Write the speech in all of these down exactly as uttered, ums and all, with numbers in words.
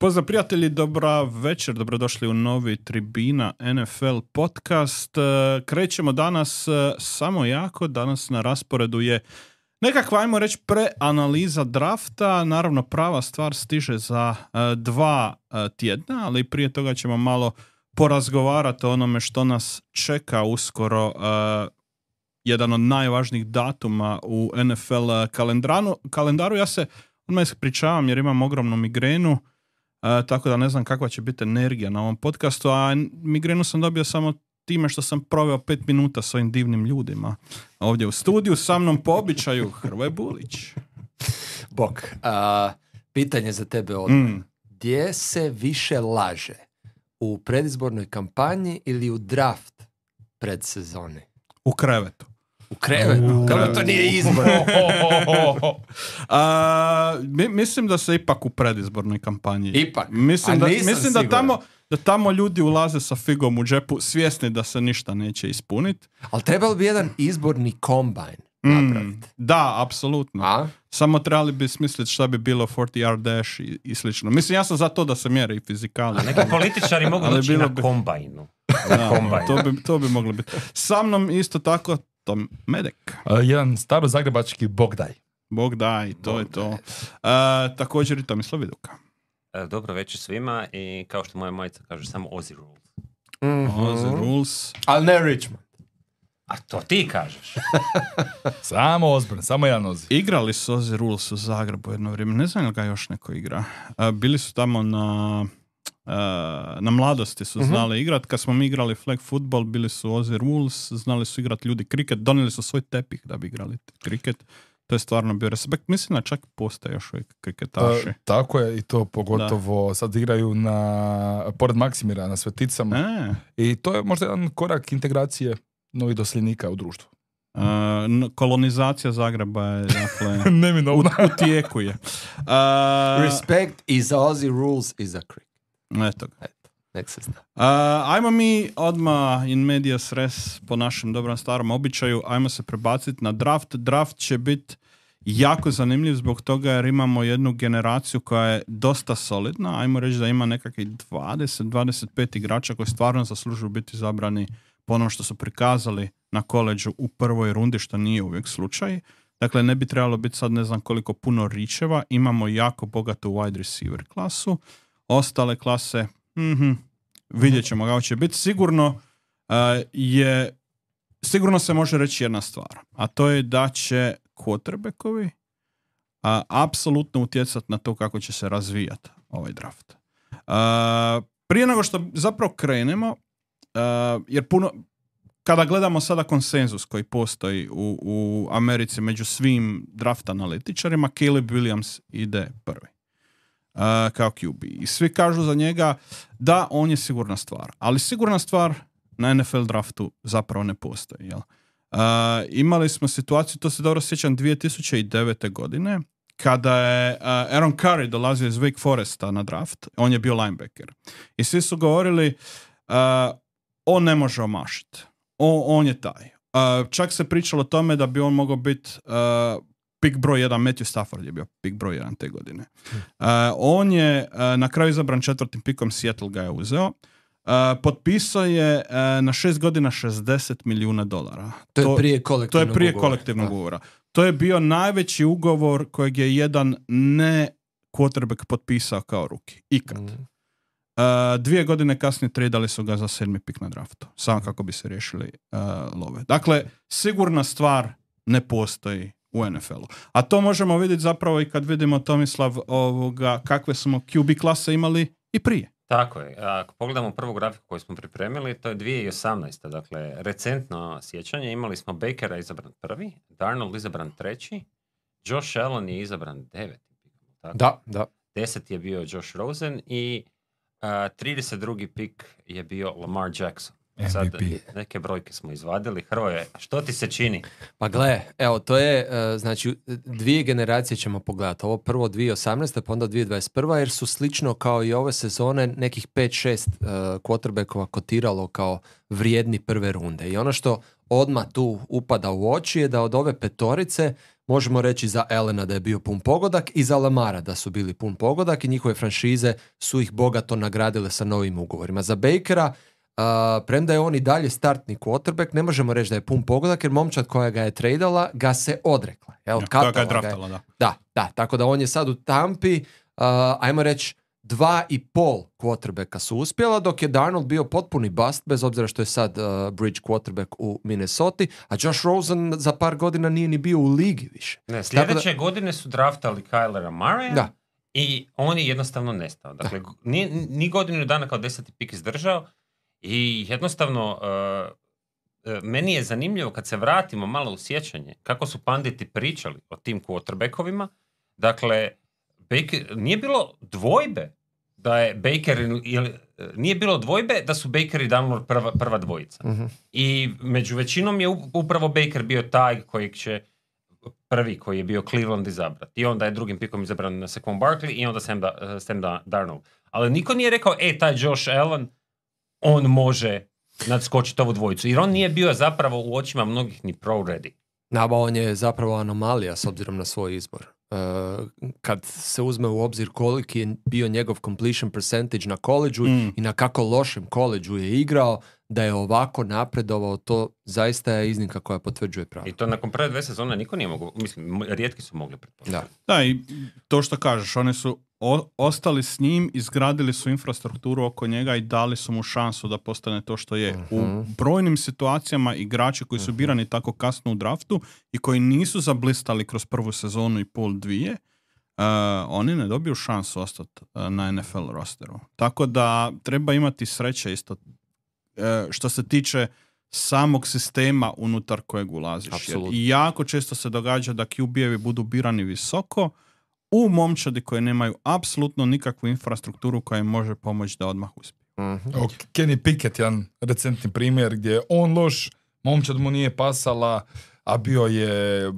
Pozdrav prijatelji, dobra večer, dobrodošli u novi Tribina N F L podcast. Krećemo danas samo jako, danas na rasporedu je nekakva, ajmo reći, preanaliza drafta. Naravno, prava stvar stiže za dva tjedna, ali prije toga ćemo malo porazgovarati o onome što nas čeka uskoro. Jedan od najvažnijih datuma u N F L kalendaru. kalendaru. Ja se odmah ispričavam jer imam ogromnu migrenu, uh, tako da ne znam kakva će biti energija na ovom podcastu, a migrenu sam dobio samo time što sam proveo pet minuta s ovim divnim ljudima ovdje u studiju. Sa mnom po običaju Hrvoje Bulić. Bok, uh, pitanje za tebe odmah. Mm. Gdje se više laže? U predizbornoj kampanji ili u draft predsezone? U krevetu. U krevetu? Kako to nije izbor? A, mi, mislim da se ipak u predizbornoj kampanji. Ipak? Mislim, da, mislim da, tamo, da tamo ljudi ulaze sa figom u džepu svjesni da se ništa neće ispuniti. Ali trebalo bi jedan izborni kombajn napraviti. Mm, da, apsolutno. A? Samo trebali bi smisliti šta bi bilo forty yard dash i, i slično. Mislim, ja sam za to da se mjere i fizikali. A neki političari mogu doći na bi... kombajnu. Da, kombajn. to, bi, to bi moglo biti. Sa mnom isto tako Tom Medek. Uh, jedan staro zagrebački Bogdaj. Bogdaj, to Bogdaj. je to. Uh, također i Tomislav Viduka. Uh, dobro večer svima i kao što moja majica kaže, samo Ozzy Rules. Mm-hmm. Ozzy Rules. Ali ne Richmond. A to ti kažeš. Samo Osborne, samo jedan Ozzy. Igrali su Ozzy Rules u Zagrebu jedno vrijeme. Ne znam li ga još neko igra. Uh, bili su tamo na... Uh, na mladosti su znali uh-huh. igrat. Kad smo mi igrali flag football, bili su Ozzy Rules, znali su igrat ljudi kriket, donijeli su svoj tepih da bi igrali kriket. To je stvarno bio respekt. Mislim da čak postoje još uvijek kriketaši. Uh, tako je, i to pogotovo da. Sad igraju na, pored Maksimira na Sveticama. E. I to je možda jedan korak integracije novih doseljenika u društvu. Uh, kolonizacija Zagreba je dakle, neminovna. U, u tijeku je. Uh, Respect is Ozzy Rules is a cricket. Eto ga. Uh, ajmo mi odmah in medias res po našem dobrom starom običaju, ajmo se prebaciti na draft. Draft će biti jako zanimljiv zbog toga jer imamo jednu generaciju koja je dosta solidna. Ajmo reći da ima nekakvih dvadeset do dvadeset pet igrača koji stvarno zaslužuju biti izabrani po onom što su prikazali na koleđu u prvoj rundi, što nije uvijek slučaj. Dakle, ne bi trebalo biti sad ne znam koliko puno ričeva. Imamo jako bogatu wide receiver klasu. Ostale klase, mm-hmm, vidjet ćemo kako će biti. Sigurno uh, je, sigurno se može reći jedna stvar, a to je da će quarterbackovi uh, apsolutno utjecati na to kako će se razvijati ovaj draft. Uh, prije nego što zapravo krenemo, uh, jer puno, kada gledamo sada konsenzus koji postoji u, u Americi među svim draft analitičarima, Caleb Williams ide prvi. Uh, kao Q B. I svi kažu za njega da on je sigurna stvar. Ali sigurna stvar na N F L draftu zapravo ne postoji. Jel? Uh, imali smo situaciju, to se dobro sjećam, dvije tisuće devete. godine, kada je uh, Aaron Curry dolazio iz Wake Foresta na draft. On je bio linebacker. I svi su govorili uh, on ne može omašiti. On, on je taj. Uh, čak se pričalo o tome da bi on mogao biti uh, pik broj jedan, Matthew Stafford je bio pik broj jedan te godine. Uh, on je uh, na kraju izabran četvrtim pikom, Seattle ga je uzeo. Uh, potpisao je uh, na šest godina šezdeset milijuna dolara. To je prije kolektivnog To je prije ugovora. kolektivnog ugovora. To je bio najveći ugovor kojeg je jedan ne quarterback potpisao kao ruki. Ikad. Mm. Uh, dvije godine kasnije tradali su ga za sedmi pik na draftu. Samo kako bi se riješili uh, love. Dakle, sigurna stvar ne postoji u N F L-u. A to možemo vidjeti zapravo i kad vidimo, Tomislav, ovoga, kakve smo Q B klase imali i prije. Tako je. Ako pogledamo prvu grafiku koju smo pripremili, to je dvije tisuće osamnaesta. Dakle, recentno sjećanje. Imali smo Bakera izabran prvi, Darnold izabran treći, Josh Allen je izabran deveti. Tako? Da, da. Deset je bio Josh Rosen i uh, trideset drugi pik je bio Lamar Jackson. Sad, neke brojke smo izvadili. Hrvoje, što ti se čini? Pa gle, evo, to je, uh, znači, dvije generacije ćemo pogledati. Ovo prvo dvije tisuće osamnaesta, pa onda dvije tisuće dvadeset prva, jer su slično kao i ove sezone nekih pet šest uh, quarterbackova kotiralo kao vrijedni prve runde. I ono što odmah tu upada u oči je da od ove petorice možemo reći za Allena da je bio pun pogodak i za Lamara da su bili pun pogodak i njihove franšize su ih bogato nagradile sa novim ugovorima. Za Bakera, uh, premda je on i dalje startni quarterback, ne možemo reći da je pun pogodak jer momčad koja ga je tradala ga se odrekla. Jel? Ja, koja ga je draftala, da. Da, da, tako da on je sad u Tampi, uh, ajmo reći, dva i pol quarterbacka su uspjela, dok je Darnold bio potpuni bust, bez obzira što je sad uh, bridge quarterback u Minnesoti, a Josh Rosen za par godina nije ni bio u ligi više. Ne, sljedeće da, godine su draftali Kylera Murraya da. I on je jednostavno nestao. Dakle, ni, ni godinu dana kao deseti pik izdržao i jednostavno uh, uh, meni je zanimljivo kad se vratimo malo u sjećanje kako su panditi pričali o tim quarterbackovima. Dakle, Baker, nije bilo dvojbe da je Baker ili, nije bilo dvojbe da su Baker i Darnold prva, prva dvojica. Uh-huh. I među većinom je upravo Baker bio taj kojeg će prvi koji je bio Cleveland izabrati. I onda je drugim pikom izabran Saquon Barkley i onda Sam, da, Sam da, Darnold. Ali niko nije rekao, e, taj Josh Allen, on može nadskočiti ovu dvojicu. Jer on nije bio zapravo u očima mnogih ni pro ready. Naba, on je zapravo anomalija s obzirom na svoj izbor. Uh, kad se uzme u obzir koliki je bio njegov completion percentage na koleđu mm. i na kako lošem koleđu je igrao, da je ovako napredovao, to zaista je iznimka koja potvrđuje pravo. I to nakon prve dve sezone niko nije mogao, mislim, rijetki su mogli pretpostaviti. Da. da, i to što kažeš, oni su o, ostali s njim, izgradili su infrastrukturu oko njega i dali su mu šansu da postane to što je. Uh-huh. U brojnim situacijama igrači koji su uh-huh. birani tako kasno u draftu i koji nisu zablistali kroz prvu sezonu i pol dvije, uh, oni ne dobiju šansu ostati uh, na N F L rosteru. Tako da treba imati sreće isto uh, što se tiče samog sistema unutar kojeg ulaziš. Jer i jako često se događa da Q B-evi budu birani visoko u momčadi koje nemaju apsolutno nikakvu infrastrukturu koja im može pomoći da odmah uspije. Mm-hmm. Kenny Pickett, jedan recentni primjer gdje je on loš, momčad mu nije pasala, a bio je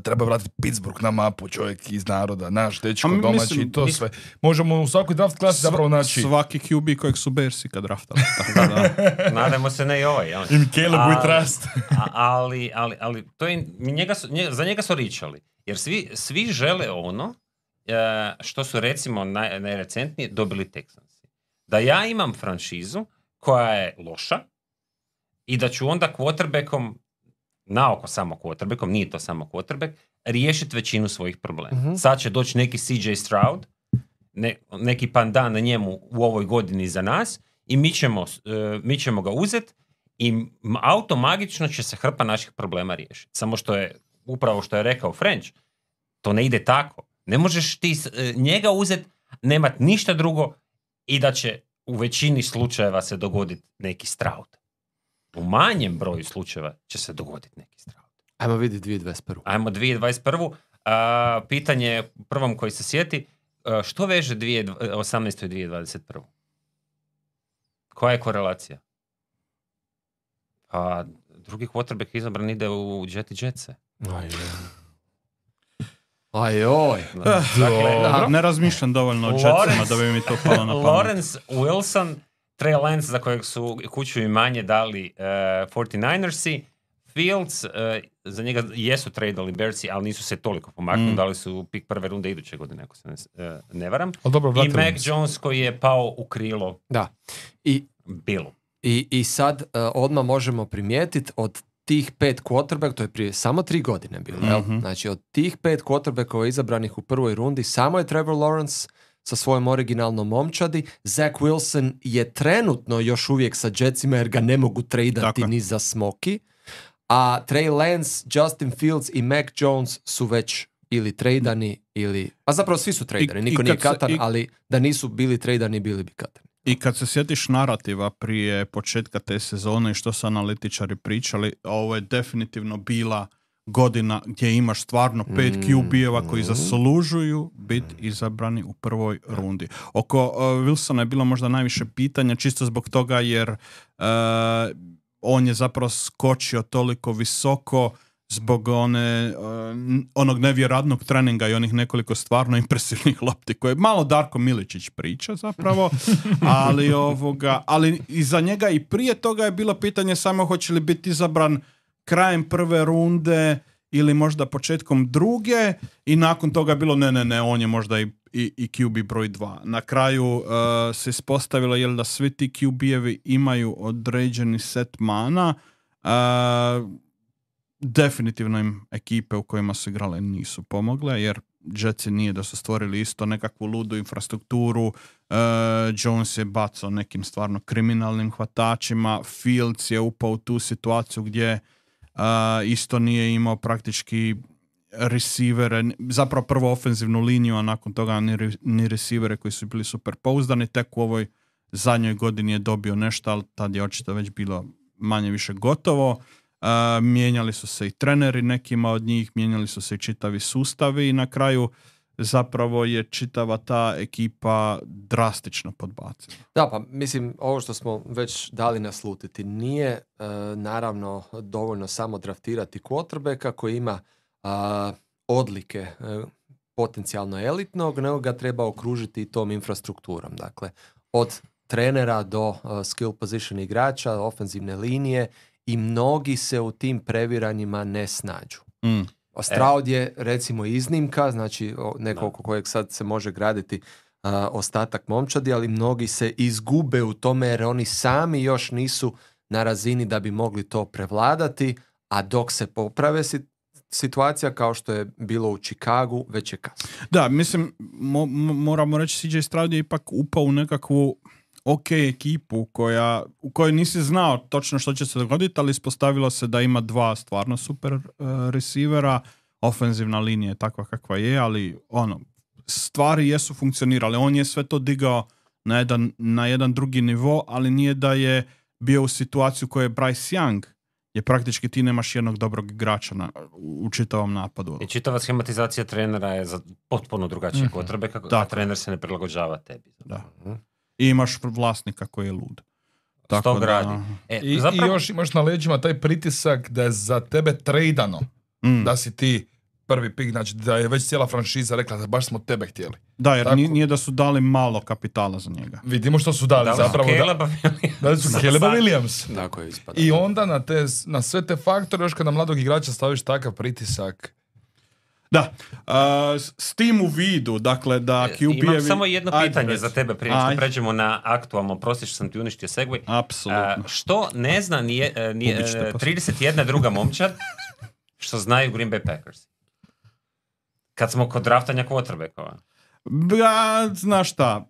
treba vratiti Pittsburgh na mapu, čovjek iz naroda, naš dečko, mi, domaći mislim, i to mislim, sve. Možemo u svakoj draft klasi zapravo naći. Svaki Q B kojeg su Bearsi kad draftali. Da, da. Nadajmo se ne i ovaj. Ja. In Caleb we trust. ali, ali, ali to je, njega su, njega, za njega su ričali. Jer svi, svi žele ono što su recimo naj, najrecentnije dobili Texansi. Da ja imam franšizu koja je loša i da ću onda quarterbackom, naoko samo quarterbackom, nije to samo quarterback, riješiti većinu svojih problema. Uh-huh. Sad će doći neki C J Stroud, ne, neki pandan na njemu u ovoj godini za nas i mi ćemo, uh, mi ćemo ga uzeti i automagično će se hrpa naših problema riješiti. Samo što je upravo što je rekao French, to ne ide tako. Ne možeš ti njega uzeti, nemat ništa drugo i da će u većini slučajeva se dogoditi neki Stroud. U manjem broju slučajeva će se dogoditi neki Stroud. Ajmo vidjeti dvije tisuće dvadeset prvu. Ajmo dvije tisuće dvadeset prvu. A, pitanje prvom koji se sjeti, a, što veže dvije tisuće osamnaestu i dvije tisuće dvadeset prvu? Koja je korelacija? Pa drugi quarterback izabran ide u Jet i Jetse. Aj, Ajoj. Dakle, da, ne razmišljam dovoljno o Jetsima da bi mi to palo na pamet. Lawrence Wilson, Trey Lance za kojeg su kuću i manje dali uh, forty-ninersi, Fields, uh, za njega jesu tradali Bearsi, ali nisu se toliko pomaknuli, mm. dali su pik prve runde iduće godine, ako se ne, uh, ne varam. Dobro, i Mac Jones koji je pao u krilo. Da. I, Bilo. I, i sad uh, odmah možemo primijetiti od tih pet quarterback, to je prije samo tri godine bilo, mm-hmm. znači od tih pet quarterbackova izabranih u prvoj rundi, samo je Trevor Lawrence sa svojom originalnom momčadi. Zach Wilson je trenutno još uvijek sa Jetsima jer ga ne mogu tradati ni za smoki, a Trey Lance, Justin Fields i Mac Jones su već ili tradani ili, a zapravo svi su tradani, niko nije katan, i... ali da nisu bili tradani, bili bi katani. I kad se sjetiš narativa prije početka te sezone i što su analitičari pričali, ovo je definitivno bila godina gdje imaš stvarno pet Q B-eva koji zaslužuju biti izabrani u prvoj rundi. Oko uh, Wilsona je bilo možda najviše pitanja, čisto zbog toga jer uh, on je zapravo skočio toliko visoko zbog one, uh, onog nevjerojatnog treninga i onih nekoliko stvarno impresivnih lopti koje malo Darko Miličić priča zapravo, ali ovoga, ali iza njega i prije toga je bilo pitanje samo hoće li biti izabran krajem prve runde ili možda početkom druge i nakon toga je bilo ne, ne, ne, on je možda i, i, i Q B broj dva. Na kraju uh, se ispostavilo jel da svi ti Q B-evi imaju određeni set mana. Uh, definitivno im ekipe u kojima su igrale nisu pomogle, jer Jetsi nije da su stvorili isto nekakvu ludu infrastrukturu. Uh, Jones je bacao nekim stvarno kriminalnim hvatačima, Fields je upao u tu situaciju gdje Uh, isto nije imao praktički receivere, zapravo prvo ofenzivnu liniju, a nakon toga ni, ni receivere koji su bili super pouzdani. Tek u ovoj zadnjoj godini je dobio nešto, ali tad je očito već bilo manje više gotovo. Uh, mijenjali su se i treneri nekima od njih, mijenjali su se i čitavi sustavi i na kraju zapravo je čitava ta ekipa drastično podbacila. Da, pa mislim, ovo što smo već dali naslutiti, nije e, naravno dovoljno samo draftirati quarterbacka koji ima a, odlike e, potencijalno elitnog, nego ga treba okružiti i tom infrastrukturom. Dakle, od trenera do uh, skill position igrača, ofenzivne linije i mnogi se u tim previranjima ne snađu. Mm. Stroud je recimo iznimka, znači neko oko kojeg sad se može graditi uh, ostatak momčadi, ali mnogi se izgube u tome jer oni sami još nisu na razini da bi mogli to prevladati, a dok se poprave si, situacija kao što je bilo u Chicagu, već je kasno. Da, mislim, mo, moramo reći C J Stroud je ipak upao u nekakvu ok ekipu koja, u kojoj nisi znao točno što će se dogoditi, ali ispostavilo se da ima dva stvarno super uh, receivera, ofenzivna linija je takva kakva je, ali ono, stvari jesu funkcionirale. On je sve to digao na jedan, na jedan drugi nivo, ali nije da je bio u situaciju koju je Bryce Young, je praktički ti nemaš jednog dobrog igrača na, u čitavom napadu. I čitava schematizacija trenera je za potpuno drugačije mm-hmm. potrebe, kako, a trener se ne prilagođava tebi. Da. Mm-hmm. I imaš vlasnika koji je lud. Tako da radi. E, I, zapravo... I još imaš na leđima taj pritisak da je za tebe trejdano, mm. da si ti prvi pik, znači da je već cijela franšiza rekla da baš smo tebe htjeli. Da, jer Tako... nije da su dali malo kapitala za njega. Vidimo što su dali, da, zapravo. Caleba da, da su Caleba Williams. Tako je ispada. I onda na, te, na sve te faktore, još kad na mladog igrača staviš takav pritisak. Da, uh, s tim u vidu, dakle da Q B-evi... Imam samo jedno pitanje Ajde, za tebe prije što pređemo na aktualno, prosti što sam ti uništio segway. Apsolutno. Uh, što ne zna nije, nije, trideset jedna druga momčad što znaju Green Bay Packers? Kad smo kod draftanja quarterbackova. Ja, znaš šta,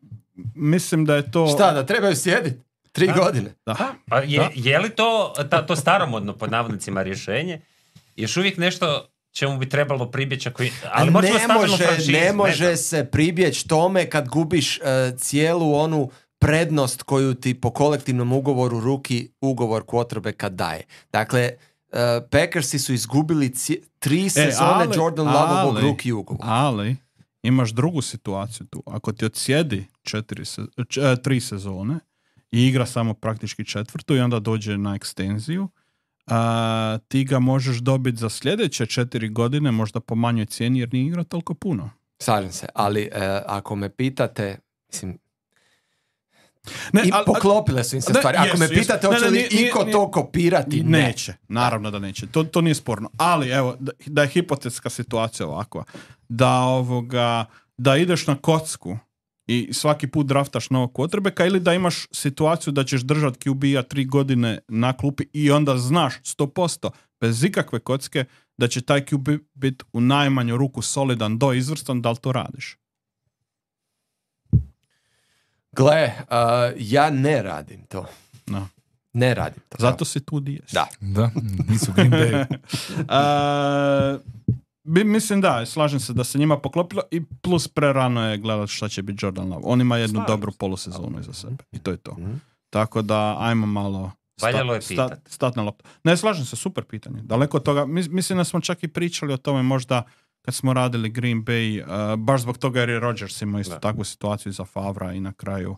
mislim da je to... Šta, da trebaju sjediti? Tri da, godine? Da. Pa je, da. je li to, ta, to staromodno pod navodnicima rješenje? Još uvijek nešto čemu bi trebalo pribjeći, ako... ali ne može, ne može ne se pribjeći tome kad gubiš uh, cijelu onu prednost koju ti po kolektivnom ugovoru ruki ugovor quarterbacka daje. Dakle, uh, Packersi su izgubili ci- tri sezone e, ali, Jordan Loveovog rookie ugovora. Ali imaš drugu situaciju tu. Ako ti odsjedi četiri se, č, tri sezone i igra samo praktički četvrtu i onda dođe na ekstenziju, a, ti ga možeš dobiti za sljedeće četiri godine, možda po manjoj cijeni jer nije igrao toliko puno. Slažem se, ali e, ako me pitate, mislim, ne, i al, poklopile su im se ne, stvari. Ako jesu, me pitate, hoće li iko to kopirati? Ne. Neće, naravno da neće. To, to nije sporno. Ali, evo, da, da je hipotetska situacija ovakva. Da, ovoga, da ideš na kocku i svaki put draftaš novog quarterbacka ili da imaš situaciju da ćeš držati Q B-a tri godine na klupi i onda znaš sto posto bez ikakve kocke da će taj Q B biti u najmanju ruku solidan do izvrstan, da li to radiš? Gle, uh, ja ne radim to. No. Ne radim to. Zato si tu di jesi. Da. Da, nisu Green Bay. uh, bi, mislim da, slažem se da se njima poklopilo i plus prerano je gledati šta će biti Jordan Love. On ima jednu Slažem. dobru polusezonu iza sebe. I to je to. Mm-hmm. Tako da, ajmo malo Valjalo je pitat. Stat, stat na loptu. Ne, slažem se, super pitanje. Daleko od toga, mislim da smo čak i pričali o tome možda kad smo radili Green Bay, uh, baš zbog toga jer je Rodgers imao isto da. takvu situaciju za Favra i na kraju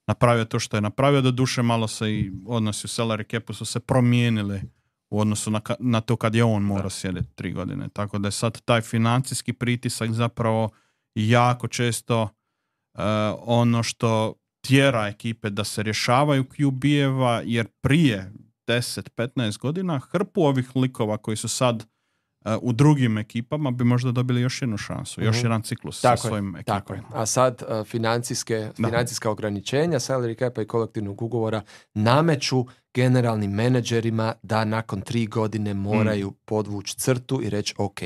napravio to što je napravio. Do duše malo se i odnosi u salary capu su se promijenili u odnosu na, na to kad je on morao sjediti tri godine. Tako da je sad taj financijski pritisak zapravo jako često uh, ono što tjera ekipe da se rješavaju Q B-eva, jer prije deset petnaest godina hrpu ovih likova koji su sad uh, u drugim ekipama bi možda dobili još jednu šansu, još jedan ciklus tako sa svojim je, ekipama. tako je. A sad uh, financijske, financijska ograničenja salary capa i kolektivnog ugovora nameću generalnim menadžerima da nakon tri godine moraju mm. podvući crtu i reći ok,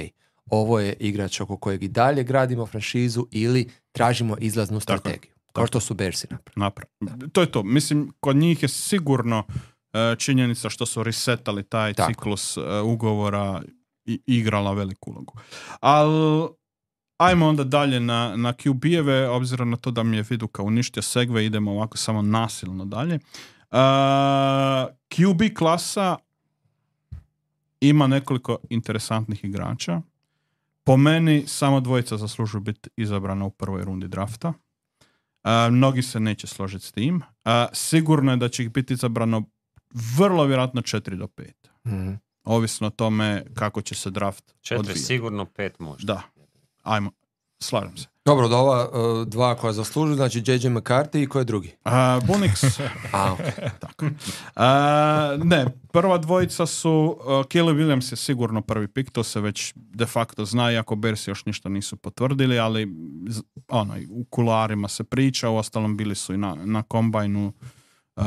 ovo je igrač oko kojeg i dalje gradimo franšizu ili tražimo izlaznu strategiju. Kao što su Bearsi napravili. To je to. Mislim, kod njih je sigurno uh, činjenica što su resetali taj tako. ciklus uh, ugovora i igrala veliku ulogu. Ali ajmo onda dalje na, na Q B-eve, obzirom na to da mi je Viduka uništio segve, idemo ovako samo nasilno dalje. Uh, Q B klasa ima nekoliko interesantnih igrača. Po meni samo dvojica zaslužuju biti izabrana u prvoj rundi drafta. Uh, mnogi se neće složiti s tim. Uh, sigurno je da će ih biti izabrano vrlo vjerojatno četiri do pet. Mm-hmm. Ovisno o tome kako će se draft četiri odvijati. Sigurno, pet možda. Da. Ajmo, slažem se. Dobro, da ova uh, dva koja zaslužuju, znači J J McCarthy i ko je drugi? Uh, Bunix. A, okay. Tako. Uh, ne, prva dvojica su, uh, Caleb Williams je sigurno prvi pik, to se već de facto zna, iako Bearsi još ništa nisu potvrdili, ali ono, u kularima se priča, u ostalom bili su i na, na kombajnu, uh,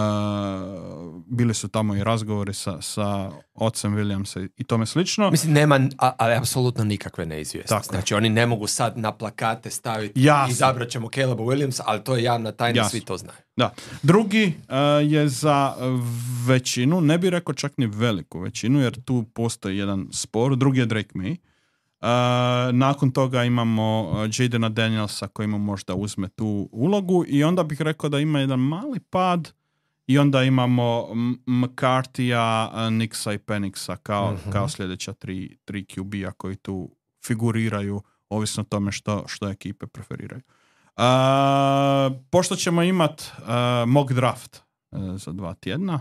bili su tamo i razgovori sa, sa ocem Williamsa i tome slično. Mislim, nema, a, ali apsolutno nikakve neizvjesnosti. Znači, oni ne mogu sad na plakate staviti i izabrat ćemo Caleba Williamsa, ali to je javna tajna, Jasno. svi to znaju. Da. Drugi uh, je za većinu, ne bih rekao čak ni veliku većinu, jer tu postoji jedan spor. Drugi je Drake May. Uh, nakon toga imamo uh, Jadena Danielsa koji mu možda uzme tu ulogu i onda bih rekao da ima jedan mali pad i onda imamo McCarthyja, Nixa i Pennixa kao, mm-hmm. kao sljedeća tri, tri Q B-a koji tu figuriraju ovisno o tome što, što ekipe preferiraju. Uh, pošto ćemo imat uh, mock draft uh, za dva tjedna,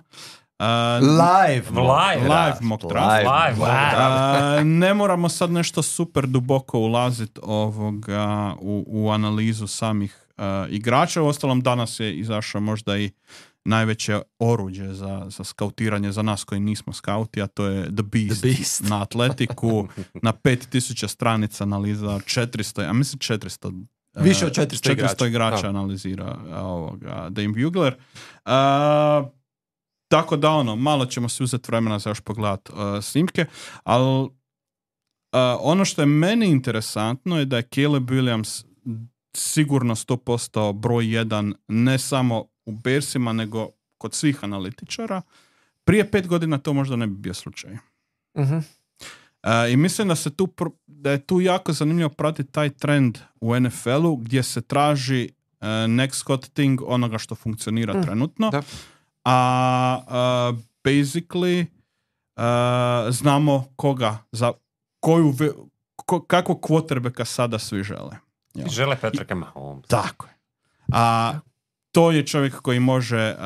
uh, live, live, live mock draft. Live, live. Uh, ne moramo sad nešto super duboko ulaziti ovoga u, u analizu samih uh, igrača. Uostalom danas je izašao možda i najveće oruđe za, za skautiranje za nas koji nismo skauti, a to je The Beast, The Beast. na Atletiku, na pet tisuća stranica analiza, četiristo, a mislim četiristo više od četiristo, četiristo igrača, igrača analizira ovoga, Dane Bugler. Uh, tako da ono, malo ćemo si uzeti vremena za još pogledat uh, snimke, ali uh, ono što je meni interesantno je da je Caleb Williams sigurno sto posto broj jedan, ne samo u Bearsima, nego kod svih analitičara. Prije pet godina to možda ne bi bio slučaj. Uh-huh. Uh, I mislim da se tu, da je tu jako zanimljivo pratiti taj trend u N F L-u gdje se traži uh, next hot thing onoga što funkcionira uh, trenutno. Da. A uh, basically uh, znamo koga, za koju, ko, kakvog quarterbacka sada svi žele. Ja. Žele Patricka Mahomesa. Tako je. A to je čovjek koji može uh,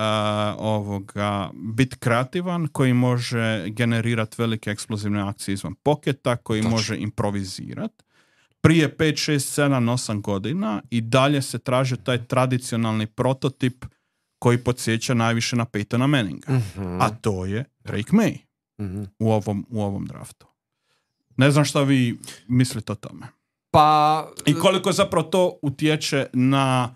ovoga biti kreativan, koji može generirati velike eksplozivne akcije izvan poketa, koji Točno. može improvizirati. Prije pet, šest, sedam, osam godina i dalje se traži taj tradicionalni prototip koji podsjeća najviše na Peytona Manninga. Mm-hmm. A to je Drake May mm-hmm. u, ovom, u ovom draftu. Ne znam šta vi mislite o tome. Pa... I koliko zapravo to utječe na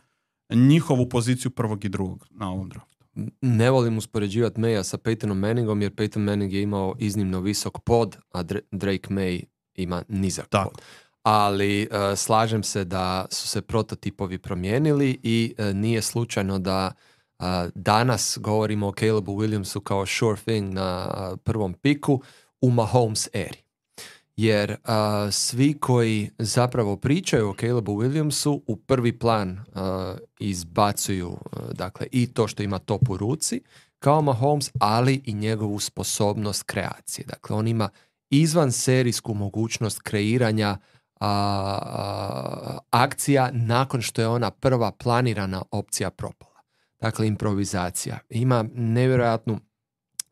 njihovu poziciju prvog i drugog na ovom draftu. Ne volim uspoređivati Maya sa Peytonom Manningom, jer Peyton Manning je imao iznimno visok pod, a Drake May ima nizak Tako. pod. Ali uh, slažem se da su se prototipovi promijenili i uh, nije slučajno da uh, danas govorimo o Calebu Williamsu kao sure thing na uh, prvom piku u Mahomes eri. Jer uh, svi koji zapravo pričaju o Calebu Williamsu u prvi plan uh, izbacuju uh, dakle i to što ima top u ruci kao Mahomes, ali i njegovu sposobnost kreacije. Dakle, on ima izvan serijsku mogućnost kreiranja uh, uh, akcija nakon što je ona prva planirana opcija propala. Dakle, improvizacija. Ima nevjerojatnu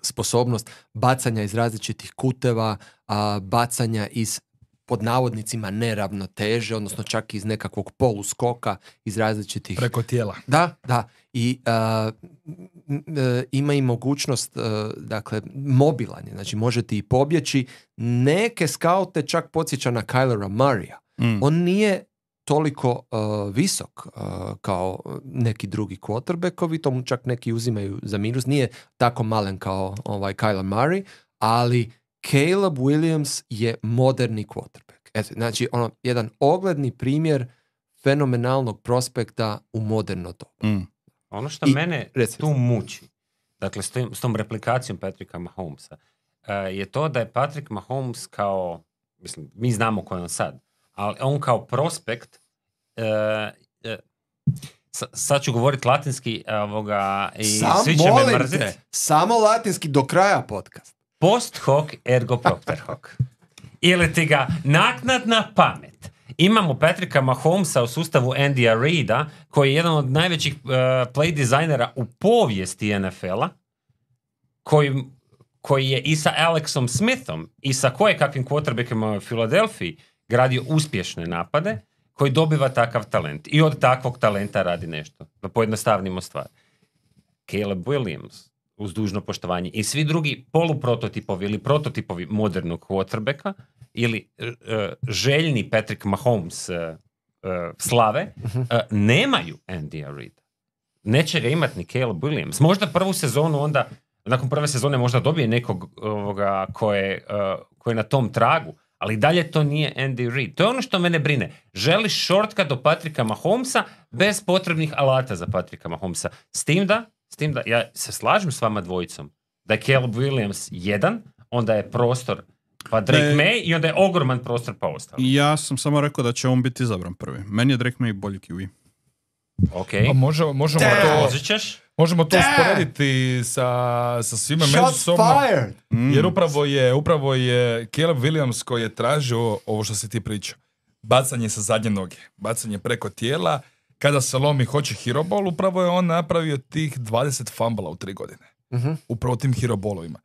sposobnost bacanja iz različitih kuteva, a, bacanja iz pod navodnicima neravnoteže, odnosno čak iz nekakvog poluskoka, iz različitih... Preko tijela. Da, da. I uh, ima i mogućnost, uh, dakle, mobilanje. Znači, možete i pobjeći. Neke skaute čak podsjeća na Kylera Murraya. Mm. On nije toliko uh, visok uh, kao neki drugi quarterbackovi, to mu čak neki uzimaju za minus. Nije tako malen kao ovaj Kyler Murray, ali Caleb Williams je moderni quarterback. Eto, znači, ono, jedan ogledni primjer fenomenalnog prospekta u moderno doba. Mm. Ono što I, mene reci, tu muči, dakle, s, tom, s tom replikacijom Patricka Mahomesa, uh, je to da je Patrick Mahomes kao, mislim, mi znamo ko je on sad, ali on kao prospekt, uh, uh, sa, sad ću govoriti latinski ovoga, i Sam, svi će me mrziti. Samo latinski do kraja podcast. Post hoc ergo propter hoc. Ili ti ga naknadna pamet. Imamo Patricka Mahomesa u sustavu Andyja Reida, koji je jedan od najvećih uh, play dizajnera u povijesti N F L-a, koji, koji je i sa Alexom Smithom i sa kojekakvim quarterbackima u Filadelfiji gradio uspješne napade, koji dobiva takav talent. I od takvog talenta radi nešto. Da pojednostavnimo stvar. Caleb Williams, uz dužno poštovanje, i svi drugi poluprototipovi ili prototipovi modernog quarterbacka ili uh, željni Patrick Mahomes uh, uh, slave, uh, nemaju Andyja Reida. Neće ga imati ni Caleb Williams. Možda prvu sezonu onda, nakon prve sezone možda dobije nekog ovoga ko je, uh, ko je na tom tragu, ali dalje to nije Andy Reid. To je ono što mene brine. Želiš shortcut do Patricka Mahomesa bez potrebnih alata za Patricka Mahomesa. S tim da S tim da ja se slažem s vama dvojicom da je Caleb Williams jedan, onda je prostor pa Drake ne, May i onda je ogroman prostor pa ostali. Ja sam samo rekao da će on biti izabran prvi. Meni je Drake May bolji Q B. Okay. Pa možemo, možemo to, možemo to usporediti sa, sa svima međusobno. Mm. Jer upravo je, upravo je Caleb Williams koji je tražio ovo što si ti pričao. Bacanje sa zadnje noge, bacanje preko tijela. Kada se lomi hoće hero ball, upravo je on napravio tih dvadeset fumbala u tri godine. Uh-huh. Upravo tim hero ballovima.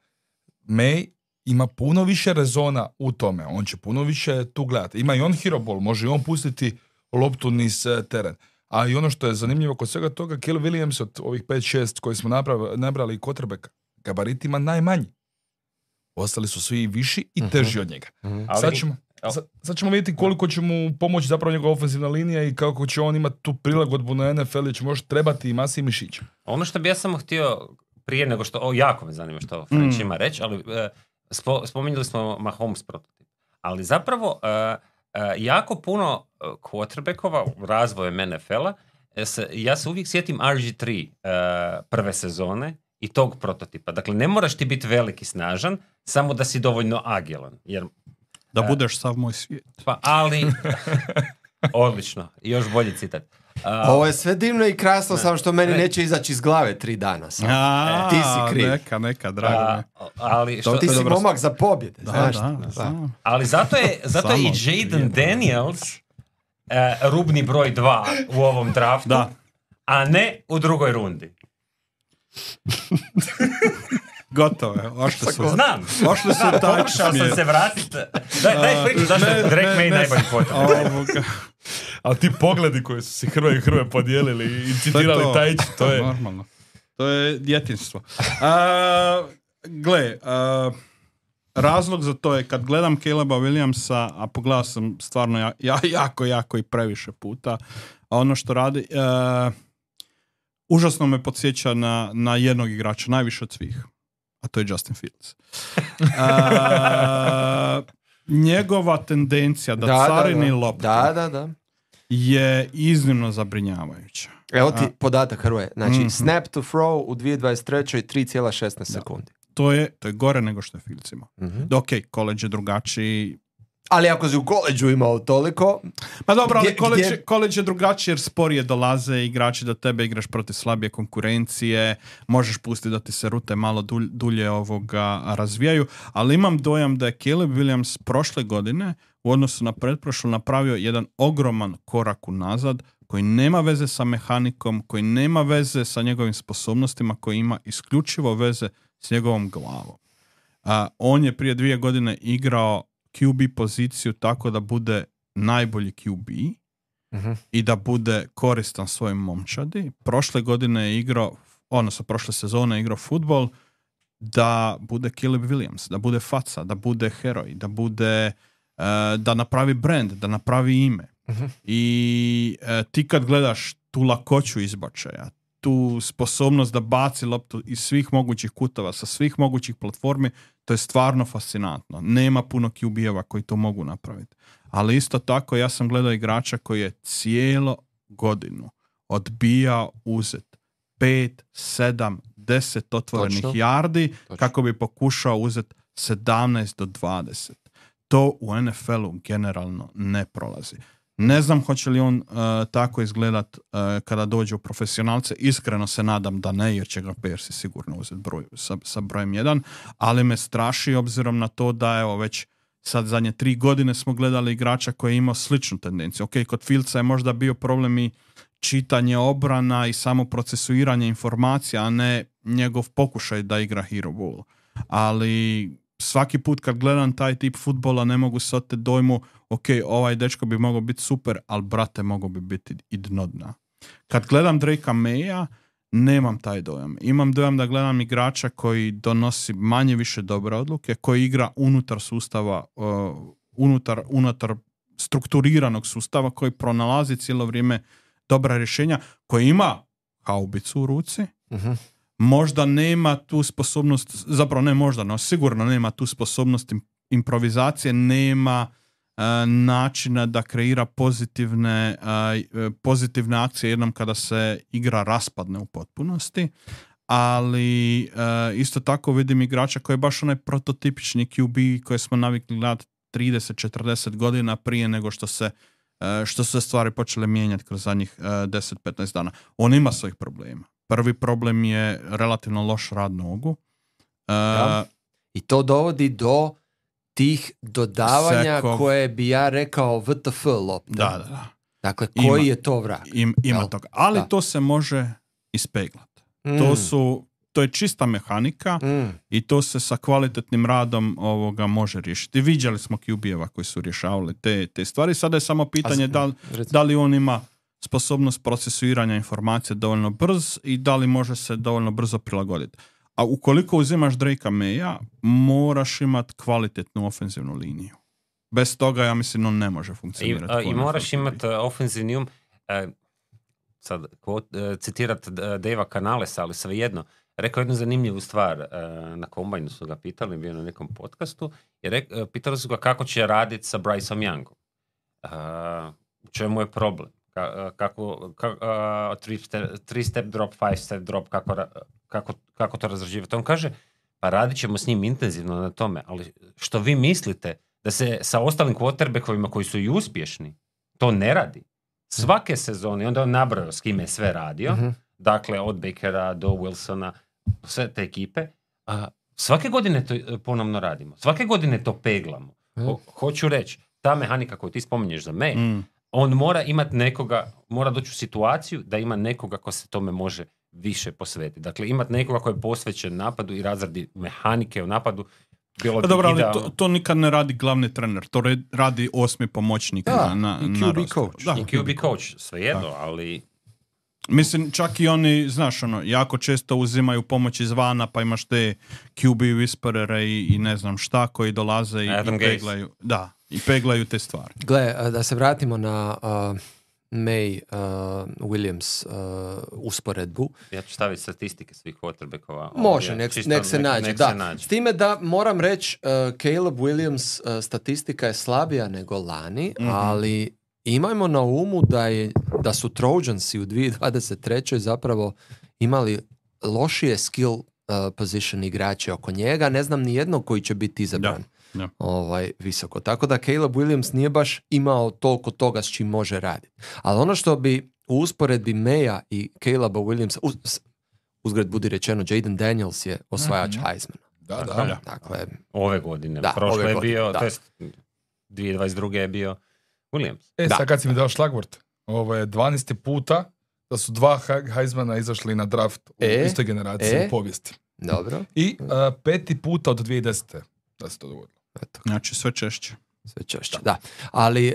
May ima puno više rezona u tome. On će puno više tu gledati. Ima i on hero ball, može i on pustiti loptu niz teren. A i ono što je zanimljivo kod svega toga, Caleb Williams od ovih pet šest koji smo napravili, nabrali quarterbacka, gabaritima najmanji. Ostali su svi viši i teži uh-huh. od njega. Uh-huh. Sad ćemo... Sad, sad ćemo vidjeti koliko će mu pomoći zapravo njegova ofenzivna linija i kako će on imati tu prilagodbu na N F L i će možda trebati i masi i mišića. Ono što bi ja samo htio prije nego što, o, jako me zanima što French mm. ima reći, ali uh, spo, spominjali smo Mahomes prototip. Ali zapravo uh, uh, jako puno quarterbackova u razvoju N F L-a, se, ja se uvijek sjetim R G tri uh, prve sezone i tog prototipa. Dakle, ne moraš ti biti veliki snažan, samo da si dovoljno agilan, jer da budeš sav moj svijet. Pa, ali... Odlično. Još bolji citat. Uh, Ovo je sve divno i krasno, ne, samo što meni ne, neće izaći iz glave tri dana. A, e, ti si kriv. Neka, neka, drago me. Ali što, ti si dobro momak za pobjede. Da, znaš, da, da, da. Ali zato je, zato je i Jaden Daniels uh, rubni broj dva u ovom draftu, da. A ne u drugoj rundi. Gotovo je, ošli su. Znam, ošli su taj pokušao sam se vratiti. Daj, daj priču zašto je Drake May najbolji potrebno. Ali ti pogledi koji su se Hrvoje i Hrvoje podijelili i citirali to, Tajić, to je... Normalno. To je djetinjstvo. Uh, gle, uh, razlog za to je kad gledam Caleba Williamsa, a pogledao sam stvarno ja, ja, jako, jako i previše puta, a ono što radi... Uh, užasno me podsjeća na, na jednog igrača, najviše od svih. A to je Justin Fields. A, njegova tendencija da, da carini da, loptu da, da, da. je iznimno zabrinjavajuća. Evo ti A, podatak, Hrvoje. Znači, mm-hmm. snap to throw u dvije tisuće dvadeset treće tri zarez šesnaest sekundi. To je, to je gore nego što je Fields imao. Mm-hmm. Ok, college je drugačiji. Ali ako si u koleđu imao toliko... Pa dobro, ali college, college je drugačije jer sporije dolaze igrači do tebe, igraš protiv slabije konkurencije, možeš pustiti da ti se rute malo dulje, dulje ovoga razvijaju, ali imam dojam da je Caleb Williams prošle godine u odnosu na pretprošlu napravio jedan ogroman korak unazad koji nema veze sa mehanikom, koji nema veze sa njegovim sposobnostima, koji ima isključivo veze s njegovom glavom. Uh, on je prije dvije godine igrao Q B poziciju tako da bude najbolji Q B uh-huh. i da bude koristan svojim momčadi. Prošle godine je igrao, odnosno prošle sezone je igrao futbol da bude Caleb Williams, da bude faca, da bude heroj, da bude uh, da napravi brand, da napravi ime. Uh-huh. I uh, ti kad gledaš tu lakoću izbačaja, tu sposobnost da baci loptu iz svih mogućih kutova, sa svih mogućih platformi, to je stvarno fascinantno. Nema puno Q B-eva koji to mogu napraviti. Ali isto tako ja sam gledao igrača koji je cijelo godinu odbijao uzet pet, sedam, deset otvorenih Točno. yardi Točno. kako bi pokušao uzeti sedamnaest do dvadeset. To u N F L-u generalno ne prolazi. Ne znam hoće li on uh, tako izgledat uh, kada dođe u profesionalce. Iskreno se nadam da ne, jer će ga Persi sigurno uzeti broj, sa, sa brojem jedan, ali me straši obzirom na to da evo već sad zadnje tri godine smo gledali igrača koji je imao sličnu tendenciju. Ok, kod Fieldsa je možda bio problem i čitanje obrana i samo procesuiranje informacija, a ne njegov pokušaj da igra hero ball. Ali svaki put kad gledam taj tip fudbala ne mogu se oteti dojmu ok, ovaj dečko bi mogao biti super, ali brate mogao bi biti i dno dna. Kad gledam Drakea Maya, nemam taj dojam. Imam dojam da gledam igrača koji donosi manje više dobre odluke, koji igra unutar sustava, uh, unutar, unutar strukturiranog sustava, koji pronalazi cijelo vrijeme dobra rješenja, koji ima haubicu u ruci, uh-huh. možda nema tu sposobnost, zapravo ne možda, no sigurno nema tu sposobnost improvizacije, nema uh, načina da kreira pozitivne, uh, pozitivne akcije jednom kada se igra raspadne u potpunosti, ali uh, isto tako vidim igrača koji je baš onaj prototipični Q B koji smo navikli gledati trideset četrdeset godina prije nego što se uh, što su se stvari počele mijenjati kroz zadnjih uh, deset petnaest dana. On ima svojih problema. Prvi problem je relativno loš rad nogu. Uh, ja. I to dovodi do tih dodavanja Sekov. koje bi ja rekao W T F lopte. Da, da, da. Dakle, koji ima, je to vrag? Im, ima Jel? toga. Ali da. to se može ispeglati. Mm. To su, to je čista mehanika mm. i to se sa kvalitetnim radom ovoga može riješiti. Viđali smo Q B-eva koji su rješavali te, te stvari. Sada je samo pitanje da, da li on ima sposobnost procesuiranja informacija dovoljno brz i da li može se dovoljno brzo prilagoditi. A ukoliko uzimaš Drakea Maya, moraš imati kvalitetnu ofenzivnu liniju. Bez toga, ja mislim, on ne može funkcionirati. I, I moraš imati ofenzivni um. Uh, sad, uh, citirat uh, Davea Canalesa, ali svejedno. Rekao jednu zanimljivu stvar. Uh, na kombajnu su ga pitali, bio na nekom podcastu. I rek, uh, pitali su ga kako će raditi sa Bryceom Youngom. Uh, u čemu je problem? Kako, kako uh, three, step, three step drop, five step drop, kako, kako, kako to razrađivati. On kaže, pa radit ćemo s njim intenzivno na tome, ali što vi mislite da se sa ostalim quarterbackovima koji su i uspješni, to ne radi. Svake sezone, onda on nabrojao s kime je sve radio, uh-huh. dakle od Bakera do Wilsona, sve te ekipe, a svake godine to ponovno radimo. Svake godine to peglamo. Ho, hoću reći, ta mehanika koju ti spominješ za me, mm. on mora imati nekoga, mora doći u situaciju da ima nekoga ko se tome može više posvetiti. Dakle, imati nekoga koji je posvećen napadu i razradi mehanike u napadu. Bilo bi dobro, ali to, to nikad ne radi glavni trener, to radi osmi pomoćnik da, na, na, i Q B coach. Da, i Q B coach, svejedno, ali... Mislim, čak i oni, znaš, ono, jako često uzimaju pomoć izvana, pa imaš te Q B whisperere i, i ne znam šta, koji dolaze i, i peglaju. Da, i peglaju te stvari. Gle, da se vratimo na uh, May uh, Williams uh, usporedbu. Ja ću staviti statistike svih quarterbackova. Može, nek, nek se nađe. Nek da. Se nađe. S time da moram reći, uh, Caleb Williams uh, statistika je slabija nego lani, mm-hmm. ali imajmo na umu da, je, da su Trojansi u dvije tisuće dvadeset trećoj zapravo imali lošije skill uh, position igrače oko njega. Ne znam ni jednog koji će biti izabran da, da. Ovaj, visoko. Tako da Caleb Williams nije baš imao toliko toga s čim može raditi. Ali ono što bi u usporedbi Maya i Caleba Williamsa, uz, uzgled budi rečeno, Jaden Daniels je osvajač mm-hmm. Heismana. Da, da, da. Dakle, ove godine. Da, Prošle ove je godine, bio, da. to jest dvije tisuće dvadeset druge je bio Williams. E, sad kad si mi dao šlagvort, ovo je dvanaesti puta da su dva Heismana izašli na draft u e, istoj generaciji e, u povijesti. Dobro. I uh, peti puta od dvije tisuće desete da se to dogodilo. Eto. Znači sve češće. Sve češće, da. Ali uh,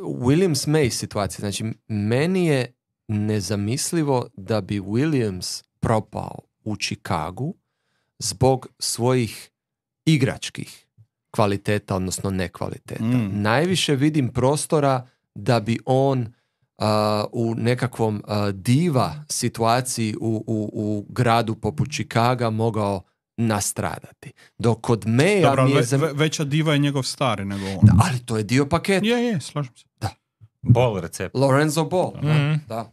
Williams May situacija, znači meni je nezamislivo da bi Williams propao u Chicagu zbog svojih igračkih kvaliteta, odnosno nekvaliteta. Mm. Najviše vidim prostora da bi on uh, u nekakvom uh, diva situaciji u, u, u gradu poput Chicaga mogao nastradati. Dok kod Maya... Dobro, mi je ve, zam... veća diva je njegov stari nego on. Da, ali to je dio paketa. Je, je, slažem se. Da. Ball recept. Lorenzo Ball. Mm-hmm. Da.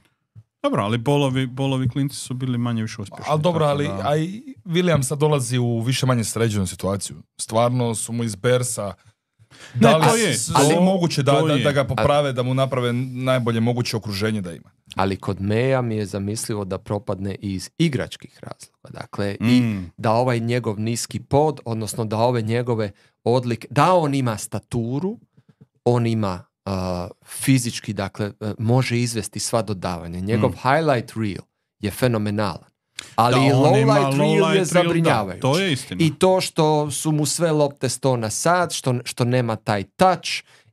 Dobro, ali bolovi, bolovi klinci su bili manje više uspješni. Ali dobro, ali da... a i Williams sad dolazi u više manje sređenu situaciju. Stvarno su mu iz Bersa da li to je, s- ali- ali moguće da, to da, je. da ga poprave, da mu naprave najbolje moguće okruženje da ima. Ali kod Maya mi je zamislivo da propadne iz igračkih razloga. Dakle, i Mm. da ovaj njegov niski pod, odnosno da ove njegove odlike, da on ima staturu, on ima uh, fizički, dakle, uh, može izvesti sva dodavanja. Njegov Mm. highlight reel je fenomenalan. Ali Da, i on ima lowlight reel lowlight je reel, zabrinjavajući. da, to je istina. I to što su mu sve lopte sto na sat, što, što nema taj touch,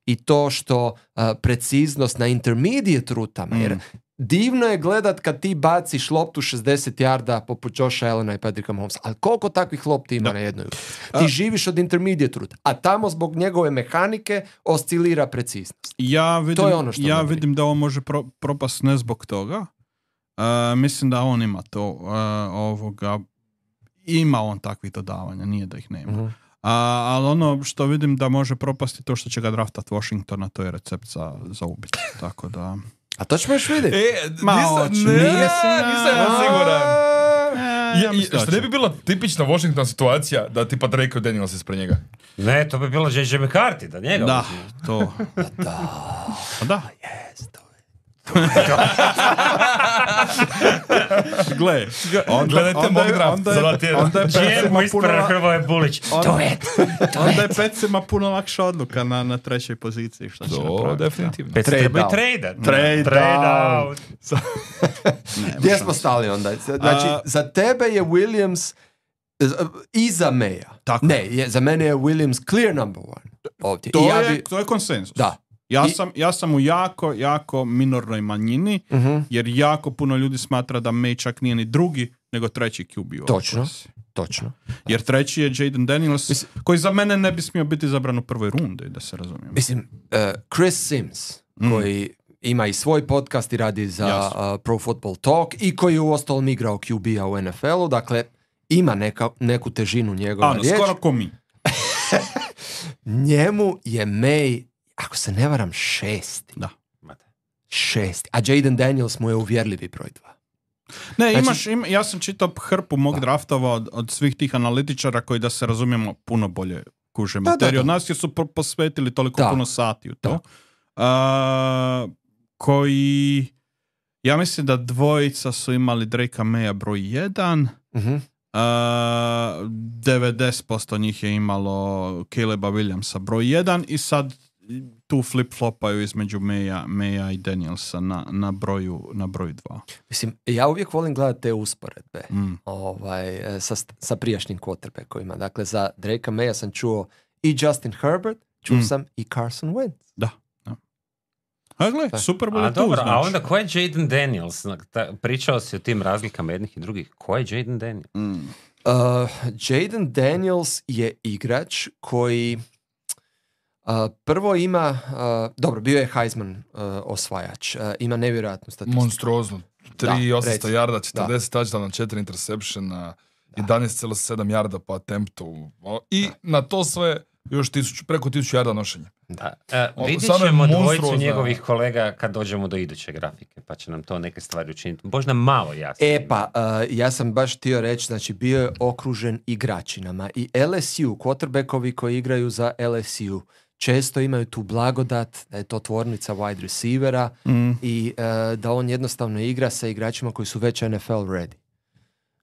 i to što uh, preciznost na intermediate rutama, Mm. jer divno je gledat kad ti baciš loptu šezdeset yarda poput Josha Allena i Patricka Mahomesa, ali koliko takvih lopti ima Da. na jednoj utakmici? Ti živiš od intermediate ruta, a tamo zbog njegove mehanike oscilira preciznost. Ja vidim, To je ono što ja me brine. vidim da on može pro, propast ne zbog toga. Uh, mislim da on ima to uh, ovoga, ima on takvih dodavanja, nije da ih nema. Mhm. Uh, ali ono što vidim da može propasti to što će ga draftat Washingtona, to je recept za, za ubit. Tako da... A to ćemo još vidjeti. E, Ma, nisam, hoću, ne, nisam, nisam ja siguran. E, Je, ja mislim da što ne će. bi bila tipična Washington situacija da tipa Drake Daniels ispred njega? Ne, to bi bilo J J McCarthy, da njega Da, uzme. to. Da, Pa da. jest, to je. Gle, onda, Gledajte onda, mog je- draft onda, za dva je- tjedna. onda je G M pecima ispred puno, Hrvoje Bulić. onda, To je. onda je pecima puno lakša odluka na, na trećoj poziciji. Šta će To napraviti. definitivno. Pet Trade treba i down. trade. Trade Trade down. out. Gdje smo stali onda? Znači, A- za tebe je Williams z- iza Maya. Tako. Ne, je, za mene je Williams clear number one. Ovdje. To, I ja je, bi- to je konsenzus. Da. Ja, I- sam, ja sam u jako, jako minornoj manjini, Mhm. jer jako puno ljudi smatra da May čak nije ni drugi, nego treći Q B. u ovoj Točno. klasi. Točno. Jer treći je Jaden Daniels, Mislim- koji za mene ne bi smio biti zabran u prvoj rundi, da se razumijemo. Mislim, uh, Chris Sims, Mm. koji ima i svoj podcast i radi za Jasno. uh, Pro Football Talk i koji je uostalom igrao Q B-a u N F L-u, dakle, ima neka, neku težinu njegova Ano, riječ. skoro ko mi. Njemu je May, ako se ne varam, šesti. Da. Mate. Šesti. A Jaden Daniels mu je uvjerljivi broj dva. Ne, Znači- imaš, ima, ja sam čitao hrpu mog draftova od, od svih tih analitičara koji, da se razumijemo, puno bolje kuže da, materiju da. od nas, jer su po- posvetili toliko Da. puno sati u to. A, koji, ja mislim da dvojica su imali Drakea Maya broj jedan, Mhm. a, devedeset posto njih je imalo Caleba Williamsa broj jedan i sad tu flip-flopaju između Maya, Maya i Danielsa na, na broju na broju dva. Mislim, ja uvijek volim gledati te usporedbe Mm. ovaj, e, sa, sa prijašnjim quarterbackovima. Dakle, za Drakea Maya sam čuo i Justin Herbert, čuo Mm. sam i Carson Wentz. Da. da. A gle, Super Bowl A je tu, dobro, a znači. onda ko je Jaden Daniels? Ta- Pričao si o tim razlikama jednih i drugih. Ko je Jaden Daniels? Mm. Uh, Jaden Daniels je igrač koji uh, prvo ima, uh, dobro, bio je Heisman uh, osvajač, uh, ima nevjerojatnu statistiku. Monstruozno. tri Da, osamsto reci. yarda, četrdeset touchdowna, četiri interceptiona, jedanaest zarez sedam yarda po attemptu. O, I na to sve još tisuću, preko tisuću yarda nošenja. Da. E, O, vidjet samo je ćemo dvojicu monstruozna. njegovih kolega kad dođemo do iduće grafike, pa će nam to neke stvari učiniti. Možda malo jasnije. E pa, uh, ja sam baš htio reći, znači bio je okružen igračinama i L S U, quarterbackovi koji igraju za L S U, često imaju tu blagodat da je to tvornica wide receivera Mm. i uh, da on jednostavno igra sa igračima koji su već N F L ready.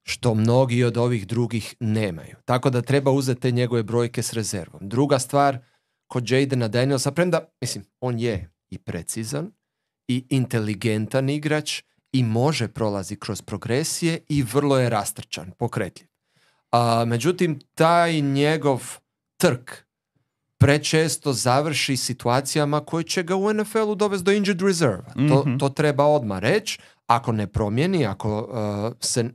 Što mnogi od ovih drugih nemaju. Tako da treba uzeti te njegove brojke s rezervom. Druga stvar, kod Jadena Danielsa, premda, mislim, on je i precizan i inteligentan igrač i može prolazi kroz progresije i vrlo je rastrčan, pokretljiv. A, međutim, taj njegov trk prečesto završi situacijama koje će ga u N F L-u dovesti do injured reserve. Mm-hmm. To, to treba odmah reći. Ako ne promijeni, ako uh, se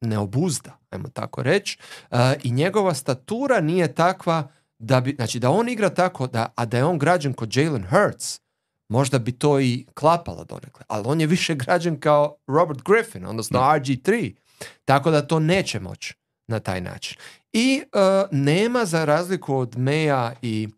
ne obuzda, ajmo tako reći, uh, i njegova statura nije takva da bi, znači da on igra tako, da, a da je on građen kod Jalen Hurts, možda bi to i klapalo donekle, ali on je više građen kao Robert Griffin, odnosno no. R G tri, tako da to neće moći na taj način. I uh, nema, za razliku od Maya i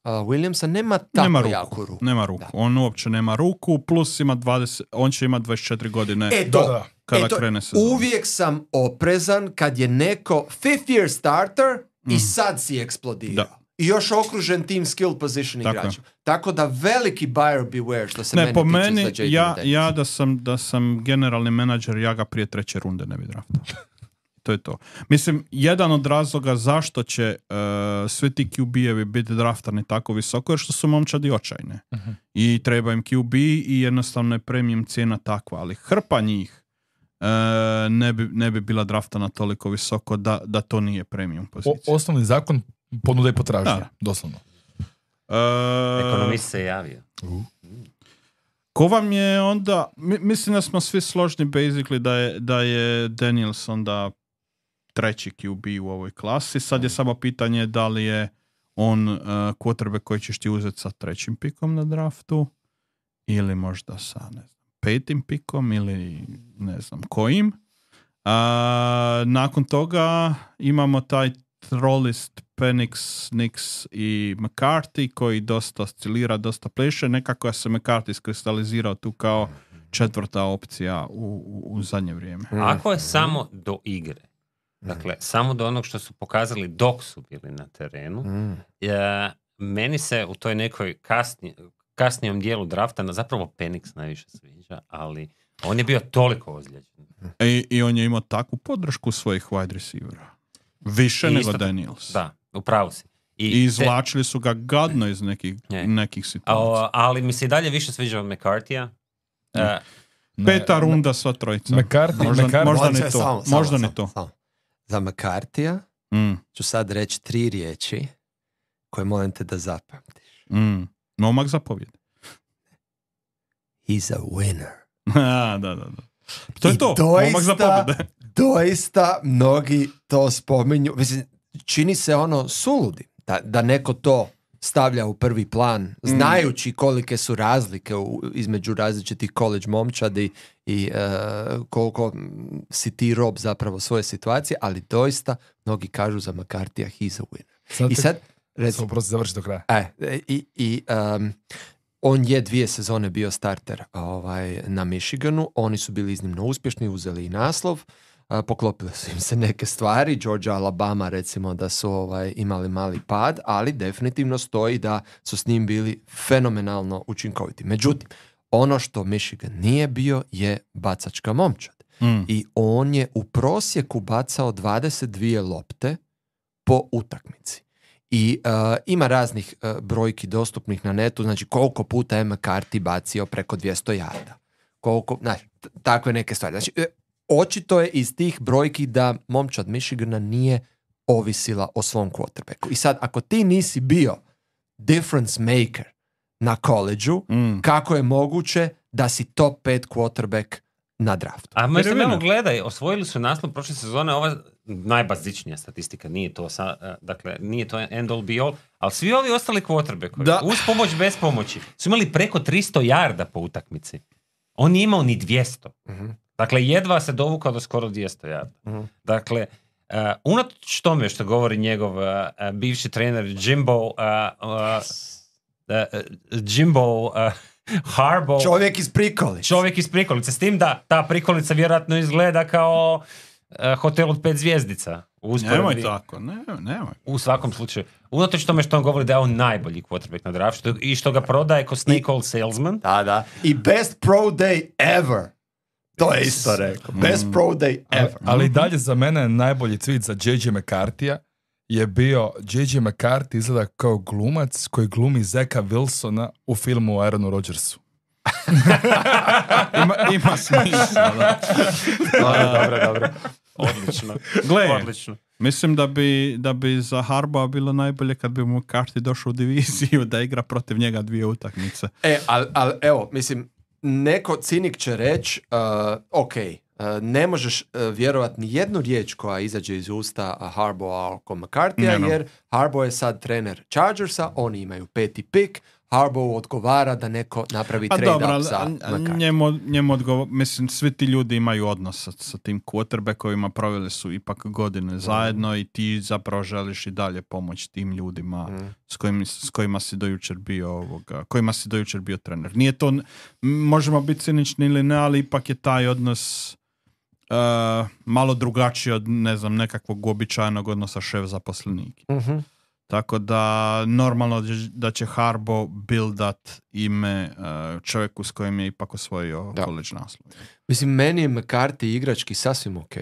uh, Williamsa, nema tako nema ruku, jaku ruku. Nema ruku. Da. On uopće nema ruku, plus ima dvadeset, on će imati dvadeset četiri godine. E to, da, kada e to, krene sezon. Uvijek sam oprezan kad je neko fifth year starter mm. i sad si eksplodirao. Da. I još okružen tim skill position igračima. Tako da veliki buyer beware što se ne, meni po tiče meni, za J J ja, ja da sam, da sam generalni menadžer, ja ga prije treće runde ne bi draftao. To je to. Mislim, jedan od razloga zašto će uh, svi ti Q B-evi biti draftani tako visoko je što su momčadi očajne. Uh-huh. I treba im Q B i jednostavno je premium cijena takva. Ali hrpa njih uh, ne, bi, ne bi bila draftana toliko visoko da, da to nije premium pozicija. O, osnovni zakon ponude i potražnje, doslovno. Uh, Ekonomist se javio. Uh. Ko vam je onda, mi, mislim da smo svi složni basically da je, da je Daniels onda treći Q B u ovoj klasi. Sad je samo pitanje da li je on uh, quarterback koji ćeš ti uzeti sa trećim pikom na draftu ili možda sa ne znam, petim pikom ili ne znam kojim. Uh, nakon toga imamo taj trolist Penix, Nix i McCarthy koji dosta oscilira, dosta pleše. Nekako se McCarthy iskristalizirao tu kao četvrta opcija u, u, u zadnje vrijeme. Ako je samo do igre, dakle, samo do onog što su pokazali dok su bili na terenu, mm. je, meni se u toj nekoj kasni, kasnijom dijelu drafta na zapravo Penix najviše sviđa, ali on je bio toliko ozlijeđen. I, i on je imao takvu podršku svojih wide receivera. Više I nego isto, Daniels. Da, upravo si. I, I izvlačili te... su ga gadno iz nekih, nekih situacija. A, ali mi se i dalje više sviđa od McCarthyja. Uh, Peta runda sva trojica. McCarthy, možda, McCarthy. možda ni to. Samo, možda samo, ni to. Samo. Za McCarthyja mm. ću sad reći tri riječi koje molim te da zapamtiš. Mm. Momak zapovjede. He's a winner. A, da, da, da. To je I to. Doista, Momak zapovjede. Doista mnogi to spominju. Mislim, čini se ono suludi da, da neko to stavlja u prvi plan, znajući kolike su razlike u, između različitih college momčadi i uh, koliko si ti rob zapravo svoje situacije, ali doista mnogi kažu za McCarthyja he's a winner. Sad I sad, recimo, prosti završi do kraja. E, i, i um, on je dvije sezone bio starter ovaj, na Michiganu, oni su bili iznimno uspješni, uzeli i naslov, uh, poklopile su im se neke stvari, Georgia, Alabama recimo da su ovaj, imali mali pad, ali definitivno stoji da su s njim bili fenomenalno učinkoviti. Međutim, ono što Michigan nije bio je bacačka momčad. Mm. I on je u prosjeku bacao dvadeset dvije lopte po utakmici. I uh, ima raznih uh, brojki dostupnih na netu, znači koliko puta je McCarthy bacio preko dvjesto jarda. Koliko, znači, t- takve neke stvari. Znači, e, očito je iz tih brojki da momčad Michigana nije ovisila o svom quarterbacku. I sad, ako ti nisi bio difference maker na koleđu, mm. kako je moguće da si top pet quarterback na draftu? A mislim, evo gledaj, osvojili su naslov prošle sezone, ova najbazičnija statistika, nije to, sa, dakle, nije to end all be all, ali svi ovi ostali quarterbackovi, uz pomoć, bez pomoći, su imali preko tristo jarda po utakmici. On nije imao ni dvjesto. Uh-huh. Dakle, jedva se dovukao do skoro dvjesto jarda. Uh-huh. Dakle, uh, unatoč tome što govori njegov uh, bivši trener Jimbo uh, uh, uh, Jimbo uh, Harbaugh, čovjek iz prikolice. Čovjek iz prikolice. S tim da ta prikolica vjerojatno izgleda kao uh, hotel od pet zvjezdica. Nemoj tako, ne, nemoj. U svakom slučaju. Unatoč tome što on govori da je on najbolji quarterback na draftu i što ga prodaje ko snake oil salesman. Da, da. I best pro day ever. To je isto rekao. Best mm. pro day ever. Ali, ali dalje za mene najbolji tweet za J J McCarthyja je bio J J McCarthy izgleda kao glumac koji glumi Zeka Wilsona u filmu o Aaronu Rodgersu. ima, ima smisla, da. Dobro, dobro, dobro. Odlično. Gle, Odlično. Mislim da bi, da bi za Harbaugha bilo najbolje kad bi McCarthy došao u diviziju da igra protiv njega dvije utakmice. E, ali al, evo, mislim, neko cinik će reći, uh, ok, uh, ne možeš uh, vjerovat ni jednu riječ koja izađe iz usta Harbaugha oko McCarthyja, jer Harbaugh je sad trener Chargersa, oni imaju peti pik, Harbaugh odgovara da neko napravi trade-up za McCarthy. Njemu, njemu odgovor, mislim, svi ti ljudi imaju odnos sa, sa tim quarterbackovima, proveli su ipak godine mm. zajedno i ti zapravo želiš i dalje pomoći tim ljudima mm. s, kojim, s kojima si dojučer bio ovoga, kojima si dojučer bio trener. Nije to, možemo biti cinični ili ne, ali ipak je taj odnos uh, malo drugačiji od, ne znam, nekakvog uobičajenog odnosa šef-zaposlenik. Mm-hmm. Tako da normalno da će Harbaugh buildat ime uh, čovjeku s kojim je ipak osvojio college naslov. Mislim, meni je McCarthy igrački sasvim ok.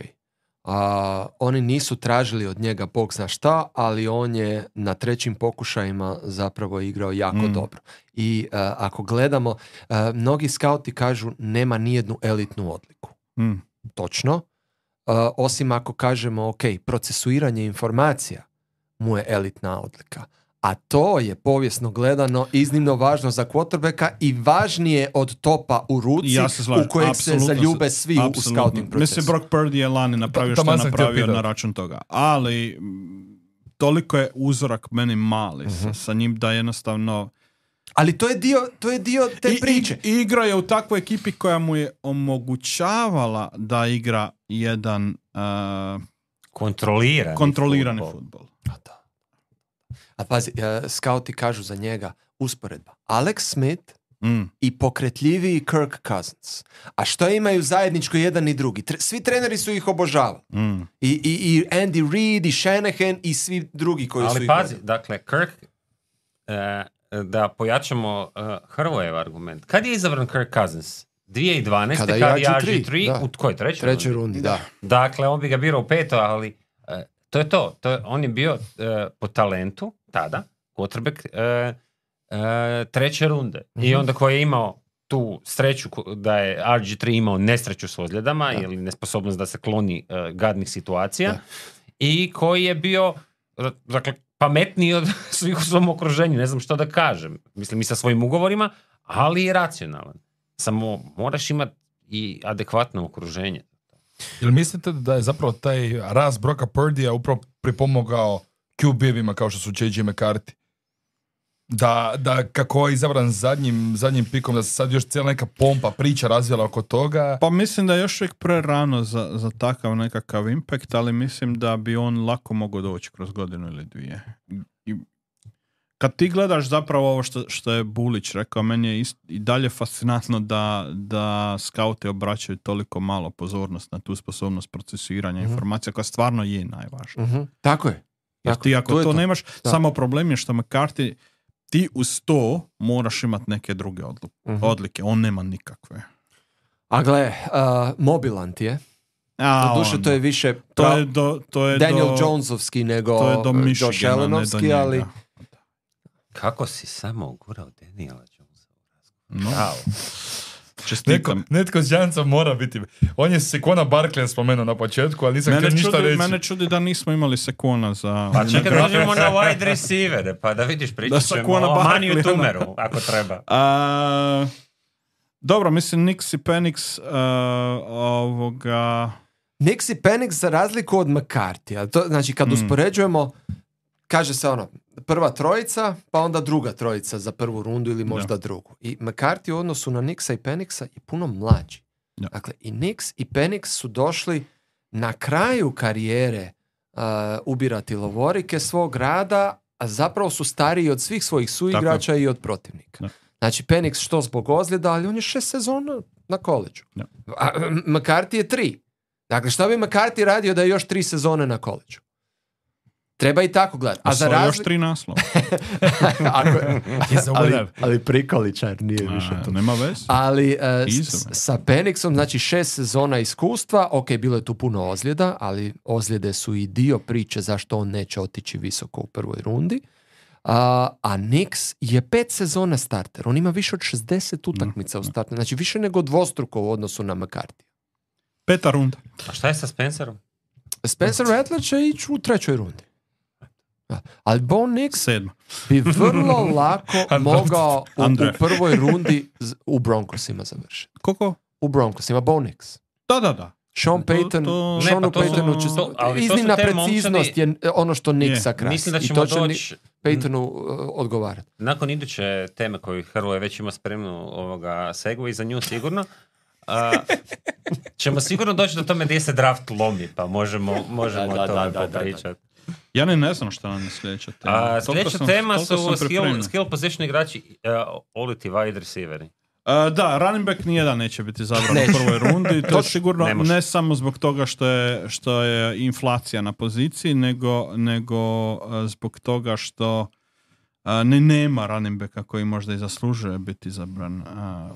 Uh, oni nisu tražili od njega bog zna šta, ali on je na trećim pokušajima zapravo igrao jako mm. dobro. I uh, ako gledamo, uh, mnogi skauti kažu nema nijednu elitnu odliku. Mm. Točno. Uh, osim ako kažemo ok, procesuiranje informacija mu je elitna odlika. A to je povijesno gledano iznimno važno za quarterbacka i važnije od topa u ruci ja u kojeg se zaljube svi apsolutno. u scouting procesu. Mislim, Brock Purdy je lani napravio što je napravio na račun toga. Ali toliko je uzorak meni mali uh-huh. sa, sa njim da jednostavno... Ali to je dio, to je dio te I, priče. I, igra je u takvoj ekipi koja mu je omogućavala da igra jedan uh, kontrolirani, kontrolirani futbol. futbol. A da. A pazi, uh, skauti kažu za njega usporedba. Alex Smith mm. i pokretljiviji Kirk Cousins. A što imaju zajedničko jedan i drugi? Tre- svi treneri su ih obožavali. Mm. I, i, I Andy Reid, i Shanahan, i svi drugi koji Ali su ih pazi, gledali. dakle, Kirk, uh, da pojačamo uh, Hrvojev argument. Kad je izabran Kirk Cousins? dvije tisuće dvanaeste Kada kad je je R R G tri, da. u kojoj trećoj Trećoj rundi? rundi, da. Dakle, on bi ga birao u peto, ali uh, to je to. to je, on je bio uh, po talentu, tada, quarterback uh, uh, treće runde. Mm-hmm. I onda koji je imao tu sreću da je R G tri imao nesreću s ozljedama da. Ili nesposobnost da se kloni uh, gadnih situacija da. I koji je bio dakle, pametniji od svih u svom okruženju, ne znam što da kažem. Mislim i sa svojim ugovorima, ali i racionalan. Samo moraš imati i adekvatno okruženje. Jel mislite da je zapravo taj rast Brocka Purdyja upravo pripomogao Q B-evima kao što su J J McCarthy? Da, da kako je izabran zadnjim, zadnjim pikom, da se sad još cijela neka pompa, priča razvijela oko toga? Pa mislim da je još uvijek prerano za, za takav nekakav impact, ali mislim da bi on lako mogao doći kroz godinu ili dvije. I, kad ti gledaš zapravo ovo što, što je Bulić rekao, meni je ist, i dalje fascinantno da, da skauti obraćaju toliko malo pozornost na tu sposobnost procesuiranja mm-hmm. informacija koja stvarno je najvažnija. Mm-hmm. Tako je. Jer Tako, ti ako to, to nemaš, da. samo problem je što McCarthy, ti uz to moraš imati neke druge odlu, mm-hmm. odlike. On nema nikakve. A gle, uh, mobilant je. A, do duše on, to je više to je do, to je Daniel do, Jonesovski nego to je do Michigana, Josh Allenovski, ali... Kako si samo ugurao Daniela Jonesa? No. Netko, netko s Jancom mora biti. On je Sekona Barkleya spomenuo na početku, ali nisam htio ništa reći. Mene čudi da nismo imali Sekona za... Pa čekaj, dođemo na wide receivere, pa da vidiš, pričat ćemo o Maniju Tumeru, ako treba. A, dobro, mislim, Nix i Penix uh, ovoga... Nix i Penix za razliku od McCarthyja. To, znači, kad mm. uspoređujemo, kaže se ono, prva trojica, pa onda druga trojica za prvu rundu ili možda ja. drugu. I McCarthy u odnosu na Nixa i Penixa je puno mlađi. Ja. Dakle, i Nix i Penix su došli na kraju karijere uh, ubirati lovorike svog rada, a zapravo su stariji od svih svojih suigrača i od protivnika. Ja. Znači, Penix što zbog ozljeda, ali on je šest sezona na koleđu. Ja. A McCarthy je tri. Dakle, što bi McCarthy radio da je još tri sezone na koleđu? Treba i tako gledati. A za razli... još tri naslova. Ako... ali, ali prikoličar nije A, više to. Nema veze. Ali uh, s, sa Penixom, znači šest sezona iskustva, ok, bilo je tu puno ozljeda, ali ozljede su i dio priče zašto on neće otići visoko u prvoj rundi. Uh, a Nix je pet sezona starter. On ima više od šezdeset utakmica mm. u startu. Znači više nego dvostruko u odnosu na McCarthy. Peta runda. A šta je sa Spencerom? Spencer Rattler će ići u trećoj rundi. Ali Bo Nix Sedma. bi vrlo lako mogao u, u prvoj rundi u Broncosima završiti. Koliko? U Broncosima, Bo Nix. Da, da, da. Sean Payton, to, to, Seanu Paytonu će... Iznimna preciznost je ono što Nixa krasi. Mislim da ćemo I to će doći... Paytonu uh, odgovarati. Nakon iduće teme koju Hrvoje već ima spremnu ovoga segway za nju sigurno, uh, ćemo sigurno doći do tome gdje se draft lomi, pa možemo, možemo da, o tome da, da, popričati. Ja ne, ne znam šta nam je sljedeća tema. A, sljedeća sam, tema su skill, skill position igrači, uh, oliti wide receiveri. Uh, da, running back nijedan neće biti zabran u prvoj rundi. To je sigurno ne, ne samo zbog toga što je, što je inflacija na poziciji, nego, nego uh, zbog toga što uh, ne nema running backa koji možda i zaslužuje biti zabran uh,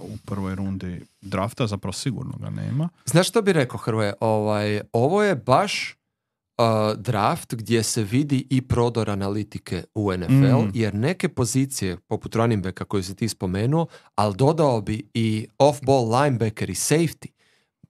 u prvoj rundi drafta. Zapravo sigurno ga nema. Znaš što bi rekao, Hrvoje? Ovaj, ovo je baš Uh, draft gdje se vidi i prodor analitike u N F L, mm. jer neke pozicije, poput running backa koju si ti spomenuo, ali dodao bi i off-ball linebacker i safety,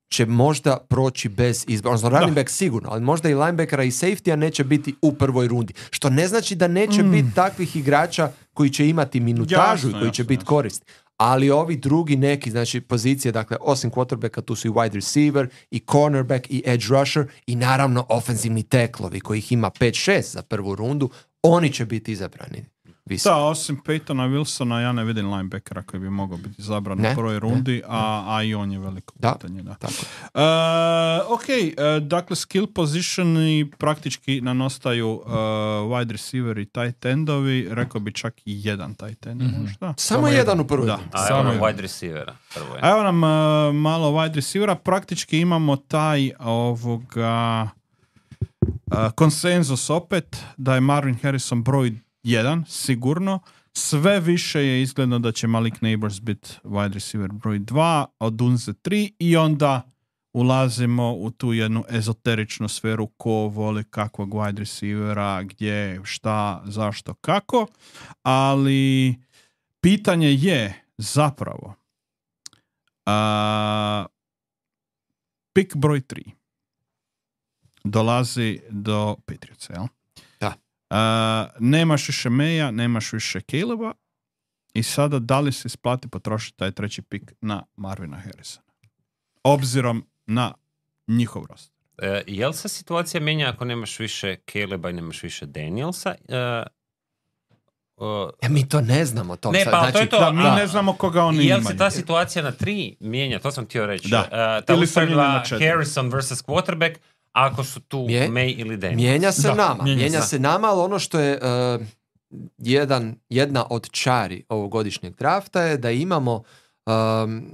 će možda proći bez izbora. Odnosno, running back sigurno, ali možda i linebackera i safety-a neće biti u prvoj rundi. Što ne znači da neće mm. biti takvih igrača koji će imati minutažu jasno, i koji jasno, će biti korist. Ali ovi drugi neki, znači pozicije, dakle, osim quarterbacka, tu su i wide receiver, i cornerback, i edge rusher, i naravno ofenzivni teklovi, kojih ima pet šest za prvu rundu, oni će biti izabrani. Da, osim Peytona Wilsona, ja ne vidim linebackera koji bi mogao biti zabran ne, u prvoj rundi, ne, a, a i on je veliko da, pitanje. Da. Tako. Uh, ok, uh, dakle, skill positioni praktički nam ostaju uh, wide receiver i tight endovi, rekao bi čak i jedan tight end. Mm-hmm. Možda? Samo, Samo jedan u prvoj rundi. A evo nam wide receivera. A evo nam uh, malo wide receivera, praktički imamo taj ovoga uh, konsenzus opet, da je Marvin Harrison broj jedan, sigurno. Sve više je izgledno da će Malik Neighbors biti wide receiver broj dva, od Dunze tri i onda ulazimo u tu jednu ezoteričnu sferu ko voli kakvog wide receivera, gdje, šta, zašto, kako. Ali pitanje je zapravo a, pik broj tri dolazi do Patriotsa, jel? Uh, nemaš više Meja, nemaš više Caleba i sada da li se isplati potrošiti taj treći pik na Marvina Harrisona? Obzirom na njihov roster. Uh, jel se situacija mijenja ako nemaš više Caleba i nemaš više Danielsa? Uh, uh, ja, mi to ne znamo. Tom ne, sad. pa znači, to je to. Da, mi da. ne znamo koga oni imaju. Jel se ta situacija na tri mijenja? To sam htio reći. Da. Uh, ta usporedba Harrison versus quarterback, ako su tu Mje, May ili Daniels. Mijenja se da, nama. Mijenja, mijenja se nama, ali ono što je uh, jedan, jedna od čari ovogodišnjeg drafta je da imamo um,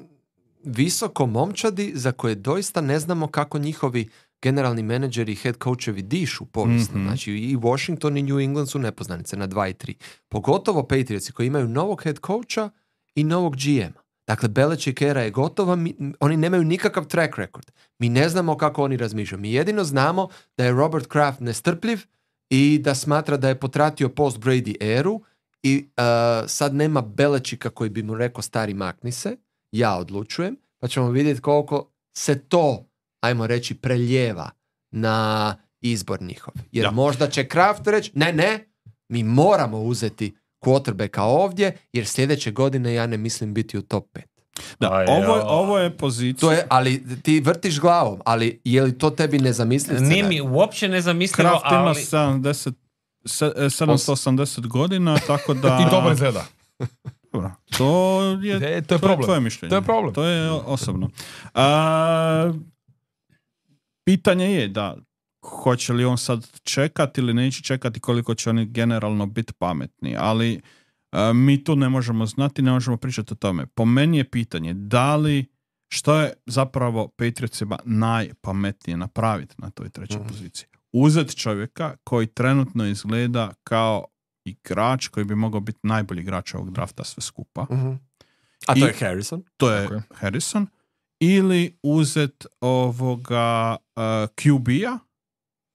visoko momčadi za koje doista ne znamo kako njihovi generalni menadžeri i head coachevi dišu povijesno. Mm-hmm. Znači i Washington i New England su nepoznanice na dva i tri. Pogotovo Patriotsi koji imaju novog head coacha i novog G M-a. Dakle, Belichick era je gotova, mi, oni nemaju nikakav track record. Mi ne znamo kako oni razmišljaju. Mi jedino znamo da je Robert Kraft nestrpljiv i da smatra da je potratio post Brady eru i uh, sad nema Belichicka koji bi mu rekao stari makni se, ja odlučujem, pa ćemo vidjeti koliko se to, ajmo reći, preljeva na izbor njihov. Jer ja. možda će Kraft reći, ne, ne, mi moramo uzeti quarterbacka ovdje, jer sljedeće godine ja ne mislim biti u top pet. Da, Aj, ovo, ovo je pozicija. To je, ali ti vrtiš glavom, ali je li to tebi nezamisliv scenarij? Nije mi uopće nezamislivo, Kraft ali... ima sedamdeset, sedamsto osamdeset godina, tako da... I dobro izgleda. Dobro, to je, e, to je, to problem. je tvoje mišljenje. To je problem. To je osobno. A, pitanje je da hoće li on sad čekati ili neće čekati, koliko će oni generalno biti pametni, ali uh, mi tu ne možemo znati, ne možemo pričati o tome. Po meni je pitanje da li, što je zapravo Patriotsima najpametnije napraviti na toj trećoj mm. poziciji. Uzeti čovjeka koji trenutno izgleda kao igrač koji bi mogao biti najbolji igrač ovog drafta sve skupa. Mm-hmm. A to I, je Harrison? To je okay. Harrison. Ili uzeti ovoga uh, Q B-a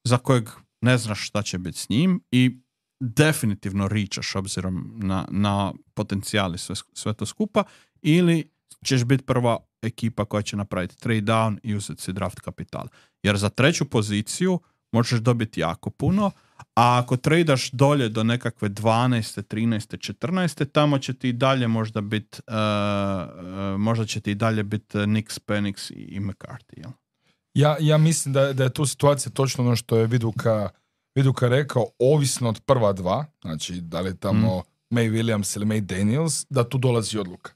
za kojeg ne znaš šta će biti s njim i definitivno ričaš obzirom na, na potencijali sve, sve to skupa, ili ćeš biti prva ekipa koja će napraviti trade down i uzeti si draft kapital. Jer za treću poziciju možeš dobiti jako puno, a ako tradaš dolje do nekakve dvanaeste, trinaeste, četrnaeste, tamo će ti i dalje možda biti uh, uh, možda će ti i dalje biti Nix, Penix i McCarthy, jel? Ja, ja mislim da, da je tu situacija točno ono što je Viduka, Viduka rekao, ovisno od prva dva, znači da li je tamo mm. May Williams ili May Daniels, da tu dolazi odluka.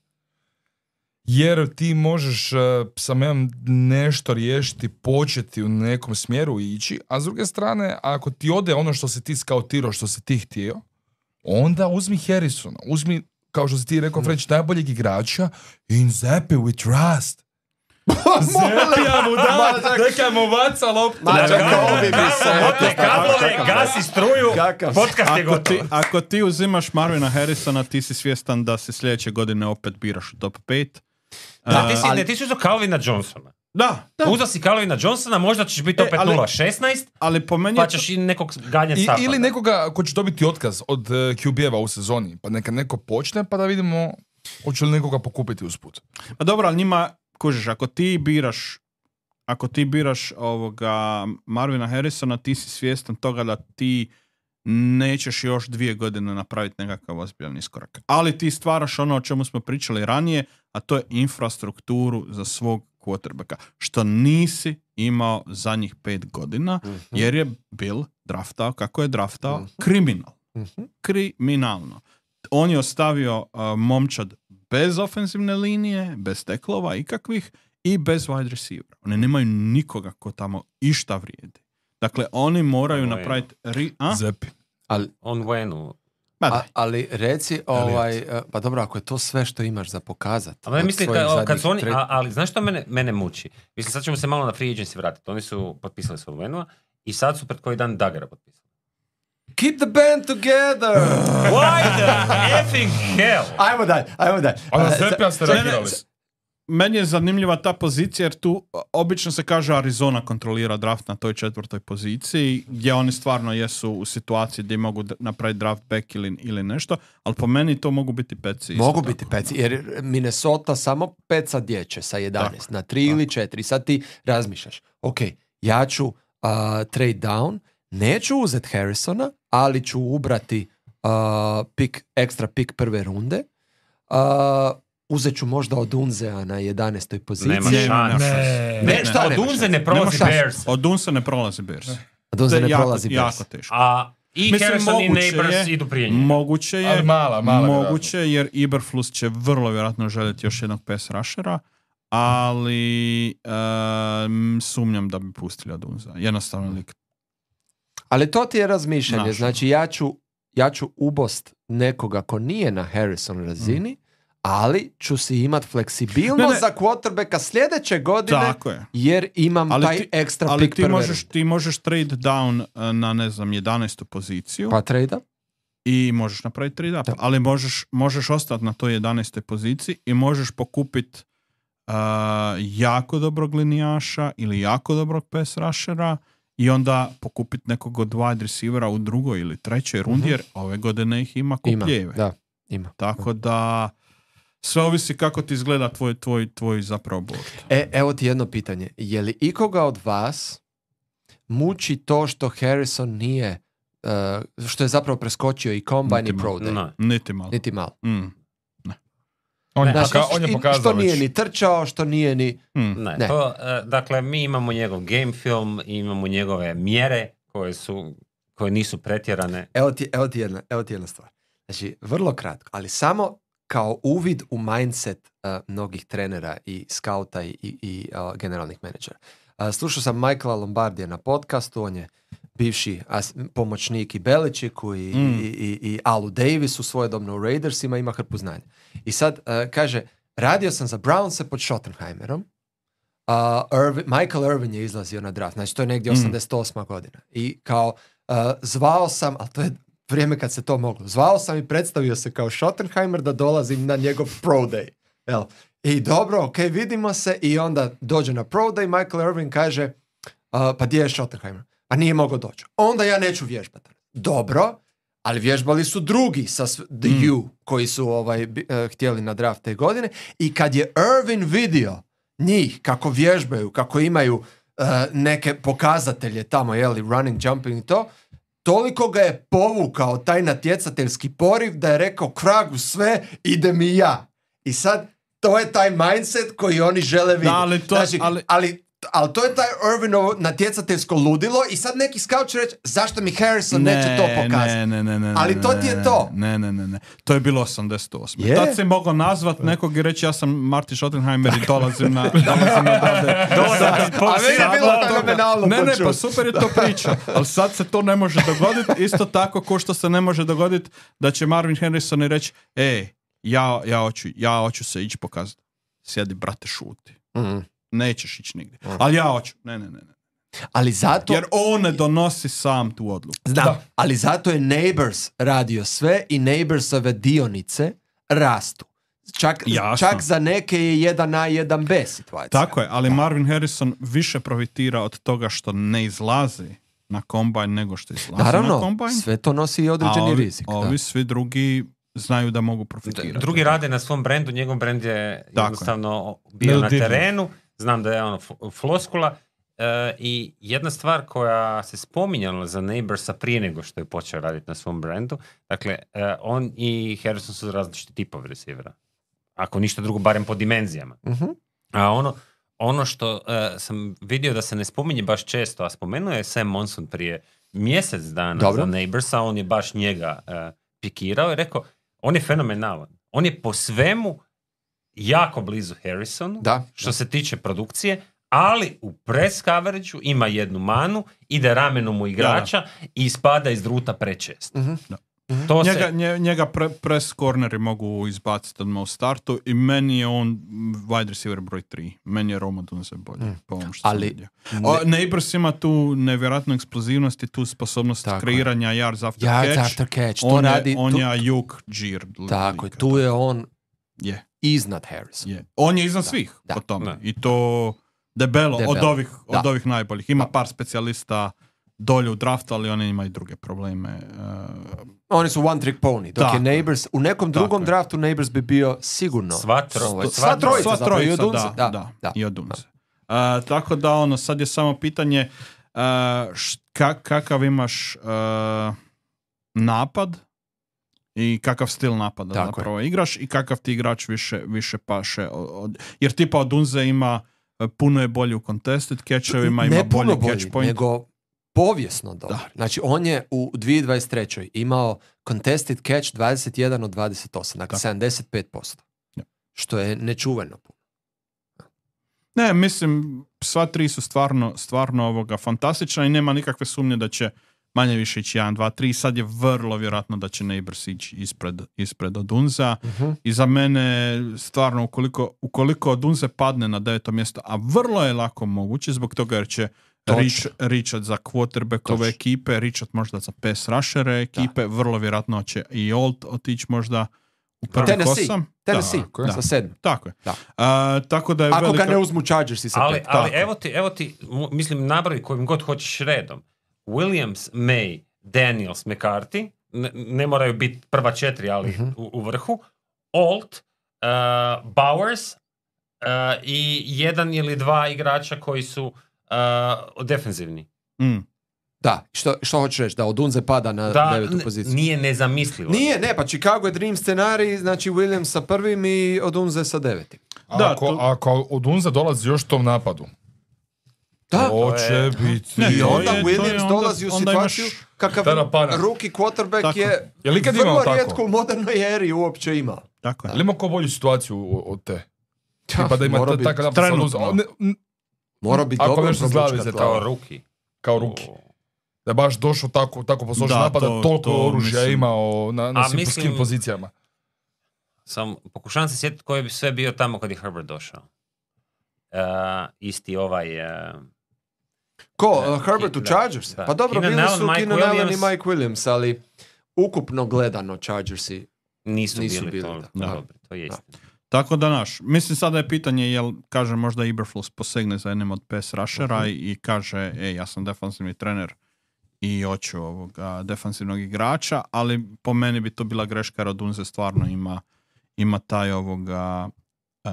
Jer ti možeš uh, sa menom nešto riješiti, početi u nekom smjeru ići, a s druge strane, ako ti ode ono što si ti skautirao, što si ti htio, onda uzmi Harrisona, uzmi, kao što si ti rekao, French, najboljeg igrača, in Zepi we trust. Zepija mu da, neka mu vaca loptu. Kablove, gasi struju, podcast je gotov. Ako ti uzimaš Marvina Harrisona, ti si svjestan da se sljedeće godine opet biraš u top pet. Da, ti si, ne, ti si uzao Calvina Johnsona. Da, da. Uzao si Calvina Johnsona, možda ćeš biti opet e, nula šesnaest, ali po meni pa ćeš i nekog ganjati Stafford. Ili nekoga ko će dobiti otkaz od uh, Q B-eva u sezoni, pa neka neko počne, pa da vidimo hoće li nekoga pokupiti usput. Pa dobro, ali njima, kužiš, ako ti biraš ako ti biraš ovoga Marvina Harrisona, ti si svjestan toga da ti nećeš još dvije godine napraviti nekakav ozbiljan iskorak. Ali ti stvaraš ono o čemu smo pričali ranije, a to je infrastrukturu za svog quarterbacka, što nisi imao zadnjih pet godina, uh-huh. jer je Bill draftao kako je draftao, uh-huh. kriminal. Uh-huh. Kriminalno. On je ostavio uh, momčad bez ofenzivne linije, bez teklova ikakvih i bez wide receivera. Oni nemaju nikoga ko tamo išta vrijedi. Dakle, oni moraju on napraviti... Ri- Zepi. Ali, on Wenu. A, ali reci, ovaj, pa dobro, ako je to sve što imaš za pokazati. Ali mislim, kad, kad su oni, a, ali znaš što mene, mene muči? Mislim, sad ćemo se malo na free agency vratiti. Oni su potpisali svoj Wenua i sad su pred koji dan Daggera potpisali. Keep the band together! Why the effing hell? Ajmo dalje, ajmo dalje. Ono Zepija ste reagirali. Meni je zanimljiva ta pozicija jer tu obično se kaže Arizona kontrolira draft na toj četvrtoj poziciji gdje oni stvarno jesu u situaciji gdje mogu napraviti draft back ili, ili nešto, ali po meni to mogu biti peci. Mogu tako. biti peci jer Minnesota samo peca dječe sa jedanaest tako, na tri tako. ili četiri. Sad ti razmišljaš, ok, ja ću uh, trade down, neću uzeti Harrisona, ali ću ubrati uh, pick, ekstra pick prve runde. Uh, Uzet ću možda od Unzea na jedanaestoj poziciji. Nema šans. Ne, ne, ne, ne, šta, od Unze ne prolazi Bears. Od Unze ne prolazi Bears. Od Unze ne prolazi Bears. Jako teško. A i Mislim, Harrison i Neighbors idu prije njega. Moguće je, mala, mala moguće je, jer Eberflus će vrlo vjerojatno željeti još jednog pass rushera, ali um, sumnjam da bi pustili od Unza. Jednostavno lik. Ali to ti je razmišljanje. Naš. Znači ja ću, ja ću ubost nekoga ko nije na Harrison razini, mm. ali ću si imat fleksibilnost ne, ne. za quarterbacka sljedeće godine, jer imam ali taj ti, ekstra ali pick ti prve. Možeš, ti možeš trade down na, ne znam, jedanaestu poziciju. Pa trade up. I možeš napraviti trade up. Da. Ali možeš, možeš ostati na toj jedanaestoj poziciji i možeš pokupiti uh, jako dobrog linijaša ili jako dobrog pass rushera i onda pokupiti nekog od wide receivera u drugoj ili trećoj rundi, uh-huh. jer ove godine ih ima kupljeve. Ima, da, ima. Tako da sve ovisi kako ti izgleda tvoj, tvoj, tvoj zapravo board. E, evo ti jedno pitanje. Je li ikoga od vas muči to što Harrison nije, uh, što je zapravo preskočio i Combine i Pro Day? No. Niti malo. Niti malo. Mm. Ne. On, je Znaš, poka- on je pokazao što nije već. ni trčao, što nije ni... Mm. Ne, ne. To, uh, dakle, mi imamo njegov game film, imamo njegove mjere koje su, koje nisu pretjerane. Evo ti, evo ti, jedna, evo ti jedna stvar. Znači, vrlo kratko, ali samo kao uvid u mindset uh, mnogih trenera i skauta i, i, i uh, generalnih menadžera. Uh, slušao sam Michaela Lombardija na podcastu, on je bivši as, pomoćnik i Beličicku i, mm. i, i, i Alu Davisu svojedobno u Raidersima, ima hrpu znanja. I sad uh, kaže, radio sam za Brownse pod Schottenheimerom, uh, Irvin, Michael Irvin je izlazio na draft, znači to je negdje osamdeset osma Mm. godina. I kao uh, zvao sam, ali to je vrijeme kad se to moglo. Zvao sam i predstavio se kao Schottenheimer da dolazim na njegov Pro Day. Jel? I dobro, ok, vidimo se i onda dođe na Pro Day, Michael Irvin kaže uh, pa gdje je Schottenheimer? A nije mogao doći. Onda ja neću vježbati. Dobro, ali vježbali su drugi sa The mm. U koji su ovaj, b- uh, htjeli na draft te godine i kad je Irvin vidio njih kako vježbaju, kako imaju uh, neke pokazatelje tamo, jeli, running, jumping i to, toliko ga je povukao taj natjecateljski poriv da je rekao kragu sve, idem i ja. I sad, to je taj mindset koji oni žele vidjeti. Da, ali to, znači, ali... ali ali to je taj Irvinovo natjecateljsko ludilo i sad neki scout će reći zašto mi Harrison ne, neće to pokazati. Ne, ne, ne, ne, ali to ti je to. Ne, ne, ne, ne. To je bilo osamdeset osme Je? Tad si mogao nazvat nekog i reći ja sam Marty Schottenheimer i dolazim na dolazim na dode. A meni je bilo fenomenalno. Ne, ne, pa super je to priča. Ali sad se to ne može dogoditi. Isto tako ko što se ne može dogoditi da će Marvin Harrison i reći ej, ja, ja, hoću, ja hoću se ići pokazati. Sjedi, brate, šuti. Mhm. Nećeš ići nigdje. Mm. Ali ja hoću. Ne, ne, ne, ne. Ali zato... Jer on ne donosi sam tu odluku. Znam, da. Ali zato je Neighbors radio sve i Neighborsove dionice rastu. Čak, čak za neke je jedan A, jedan B situacija. Tako je, ali da. Marvin Harrison više profitira od toga što ne izlazi na kombajn nego što izlazi Naravno, na kombajn. Naravno, sve to nosi i određeni ovi, rizik. Ovi da. Svi drugi znaju da mogu profitirati. Drugi rade na svom brendu, njegov brend je tako jednostavno bio na terenu. Znam da je ono floskula e, i jedna stvar koja se spominjala za Neighborsa prije nego što je počeo raditi na svom brendu, dakle, e, on i Harrison su različiti tipovi receivera. Ako ništa drugo, barem po dimenzijama. Uh-huh. A ono, ono što e, sam vidio da se ne spominje baš često, a spomenuo je Sam Monson prije mjesec dana Dobro. za Neighborsa, on je baš njega e, pikirao i rekao, on je fenomenalan. On je po svemu jako blizu Harrisonu, da, što da. se tiče produkcije, ali u press coverageu ima jednu manu, ide ramenom u igrača da, da. i ispada iz druta prečesto. Uh-huh. Da. Uh-huh. To njega, se... njega pre, press corneri mogu izbaciti odmah u startu i meni je on wide receiver broj tri. Meni je Roma Dunze bolje. Mm. Po ovom što ali, sam vidio. Ne... Neighbors ima tu nevjerojatnu eksplozivnost i tu sposobnost tako kreiranja je. yards after yards catch. After catch. To on radi, je, on tu... je Ayuk Džir. Tako je, tu je on yeah. iznad Harrison. Yeah. On je iznad da. svih da. po tome. Da. I to debelo, debelo. Od, ovih, od ovih najboljih. Ima par specijalista dolje u draftu, ali oni imaju druge probleme. Uh, oni su one trick pony. Dok je Neighbors, u nekom drugom je. draftu Neighbors bi bio sigurno. Sva, tro, sva, sva trojica. Sva trojica, i od Dunze. Da, da, da, da. I od Dunze. Uh, tako da ono, sad je samo pitanje uh, š, kak, kakav imaš uh, napad i kakav stil napada tako zapravo je. igraš i kakav ti igrač više, više paše. Od, jer tipa od Dunze ima puno je bolji u contested catchovima, ima bolji catch point. Nego povijesno dobar. Da. Znači, on je u dvije tisuće dvadeset trećoj imao contested catch dvadeset jedan od dvadeset osam, dakle sedamdeset pet posto. Ja. Što je nečuveno. Ne, mislim, sva tri su stvarno, stvarno ovoga fantastična i nema nikakve sumnje da će manje više ići jedan, dva, tri. Sad je vrlo vjerojatno da će Neighbors ići ispred, ispred Odunza. Uh-huh. I za mene stvarno, ukoliko, ukoliko Odunze padne na deveto mjesto, a vrlo je lako moguće zbog toga jer će Rich, Richard za quarterbackove ekipe, Richard možda za pass rushere ekipe, da. Vrlo vjerojatno će i Old otići možda u prvi osam. Tennessee, da, sa sedam. Tako je. Da. Uh, tako da je Ako velika... ga ne uzmu Chargersi sa ali, pet. Ali evo ti, evo ti, mislim, nabravi kojim god hoćeš redom. Williams, May, Daniels, McCarthy, ne, ne moraju biti prva četiri, ali uh-huh. u, u vrhu. Alt, uh, Bowers uh, i jedan ili dva igrača koji su uh, defenzivni. Mm. Da, što, što hoćeš reći? Da Odunze pada na da, devetu poziciju? Nije nezamislivo. Nije, ne, pa Chicago je dream scenarij, znači Williams sa prvim i Odunze sa devetim. Da, ako, to... ako Odunze dolazi još tom napadu, da, to će je... biti... Ne, I onda je, Williams onda, dolazi u situaciju imaš... kakav rookie quarterback tako. je, je li vrlo rijetko u modernoj eri uopće imao. Tako je. Ali ima ko bolju situaciju od te? Ja, pa da ima mora takav biti trenutno. Mora biti dobro probučka. Kao rookie. Kao rookie. Da je baš došao tako, tako posložen napada, to, toliko to, oružja mislim, imao na, na svim mislim, pozicijama. Sam pokušavam se sjetiti koji bi sve bio tamo kad je Herbert došao. Uh, isti ovaj... Uh, Ko? Uh, Herbert u Chargers? Pa dobro, Keenan bili su Keenan Allen i Mike Williams, ali ukupno gledano Chargersi nisu, nisu bili. bili to, da. Dobro, to je istina. Tako da naš, mislim sada je pitanje jel, kaže možda Eberflus posegne za jednim od pass rushera uh-huh. i, i kaže, ej, ja sam defanzivni trener i hoću ovoga defanzivnog igrača, ali po meni bi to bila greška jer Odunze stvarno ima, ima taj ovoga uh,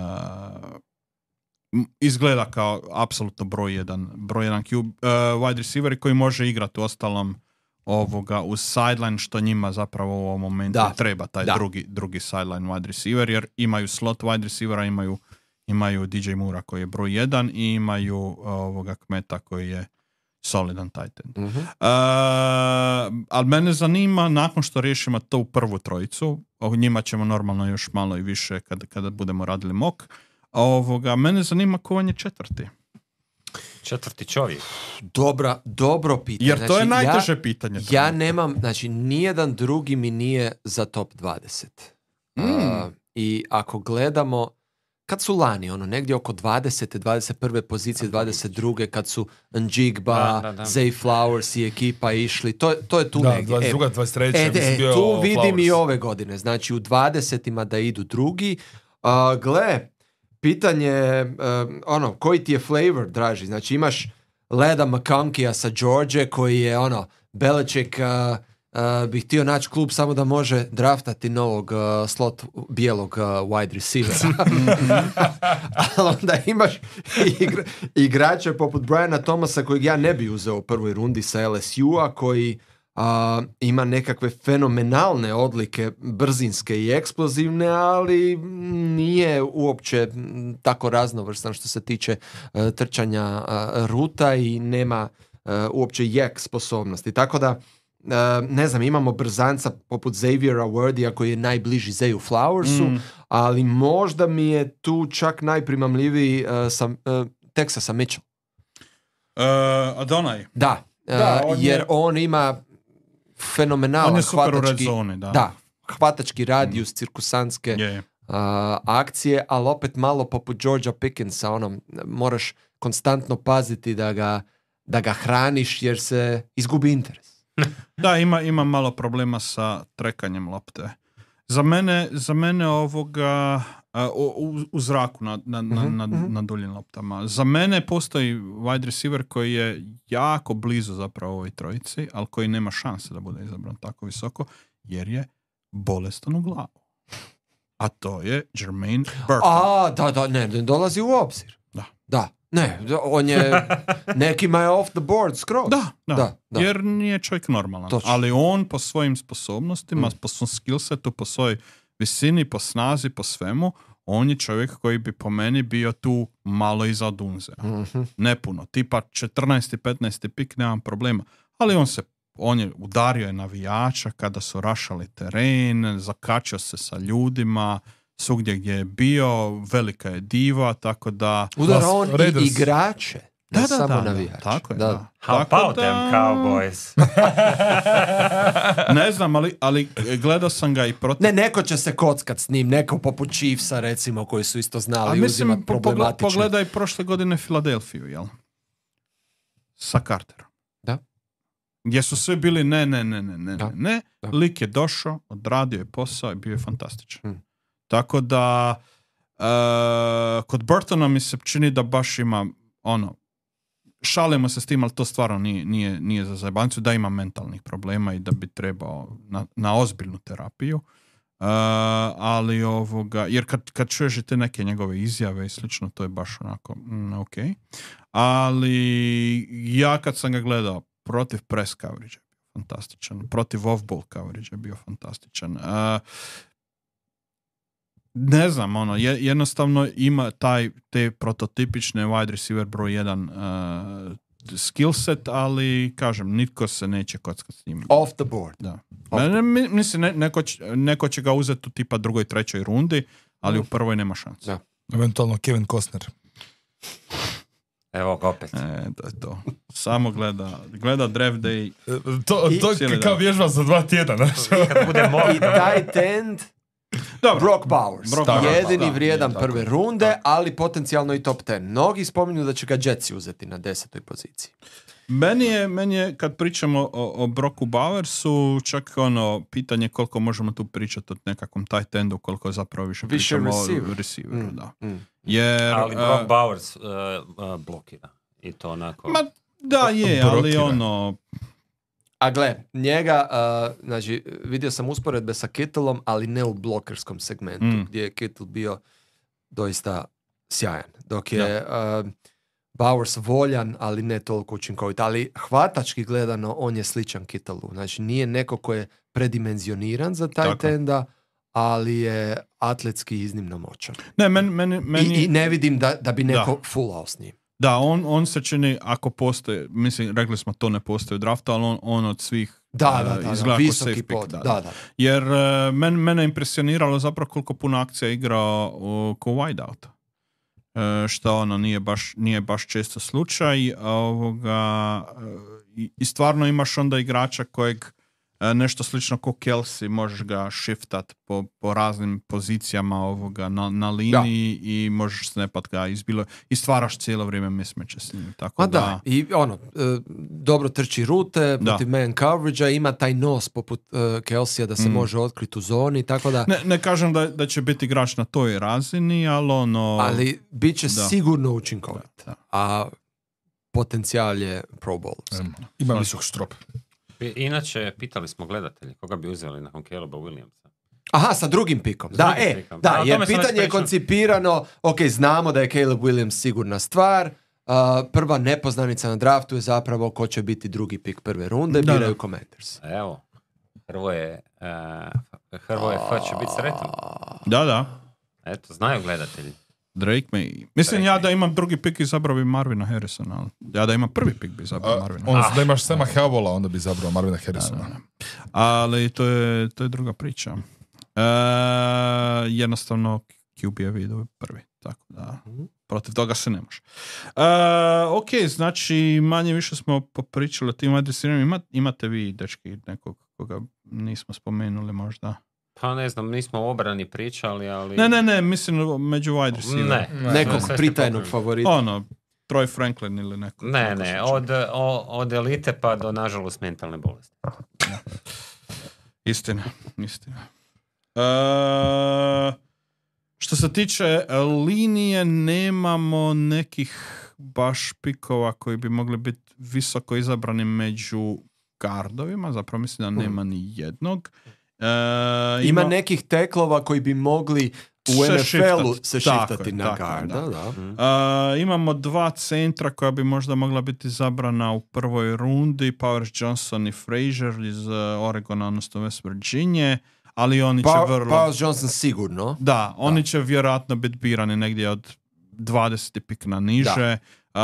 izgleda kao apsolutno broj jedan, broj jedan Q, uh, wide receiver koji može igrati u ostalom ovoga uz sideline, što njima zapravo u ovom momentu da. treba, taj da. drugi, drugi sideline wide receiver, jer imaju slot wide receivera, imaju, imaju D J Moore koji je broj jedan i imaju ovoga Kmeta koji je solidan tight end. Uh-huh. Uh, ali mene zanima, nakon što riješimo to u prvu trojicu, o njima ćemo normalno još malo i više kada, kada budemo radili mock, ovoga, mene zanima ko vam je četvrti. Četvrti čovjek. Dobra, dobro pitanje. Jer to znači, je najteže ja, pitanje. Ja nemam, znači, nijedan drugi mi nije za top dvadeset. Mm. Uh, I ako gledamo, kad su lani, ono, negdje oko dvadesete, dvadeset prve pozicije, dvadeset druge, kad su Njigba, da, da, da. Zay Flowers i ekipa išli, to, to je tu da, negdje. dvadeset druga, dvadeset treća E, e, bio tu vidim Flowers. i ove godine. Znači, u dvadesetima da idu drugi. Uh, gle, pitanje, uh, ono, koji ti je flavor, draži? Znači, imaš Leda McConkija sa George, koji je, ono, Belichick uh, uh, bi htio naći klub samo da može draftati novog uh, slot bijelog uh, wide receivera. Ali onda imaš igra, igrače poput Briana Thomasa, kojeg ja ne bi uzeo u prvoj rundi sa L S U-a, koji Uh, ima nekakve fenomenalne odlike, brzinske i eksplozivne, ali nije uopće tako raznovrstan što se tiče uh, trčanja uh, ruta i nema uh, uopće jek sposobnosti. Tako da, uh, ne znam, imamo brzanca poput Xaviera Wordija koji je najbliži Zayu Flowersu, mm. ali možda mi je tu čak najprimamljiviji uh, sam, uh, Texasa Mitchell. Uh, Adonai. Da, uh, da on jer je... on ima fenomenalan on je super hvatački, u red zoni, da. Da, hvatački radijus, mm. cirkusantske yeah. uh, akcije, ali opet malo poput Georgia Pickensa, ono, moraš konstantno paziti da ga, da ga hraniš jer se izgubi interes. Da, ima, ima malo problema sa trekanjem lopte. Za mene, za mene ovoga uh, u, u zraku na, na, uh-huh, na, na, uh-huh. na duljim loptama. Za mene postoji wide receiver koji je jako blizu zapravo ovoj trojici, ali koji nema šanse da bude izabran tako visoko, jer je bolestan u glavu. A to je Jermaine Burton. A, da, da, ne, ne dolazi u obzir. Da. Da. Ne, on je, nekima je off the board skroz. Da, da, da, da. Jer nije čovjek normalan. Točno. Ali on po svojim sposobnostima, mm. po svom skillsetu, po svojoj visini, po snazi, po svemu, on je čovjek koji bi po meni bio tu malo iza Dunze. Mm-hmm. Ne puno. Tipa četrnaesti petnaesti pik, nemam problema. Ali on se, on je udario je navijača kada su rašali teren, zakačio se sa ljudima, svugdje gdje je bio, velika je diva, tako da... Udara on i igrače, da, da, da, samo da, navijače. Tako je, da. da. How tako about da... them Cowboys? Ne znam, ali, ali gledao sam ga i protiv... Ne, neko će se kockat s njim, neko poput Chiefsa, recimo, koji su isto znali A uzimat mislim, problematične. pogledaj prošle godine Filadelfiju, jel? Sa Carterom. Da. Gdje su svi bili ne, ne, ne, ne, ne, da. ne. Da. Lik je došao, odradio je posao i bio je fantastičan. Hmm. Tako da uh, kod Burtona mi se čini da baš ima ono, šalimo se s tim, ali to stvarno nije, nije, nije za zajebancu, da ima mentalnih problema i da bi trebao na, na ozbiljnu terapiju. Uh, ali ovoga, jer kad, kad čuješ te neke njegove izjave i slično, to je baš onako mm, ok. Ali ja kad sam ga gledao protiv press coverage je bio fantastičan, protiv off-ball coverage je bio fantastičan. Uh, ne znam, ono, je, jednostavno ima taj, te prototipične wide receiver broj jedan uh, skill set, ali kažem, nitko se neće kockati s njim. Off the board. Da. Ne, mislim, ne, neko, će, neko će ga uzeti u tipa drugoj, trećoj rundi, ali mm. u prvoj nema šanse. Da. Eventualno Kevin Costner. Evo ga opet. E, to je to. Samo gleda, gleda draft day. To, to je kao vježba za dva tjedana. I tight end Dobro. Brock Bowers. Brock jedini da, vrijedan prve tako, runde, tako. Ali potencijalno i top deset. Mnogi spominju da će ga Jetsi uzeti na desetoj poziciji. Meni je, meni je kad pričamo o, o Brocku Bowersu, čak ono pitanje koliko možemo tu pričati o nekakvom tight endu, koliko zapravo više, više pričamo receiver. o receiveru. Mm, da. Mm. Jer, ali Brock uh, Bowers uh, uh, blokira. I to onako... Ma, da je, ali ono... A gle, njega, uh, znači, vidio sam usporedbe sa Kittleom, ali ne u blokerskom segmentu, mm. gdje je Kittle bio doista sjajan. Dok je uh, Bowers voljan, ali ne toliko učinkovit. Ali hvatački gledano, on je sličan Kittlu. Znači, nije neko ko je predimenzioniran za tight enda, ali je atletski iznimno moćan. Ne, meni, meni, meni... I, I ne vidim da, da bi neko da. fullao s njim. Da, on, on se čini, ako postoje, mislim, rekli smo to ne postoje u draftu, ali on, on od svih da, da, da, uh, izgleda da, kao safe pick. Da, da. Da. Jer uh, men, mene impresioniralo zapravo koliko puno akcija igra uh, ko wideout. Uh, što ono nije baš, nije baš često slučaj. Ovoga, uh, i, I stvarno imaš onda igrača kojeg nešto slično ko Kelsey, možeš ga shiftat po, po raznim pozicijama ovoga na, na liniji da. I možeš snapat ga izbilo i stvaraš cijelo vrijeme mismeće s njim. Tako A da, da, i ono, e, dobro trči rute, protiv man coverage-a, ima taj nos poput e, Kelsey-a da se mm. može otkriti u zoni, tako da... Ne, ne kažem da, da će biti igrač na toj razini, ali ono... Ali bit će da. sigurno učinkovit. Da. A potencijal je Pro Bowl. Um, ima visok strop. Inače, pitali smo gledatelji koga bi uzeli nakon Caleba Williamsa. Aha, sa drugim pikom. S da, drugim e, pikom. da, da jer pitanje je koncipirano, ok, znamo da je Caleb Williams sigurna stvar, uh, prva nepoznanica na draftu je zapravo ko će biti drugi pik prve runde, da, biraju da. Commanders. Evo, Hrvoje, uh, Hrvoje F će biti sretan. Da, da. Eto, znaju gledatelji. Drake May. Mislim Drake ja da imam drugi pik izabrao bi Marvina Harrisona, ali ja da imam prvi pik bi izabrao Marvina. Onda ah. da imaš Sema Havola, onda bi izabrao Marvina Harrisona. Da, da, da. Ali to je, to je druga priča. E, jednostavno Q B-evi idu prvi, tako da protiv toga se ne može. E, ok, znači manje više smo popričali o tim adresirima. Ima, imate vi, dečki, nekog koga nismo spomenuli možda? Pa ne znam, nismo o obrani pričali, ali... Ne, ne, ne, mislim među wide receiver. Ne. ne. Nekog pritajnog favorita. Ono, Troy Franklin ili neko. Ne, neko ne, od, od elite pa do, nažalost, mentalne bolesti. Ja. Istina, istina. E, što se tiče linije, nemamo nekih baš pikova koji bi mogli biti visoko izabrani među gardovima, zapravo mislim da nema ni jednog. Uh, ima, ima nekih teklova koji bi mogli u N F L-u se šiftati na garda. Da. Da. Uh, imamo dva centra koja bi možda mogla biti zabrana u prvoj rundi, Powers Johnson i Frazier iz uh, Oregona, odnosno West Virginia, ali oni pa, će vrlo... Powers Johnson sigurno. Da, oni da. će vjerojatno biti birani negdje od dvadeset pik na niže, uh,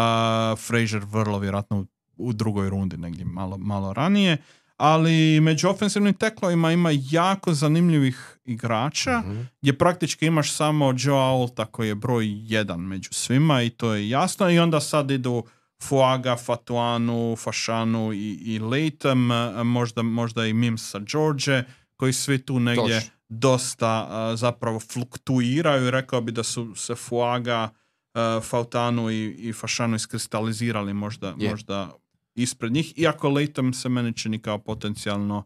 Frazier vrlo vjerojatno u, u drugoj rundi negdje malo, malo ranije. Ali među ofensivnim teklovima ima jako zanimljivih igrača, mm-hmm. gdje praktički imaš samo Joe Aulta koji je broj jedan među svima i to je jasno. I onda sad idu Fuaga, Fatuanu, Fashanu i, i Latham, možda, možda i Mims sa George, koji svi tu negdje Toš. dosta uh, zapravo fluktuiraju. Rekao bi da su se Fuaga, uh, Fatuanu i, i Fashanu iskristalizirali možda, yeah. možda ispred njih, iako Latham se meni čini kao potencijalno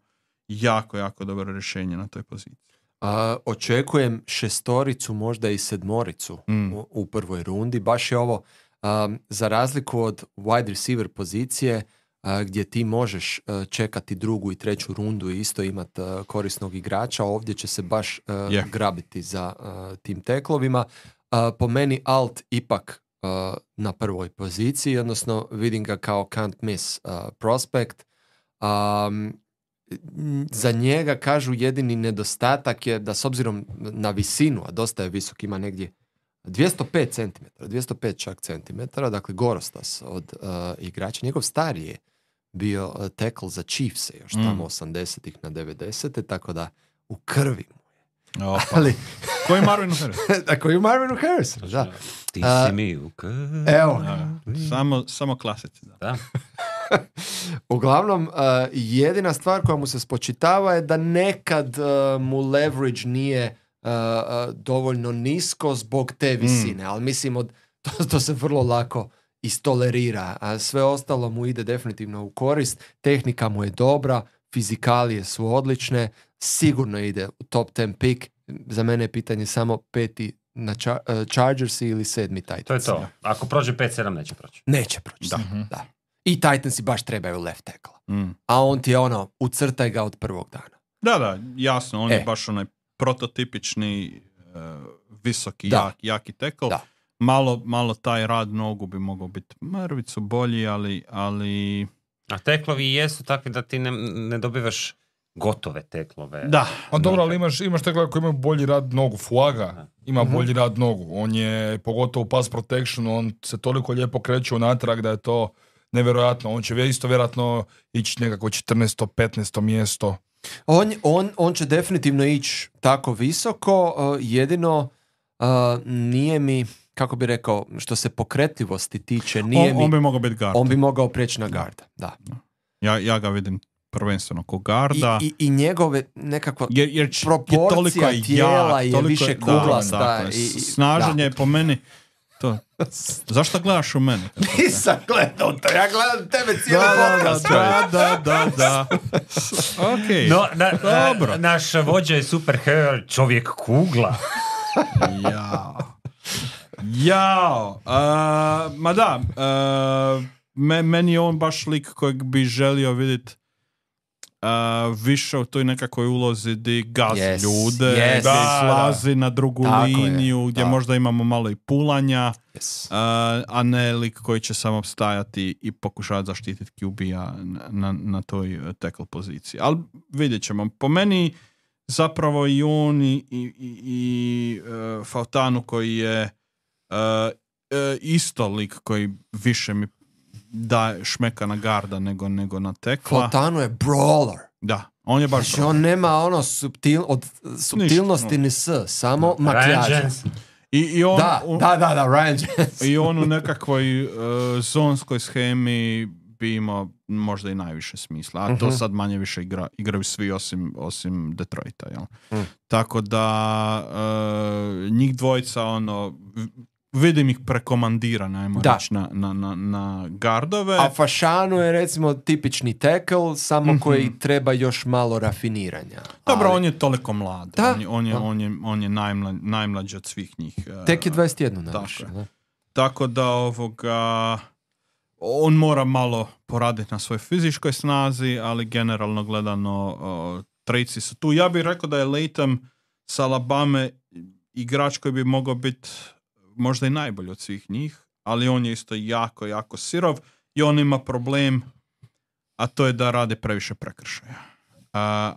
jako, jako dobro rješenje na toj poziciji. A, očekujem šestoricu, možda i sedmoricu mm. u, u prvoj rundi. Baš je ovo, um, za razliku od wide receiver pozicije, uh, gdje ti možeš uh, čekati drugu i treću rundu i isto imati uh, korisnog igrača, ovdje će se baš uh, yeah. grabiti za uh, tim teklovima. Uh, po meni Alt ipak Uh, na prvoj poziciji, odnosno vidim ga kao can't miss uh, prospect. Um, za njega kažu jedini nedostatak je da s obzirom na visinu, a dosta je visok, ima negdje dvjesto pet centimetara, dvjesto pet čak centimetara, dakle gorostas od uh, igrača. Njegov stariji je bio uh, tackle za Chiefse još mm. tamo osamdesetih na devedesete, tako da u krvi mu. Opa. Ali koji je Marvinu Harris? Da, koji je Marvinu Harris? Da. Ti si mi u krvi. Evo. Samo, samo klasici. Da. da. Uglavnom, uh, jedina stvar koja mu se spočitava je da nekad uh, mu leverage nije uh, uh, dovoljno nisko zbog te visine, mm. ali mislim od, to, to se vrlo lako istolerira, a sve ostalo mu ide definitivno u korist, tehnika mu je dobra, fizikalije su odlične, sigurno ide u top deset pick. Za mene je pitanje samo peti na char- uh, Chargersi ili sedmi Titans. To je to. Ako prođe pet sedam neće proći. Neće proći. Da. Mm-hmm. da. I Titansi baš trebaju left tackle. Mm. A on ti je ono, ucrtaj ga od prvog dana. Da, da, jasno. On e. je baš onaj prototipični uh, visoki, jak, jaki tackle. Da. malo, malo taj rad nogu bi mogao biti mrvicu bolji, ali... ali... A teklovi jesu takvi da ti ne, ne dobivaš gotove teklove. Da. A dobro, ali imaš, imaš teklove koji imaju bolji rad nogu. Fuaga ima uh-huh. bolji rad nogu. On je, pogotovo u pass protectionu, on se toliko lijepo kreće unatrag da je to nevjerojatno. On će isto vjerojatno ići nekako četrnaesto petnaesto mjesto. On, on, on će definitivno ići tako visoko, uh, jedino uh, nije mi, kako bi rekao, što se pokretljivosti tiče, nije on, mi... On bi mogao biti gard. On bi mogao preći na garda, da. Ja, ja ga vidim prvenstveno ko garda. I, i, i njegove nekako jer, jer proporcija je tijela jak, je više kuglasta. Da, i, i, snaženje je po meni... To. Zašto gledaš u mene? Nisam gledao to, ja gledam tebe cijeli podcast. Da, da, da, da. Okay. No, na, Dobro. Na, naš vođa je superhero, čovjek kugla. Jao. Jao. Uh, ma da, uh, me, meni je on baš lik kojeg bi želio vidjeti Uh, više u toj nekakvoj ulozi gdje gazi yes, ljude, yes, gdje da, slazi na drugu tako liniju, je, gdje da. možda imamo malo i pulanja, yes. uh, a ne lik koji će samo stajati i pokušati zaštititi Q B-a na, na, na toj tackle poziciji. Ali vidjet ćemo. Po meni zapravo i on i, i, i, i uh, Fautanu koji je uh, uh, isto lik koji više mi da šmeka na garda nego, nego na tekla. Fautanu je brawler. Da, on je baš znači, on nema ono subtil, od subtilnosti ni s, samo makijaža. I, i on, da, un, da, da, da, Ryan Jensen. I on u nekakvoj uh, zonskoj schemi bi imao možda i najviše smisla. A uh-huh. to sad manje više igra, igraju svi osim, osim Detroita. Jel? Uh. Tako da uh, njih dvojica ono... Vidim ih prekomandirane, ajmo reći, na, na, na, na gardove. A Fashanu je recimo tipični tackle, samo mm-hmm. koji treba još malo rafiniranja. Dobro, ali... on je toliko mlad. Da. On je, on je, on je, on je najmla, najmlađi od svih njih. Tek je dvadeset jedan najviše. Tako, tako da ovoga... On mora malo poraditi na svojoj fizičkoj snazi, ali generalno gledano uh, trejci su tu. Ja bih rekao da je Latham s Alabame igrač koji bi mogao biti možda i najbolji od svih njih, ali on je isto jako, jako sirov i on ima problem, a to je da rade previše prekršaja. Uh,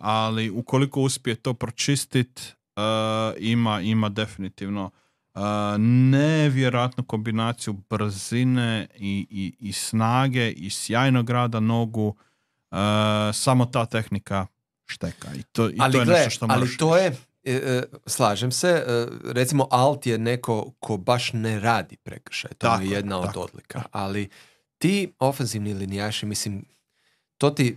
ali ukoliko uspije to pročistiti, uh, ima, ima definitivno uh, nevjerojatnu kombinaciju brzine i, i, i snage i sjajnog rada nogu. Uh, samo ta tehnika šteka. I to, i ali to je gle, nešto što moraš ali to je slažem se, recimo Alt je neko ko baš ne radi prekršaj, to tako, je jedna tako, od odlika, tako. Ali ti ofenzivni linijaši, mislim, to ti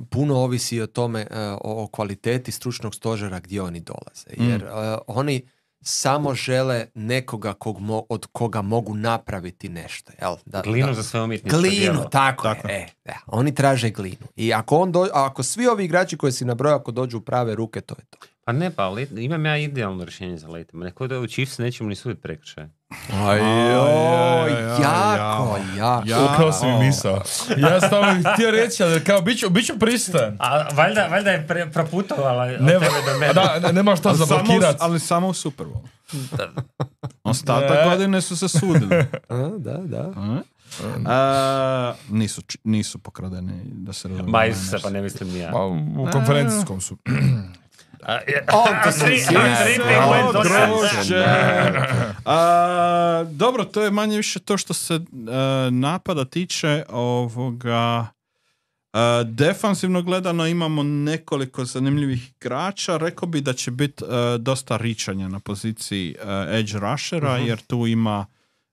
puno ovisi o tome, o kvaliteti stručnog stožera gdje oni dolaze, jer mm. uh, oni samo žele nekoga kog mo, od koga mogu napraviti nešto. Jel? Da, glinu da, za sve umjetničko glinu, djelo. tako, tako je. E, da, oni traže glinu. I ako, on do, ako svi ovi igrači koji si nabrojao, ako dođu u prave ruke, to je to. Pa ne, pa imam ja idealno rješenje za Lathama. Neko da u Chiefs nećemo ni suditi prekršaj. Ajoj, jako, jako. Ukrao si mi misao. Ja sam tamo htio reći, ali kao, bit ću, bit ću pristojan. A valjda, valjda je pre, proputovala od ne, tebe do mene. Da, nemaš to zablokirati. Ali samo u Super Bowl. Ostatak godine su se sudili. A, da, da. A? A, nisu, nisu pokradeni, da se razumije. Ma se, pa ne mislim ni ja. Ma, u konferencijskom su. A, je, oh, to si dobro, to je manje više to što se uh, napada tiče ovoga. Uh, defansivno gledano imamo nekoliko zanimljivih igrača. Rekao bi da će biti uh, dosta ričanja na poziciji uh, edge rushera, uh-huh. jer tu ima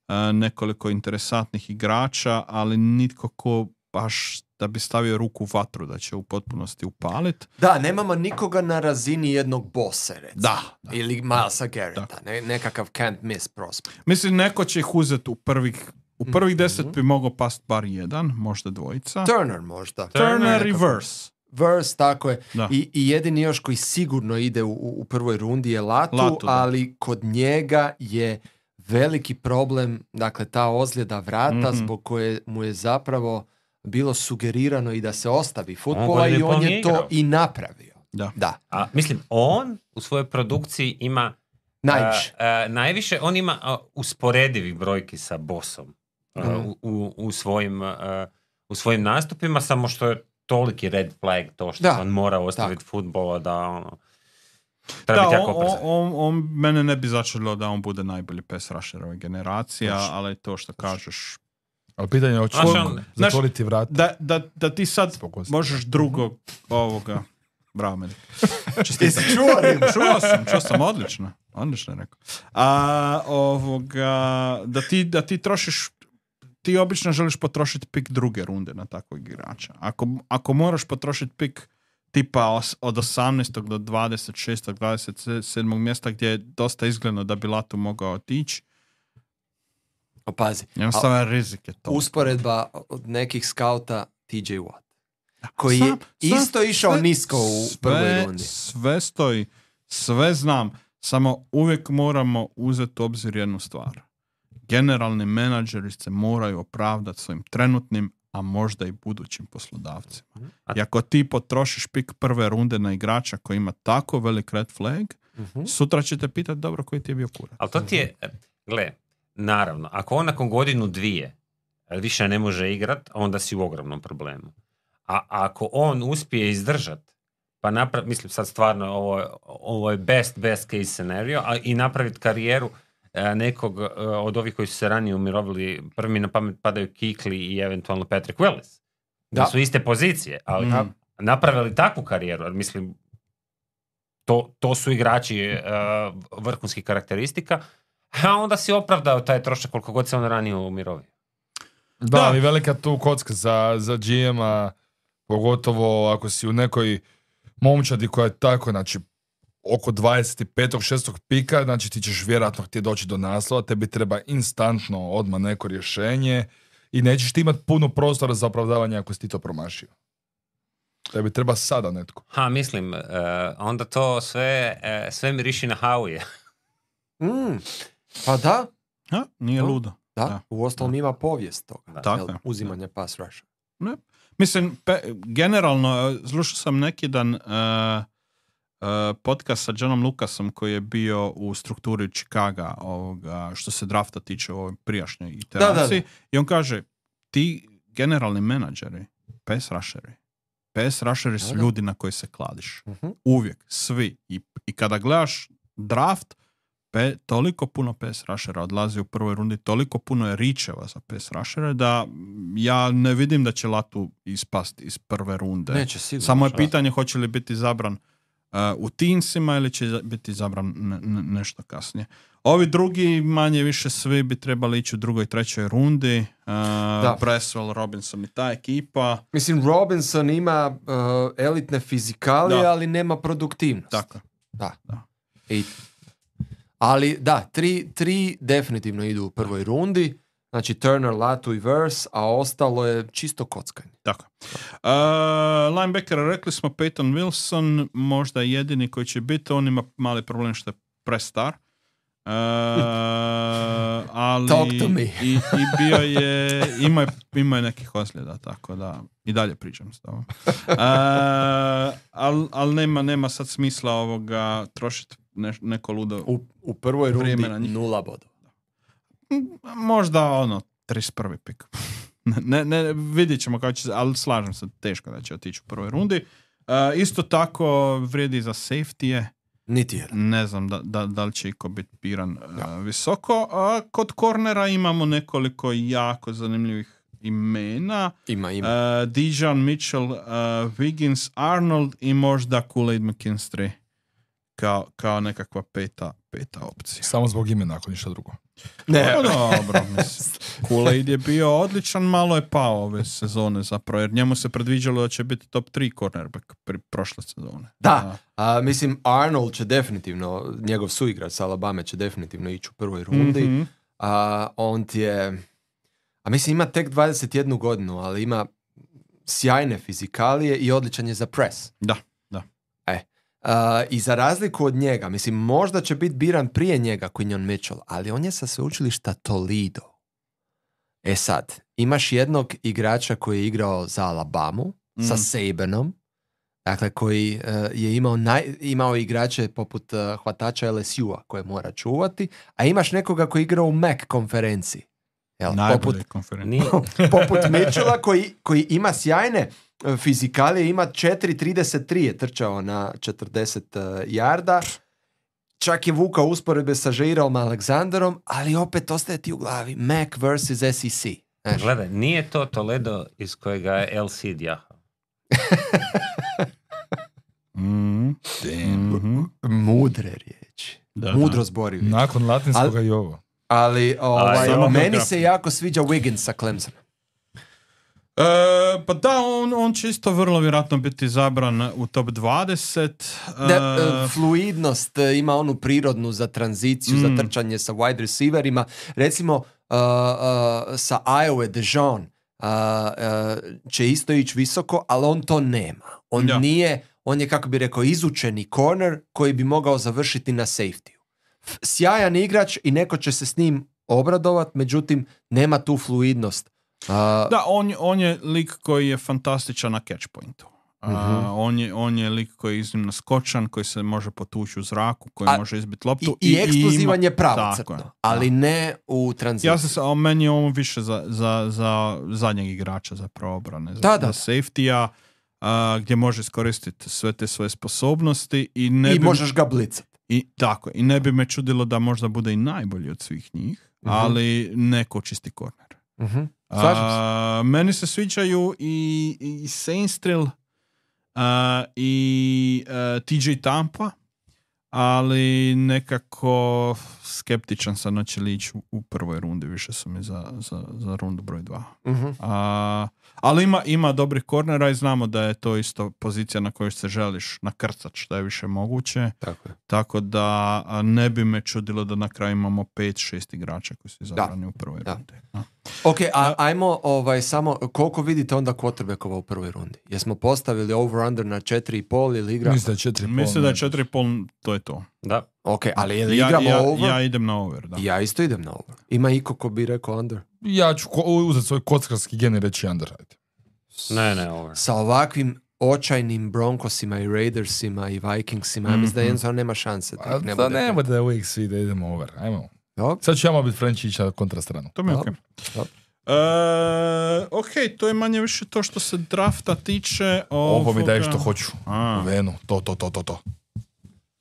uh, nekoliko interesantnih igrača, ali nitko ko baš da bi stavio ruku u vatru da će u potpunosti upaliti. Da, nemamo nikoga na razini jednog bossa, recimo. Da, da. Ili Milesa Garretta, ne, nekakav can't miss prospect. Mislim, neko će ih uzeti u prvih u prvih mm-hmm. deset bi mogao past bar jedan, možda dvojica. Turner možda. Turner, Turner reverse. Verse, tako je. I, I jedini još koji sigurno ide u, u prvoj rundi je Latu, Latu ali kod njega je veliki problem, dakle, ta ozljeda vrata mm-hmm. zbog koje mu je zapravo bilo sugerirano i da se ostavi fudbala i on je to i napravio. Da. da. A, mislim, on u svojoj produkciji ima Najviše. Uh, uh, najviše, on ima uh, usporedivih brojki sa Bossom uh, mm. u, u, u, svojim, uh, u svojim nastupima, samo što je toliki red flag to što da. on mora ostaviti futbola da ono, treba da, biti jako on, brzan. On, on, mene ne bi začelo da on bude najbolji pass rusher ove generacija, Toš. ali to što kažeš... Ali pitanje je hoće zatvoriti vrat. Da, da, da ti sad Spokosti. možeš drugog ovoga... Bravo, meni. Jesi čuo Rim? Čuo sam, čuo sam, odlično. Odlično je rekao. A, ovoga, da ti, da ti trošiš, ti obično želiš potrošiti pik druge runde na takvog igrača. Ako, ako moraš potrošiti pik tipa od osamnaestog do dvadeset šestog, dvadeset sedmog mjesta gdje je dosta izgledno da bi Latu mogao otići, opazi. Jednostavno rizik je to. Usporedba od nekih skauta T J Watt, koji je sam, isto sam, išao sve, nisko u prvoj rundi. Sve stoji, sve znam, samo uvijek moramo uzeti u obzir jednu stvar. Generalni menadžeri se moraju opravdati svojim trenutnim, a možda i budućim poslodavcima. I ako ti potrošiš pik prve runde na igrača koji ima tako velik red flag, uh-huh. sutra ćete pitati dobro koji ti je bio kurat. Ali to ti je, gle, naravno, ako on nakon godinu dvije više ne može igrat, onda si u ogromnom problemu. A ako on uspije izdržati, pa napravi, mislim sad stvarno ovo, ovo je best, best case scenario, a i napraviti karijeru a, nekog a, od ovih koji su se ranije umirovili, prvi na pamet padaju Kikli i eventualno Patrick Willis. Da. Su iste pozicije, ali mm. napravili takvu karijeru, jer mislim, to, to su igrači a, vrhunskih karakteristika, a onda si opravdao taj trošak koliko god se on ranije umirovio. Da, da, ali velika tu kocka za, za G M-a, pogotovo ako si u nekoj momčadi koja je tako, znači, oko dvadeset petog šestog pika, znači ti ćeš vjerojatno htjeti doći do naslova, tebi treba instantno odmah neko rješenje i nećeš ti imati puno prostora za opravdavanje ako si ti to promašio. Tebi treba sada netko. Ha, mislim, uh, onda to sve, uh, sve miriši na Howije. mm, pa da. Ha, nije ludo. Da, da. U ostalom ima povijest toga. Da. Jel, uzimanje pass rusha. Ne. Mislim, pe, generalno, slušao sam neki dan uh, uh, podcast sa Johnom Lucasom koji je bio u strukturi Chicaga ovoga, što se drafta tiče u ovoj prijašnjoj iteraciji. Da, da, da. I on kaže, ti generalni menadžeri, pass rusheri, pass rusheri su ljudi na koji se kladiš. Uh-huh. Uvijek, svi. I, i kada gledaš draft, Pe, toliko puno pass rushera odlazi u prvoj rundi, toliko puno je ričeva za pass rushera da ja ne vidim da će Latu ispasti iz prve runde. Neće, sigurno. Samo je pitanje hoće li biti zabran uh, u teensima ili će biti zabran ne, ne, nešto kasnije. Ovi drugi manje više svi bi trebali ići u drugoj i trećoj rundi. Uh, Bresswell, Robinson i ta ekipa. Mislim, Robinson ima uh, elitne fizikalije, da. ali nema produktivnost. Tako. Da. da. I ali da, tri, tri definitivno idu u prvoj rundi, znači Turner, Latu i Verse, a ostalo je čisto kockanje. Tako. Uh, linebacker, rekli smo Peyton Wilson, možda jedini koji će biti, on ima mali problem što je prestar. Uh, ali Talk to me. i, i bio je, ima je, ima je nekih ozljeda, tako da i dalje pričam s tobom. Uh, ali al nema, nema sad smisla ovoga trošiti ne, neko ludo u, u prvoj rundi nula bodova. Možda ono trideset prvi pik. ne, ne, vidjet ćemo kako će, ali slažem se, teško da će otići u prvoj rundi. Uh, isto tako vrijedi za safety-je. Niti jedan. Ne znam da, da, da li će iko biti piran uh, visoko. A kod kornera imamo nekoliko jako zanimljivih imena. Ima, ima. Uh, Dijon Mitchell, uh, Wiggins, Arnold i možda Kool-Aid McKinstry kao, kao nekakva peta, peta opcija. Samo zbog imena, ako ništa drugo. Ne, no, dobro, mislim. Kool-Aid je bio odličan, malo je pao ove sezone zapravo, jer njemu se predviđalo da će biti top tri cornerback pri prošle sezone. Da, a, mislim Arnold će definitivno, njegov suigrač sa Alabama će definitivno ići u prvoj rundi. Mm-hmm. A, on ti je, a mislim ima tek dvadeset jednu godinu, ali ima sjajne fizikalije i odličan je za press. Da, da. E. Uh, i za razliku od njega, mislim, možda će biti biran prije njega Quinyon Mitchell, ali on je sa sveučilišta Toledo. E sad, imaš jednog igrača koji je igrao za Alabamu, mm. sa Sabanom, dakle koji uh, je imao, naj, imao igrače poput uh, hvatača L S U-a koje mora čuvati, a imaš nekoga koji igra u Mac konferenciji. Jel, Najbolje konferencije. Poput Mitchella koji, koji ima sjajne fizikalije, ima četiri trideset tri je trčao na četrdeset uh, jarda, čak je vukao usporedbe sa Jairom Alexanderom, ali opet ostaje ti u glavi Mac versus S E C. Znaš? Gledaj, nije to Toledo iz kojega je El Cid jahao. mm. mm-hmm. Mudre riječi. Da, Mudro da. Zbori. Nakon latinskoga ali, i ovo. Ali ovaj, ali meni se jako sviđa Wiggins sa Clemsona. Uh, pa da, on, on će isto vrlo vjerojatno biti zabran u top dvadeset. Uh, da, uh, fluidnost, uh, ima onu prirodnu za tranziciju, mm. za trčanje sa wide receiverima. Recimo, uh, uh, sa Iowa Dejon uh, uh, će isto ići visoko, ali on to nema. On ja. nije, on je, kako bi rekao, izučeni corner koji bi mogao završiti na safety. Sjajan igrač i neko će se s njim obradovat, međutim, nema tu fluidnost. Uh, da, on, on je lik koji je fantastičan na catch pointu. Uh, uh-huh. on, je, on je lik koji je iznimno skočan, koji se može potući u zraku, koji a, može izbiti loptu. I, i, i eksplozivan je pravocrtno, ali ne u tranziciji. Ja se, a meni je ovo više za, za, za zadnjeg igrača za obrane, za, da, da. za safety-a, uh, gdje može iskoristiti sve te svoje sposobnosti. I, ne I bi, možeš ga blicati. I, tako, i ne bi me čudilo da možda bude i najbolji od svih njih, uh-huh. ali neko čisti korner. Uh-huh. Uh, meni se sviđaju i, i Saints Trill uh, i uh, T J Tampa, ali nekako skeptičan sam na će li ići u, u prvoj rundi, više su mi za, za, za rundu broj dva. Uh-huh. Uh, ali ima, ima dobrih kornera i znamo da je to isto pozicija na kojoj se želiš nakrcat što je više moguće. Tako je. Tako da ne bi me čudilo da na kraju imamo pet šest igrača koji su izabrani u prvoj da. rundi. No. Ok, a ajmo ovaj, samo, koliko vidite onda quarterbackova u prvoj rundi? Jesmo postavili over-under na četiri i pol ili igra? Mislim da je četiri i pol. Mislim da je četiri i pol, to je to. Da. Ok, ali je li igramo ja, ja, over? Ja idem na over, da. Ja isto idem na over. Ima iko ko bi rekao under? Ja ću ko- uzeti svoj kockarski gen i reći under. Ne, ne, over. Sa ovakvim očajnim Broncosima i Raidersima i Vikingsima, mm-hmm. ja mislim da jednostavno nema šanse. Da ne bude, ne bude da uvijek svi da idemo over. Ajmo. Dobro. Sad ću ja malo biti Frenčića kontra stranu. To mi je okej. Okay. Uh, ok, to je manje više to što se drafta tiče. Ovoga... Ovo mi daje što hoću. A. U venu, to, to, to, to, to.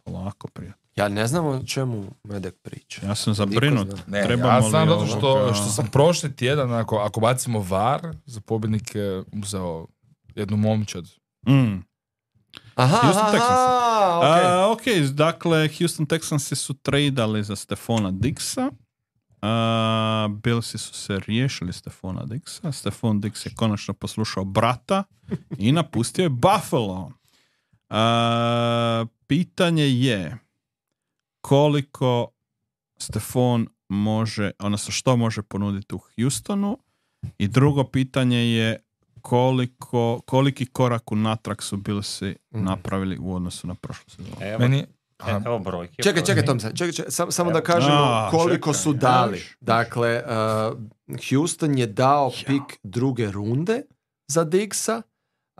Lako, prijatelj. Ja ne znam o čemu Medek priča. Ja sam zabrinut. Ne, ja znam zato što, što sam prošli tjedan, ako, ako bacimo var, za pobjednike uzeo jednu momčad. Mm. Aha, Houston aha, Texans. okay. Uh, ok, dakle, Houston Texansi su tradali za Stefona Diggsa. Uh, Billsi su se riješili Stefona Diggsa. Stefon Diggs je konačno poslušao brata i napustio je Buffalo. Uh, pitanje je koliko Stefon može, odnosno što može ponuditi u Houstonu, i drugo pitanje je koliko, koliki korak unatrag su Billsi mm. napravili u odnosu na prošlu sezonu. Evo, Meni... evo brojke. Čekaj, čekaj, Tom, čekaj, čekaj, sam, samo da kažemo A, koliko čekaj, su dali. Jaš. Dakle, uh, Houston je dao ja. pik druge runde za Diggsa,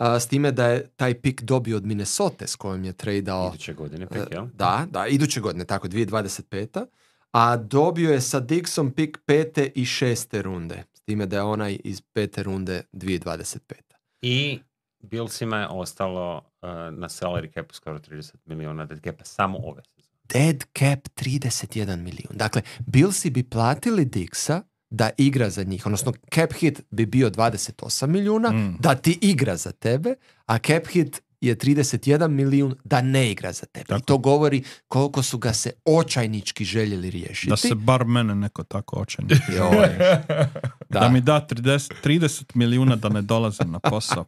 uh, s time da je taj pik dobio od Minnesota s kojom je tradao... Iduće godine pik, jel? Uh, da, da, iduće godine, tako, dvije tisuće dvadeset peta. A dobio je sa Diggsom pik pete i šeste runde. S time da je onaj iz pete runde dvije tisuće dvadeset peta. I Billsima je ostalo uh, na salary capu skoro trideset milijuna dead capa samo ove sezone. Dead cap trideset jedan milijun. Dakle, Billsi bi platili Diggsa da igra za njih, odnosno cap hit bi bio dvadeset osam milijuna mm. da ti igra za tebe, a cap hit je trideset jedan milijun da ne igra za tebe. Tako. I to govori koliko su ga se očajnički željeli riješiti. Da se bar mene neko tako očajnički da. da mi da trideset, trideset milijuna da ne dolazim na posao.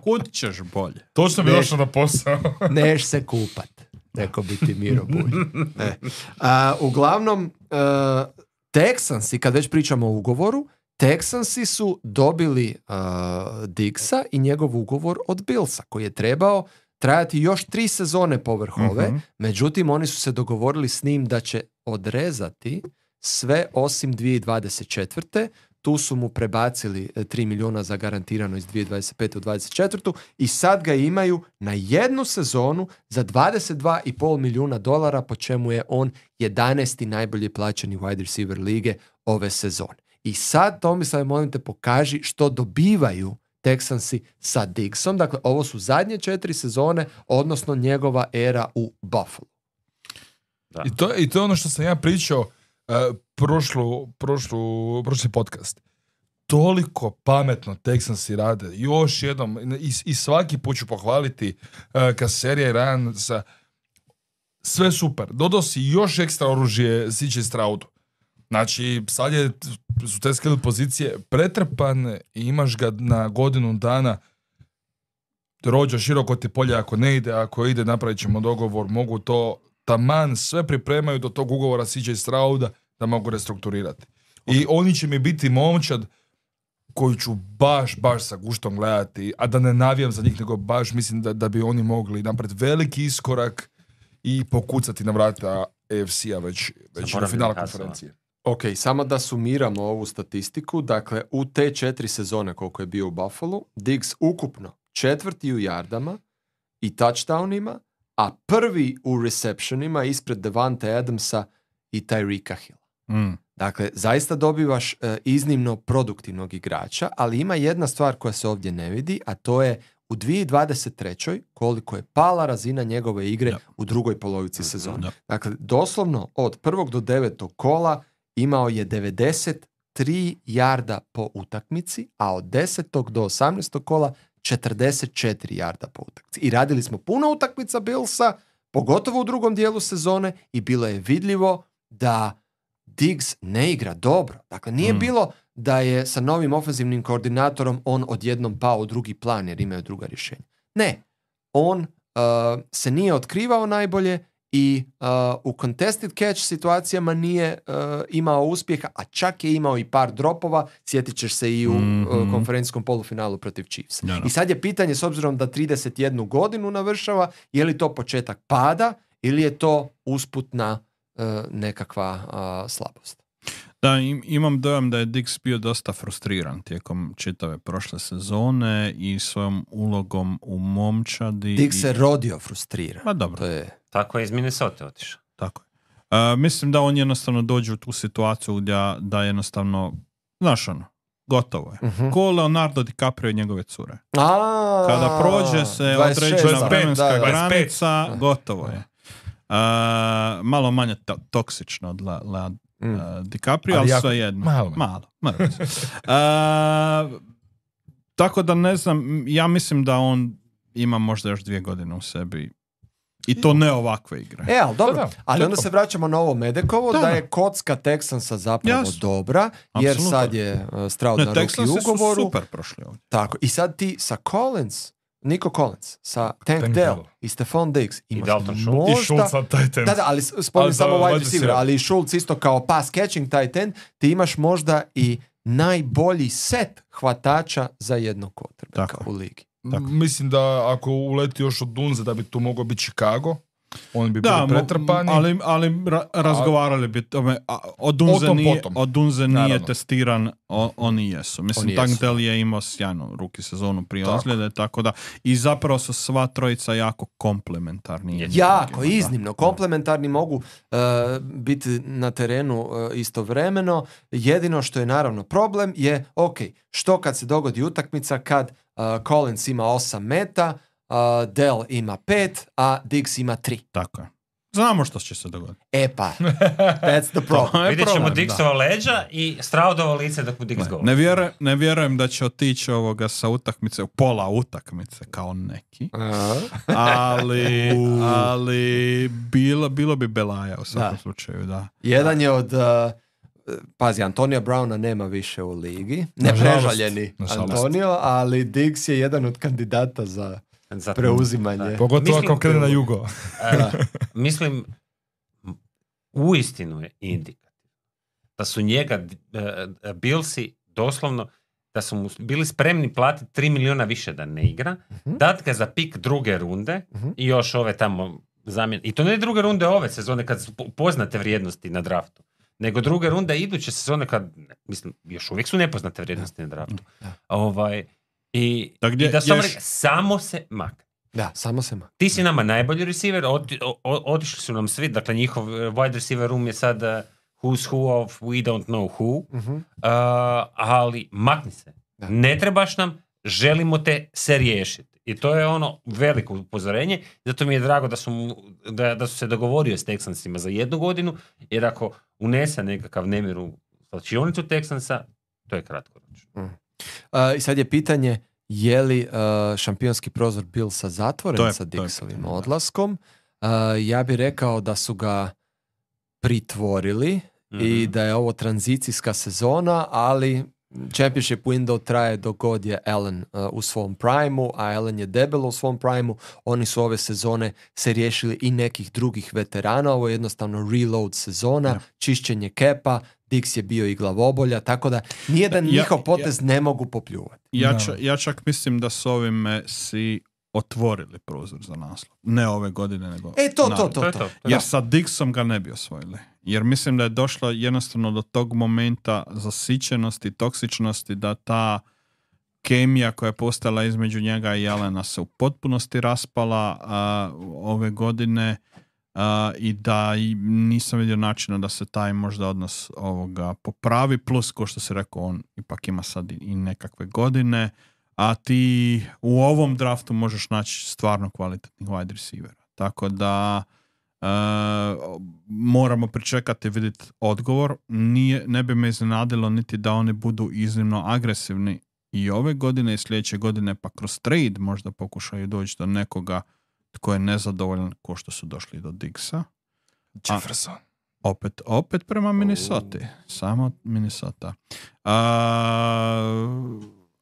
Kud ćeš bolje? Točno bi došao na posao. Neš se kupat. Rekao bi ti Miro Bulj. Ne. A, uglavnom, uh, Texansi, kad već pričamo o ugovoru, Texansi su dobili uh, Diggsa i njegov ugovor od Billsa, koji je trebao trajati još tri sezone povrh ove, uh-huh. međutim oni su se dogovorili s njim da će odrezati sve osim dvije tisuće dvadeset četvrte tu su mu prebacili tri milijuna za garantirano iz dvije tisuće dvadeset pete u dvadeset četvrtu i sad ga imaju na jednu sezonu za dvadeset dva i pol milijuna dolara, po čemu je on jedanaesti najbolje plaćeni wide receiver lige ove sezone. I sad, Tomislav, molim te, pokaži što dobivaju Texansi sa Diggsom. Dakle, ovo su zadnje četiri sezone, odnosno njegova era u Buffalo. Da. I, to, I to je ono što sam ja pričao uh, prošlu, prošlu, prošli podcast. Toliko pametno Texansi rade. Još jednom, i, i svaki put ću pohvaliti uh, Kaserija i Ryansa. Sve super. Dodao si još ekstra oružje C J Stroudu. Znači, sad je, su te skill pozicije pretrpane i imaš ga na godinu dana. Rođa široko ti polje ako ne ide, ako ide napravit ćemo dogovor, mogu to taman sve pripremaju do tog ugovora C J Strouda da mogu restrukturirati. I oni će mi biti momčad koju ću baš, baš sa guštom gledati, a da ne navijam za njih, nego baš mislim da, da bi oni mogli napraviti veliki iskorak i pokucati na vrata A F C-a već, već na finala konferencije. Ok, samo da sumiramo ovu statistiku, dakle u te četiri sezone koliko je bio u Buffalo, Diggs ukupno četvrti u yardama i touchdownima, a prvi u receptionima ispred Devante Adamsa i Tyreeka Hilla. Mm. Dakle, zaista dobivaš uh, iznimno produktivnog igrača, ali ima jedna stvar koja se ovdje ne vidi, a to je u dvije tisuće dvadeset trećoj koliko je pala razina njegove igre yep. u drugoj polovici sezone. Yep. Dakle, doslovno od prvog do devetog kola imao je devedeset tri jarda po utakmici, a od desetog do osamnaestog kola četrdeset četiri jarda po utakmici. I radili smo puno utakmica Billsa, pogotovo u drugom dijelu sezone, i bilo je vidljivo da Diggs ne igra dobro. Dakle, nije mm. bilo da je sa novim ofenzivnim koordinatorom on odjednom pao u drugi plan jer imaju druga rješenja. Ne. On uh, se nije otkrivao najbolje i uh, u contested catch situacijama nije uh, imao uspjeha, a čak je imao i par dropova, sjetit ćeš se i u mm-hmm. uh, konferencijskom polufinalu protiv Chiefs. Ja, no. I sad je pitanje, s obzirom da trideset jednu godinu navršava, je li to početak pada ili je to usputna uh, nekakva uh, slabost. Da, im, imam dojam da je Diggs bio dosta frustriran tijekom čitave prošle sezone i svojom ulogom u momčadi. Diggs i... se rodio frustriran. Pa dobro. To je... Tako je iz Minnesota otišao. Tako je. Uh, mislim da on jednostavno dođe u tu situaciju gdje da jednostavno, znaš ono, gotovo je. Uh-huh. Ko Leonardo DiCaprio i njegove cure. A, kada prođe se određena vremenska granica, gotovo je. Uh, malo manje to- toksično od Le- Le- mm. uh, DiCaprio, ali, ali sve jedno. Malo. Malo. malo. uh, tako da ne znam, ja mislim da on ima možda još dvije godine u sebi. I to ne ovakve igre. E, ali dobro. Ali onda se vraćamo na ovo Medekovo, da, da je kocka Texansa zapravo Jasno. dobra, jer Absolutno. sad je uh, Stroud ne, na ruki ugovoru. Super prošli ovdje. Tako. I sad ti sa Collins, Nico Collins, sa Tank, Tank Dell i Stephon Diggs imaš I možda... I Schultz na tight end. Da, da, ali spomnim samo wide receiver, ali i Schultz isto kao pass catching tight end, ti imaš možda i najbolji set hvatača za jednog quarterbacka u ligi. Tako. Mislim da ako uleti još od Dunze da bi tu mogao biti Chicago, oni bi bili pretrpani. Ali, ali ra- razgovarali bi tome, od Dunze potom, nije, potom. Od Dunze nije testiran, o, oni jesu. Mislim, Tank Dell je imao sjajnu ruki sezonu prije ozljede, tako da i zapravo su sva trojica jako komplementarni. Jako, iznimno. Komplementarni mogu uh, biti na terenu uh, istovremeno. Jedino što je naravno problem je, ok, što kad se dogodi utakmica kad uh, Collins ima osam meta, Uh, Dell ima pet, a Diggs ima tri. Tako je. Znamo što će se dogoditi. E pa, that's the problem. Vidjet ćemo Diggsova leđa i Stroudovo lice dok mu Diggs govori. Ne, vjerujem, ne vjerujem da će otići ovoga sa utakmice, pola utakmice kao neki. Uh-huh. ali ali bilo, bilo bi belaja u svakom da. slučaju. Da. Jedan je od... Uh, Pazi, Antonija Browna nema više u ligi. Ne prežaljeni Antonio, ali Diggs je jedan od kandidata za... za preuzimanje. Pogotovo ako krene na jugo. uh, mislim, uistinu je indikativno da su njega uh, Billsi doslovno, da su mu bili spremni platiti tri milijuna više da ne igra, uh-huh. dat ga za pik druge runde uh-huh. i još ove tamo zamjene. I to ne druge runde ove sezone kad su poznate vrijednosti na draftu, nego druga runda iduće sezone kad, mislim, još uvijek su nepoznate vrijednosti na draftu. Ovaj, i, gdje, i da samo, ješ... samo se makne. Da, samo se makne. Ti si nama najbolji receiver, od, od, otišli su nam svi, dakle njihov wide receiver room je sad uh, who's who of we don't know who, uh-huh. uh, ali makni se. Da. Ne trebaš nam, želimo te se riješiti. I to je ono veliko upozorenje, zato mi je drago da su, da, da su se dogovorio s Texansima za jednu godinu, jer ako unese nekakav nemir u slačionicu Texansa, to je kratkoročno. Mm. Uh, I sad je pitanje, je li uh, šampionski prozor Billsa zatvoren je, sa Dixovim odlaskom? Uh, ja bih rekao da su ga pritvorili mm-hmm. i da je ovo tranzicijska sezona, ali championship window traje dok god je Allen uh, u svom primu, a Allen je debelo u svom primu. Oni su ove sezone se riješili i nekih drugih veterana. Ovo je jednostavno reload sezona, ja. čišćenje kepa, Dix je bio i glavobolja, tako da nijedan ja, njihov potez ja, ne mogu popljuvati. Ja, ča, ja čak mislim da s ovime si otvorili prozor za naslov. Ne ove godine, nego... E, to, to, to, to, to. Jer sa Dixom ga ne bi osvojili. Jer mislim da je došlo jednostavno do tog momenta zasićenosti, toksičnosti, da ta kemija koja je postala između njega i Allena se u potpunosti raspala a, ove godine a, i da i nisam vidio načina da se taj možda odnos ovoga popravi, plus ko što se rekao, on ipak ima sad i, i nekakve godine, a ti u ovom draftu možeš naći stvarno kvalitetnih wide receivera. Tako da Uh, moramo pričekati i vidjeti odgovor. Nije, ne bi me iznenadilo niti da oni budu iznimno agresivni i ove godine i sljedeće godine, pa kroz trade možda pokušaju doći do nekoga tko je nezadovoljan ko što su došli do Diggsa. Jefferson. A, opet, opet prema Minnesota. Oh. Samo Minnesota. Uh,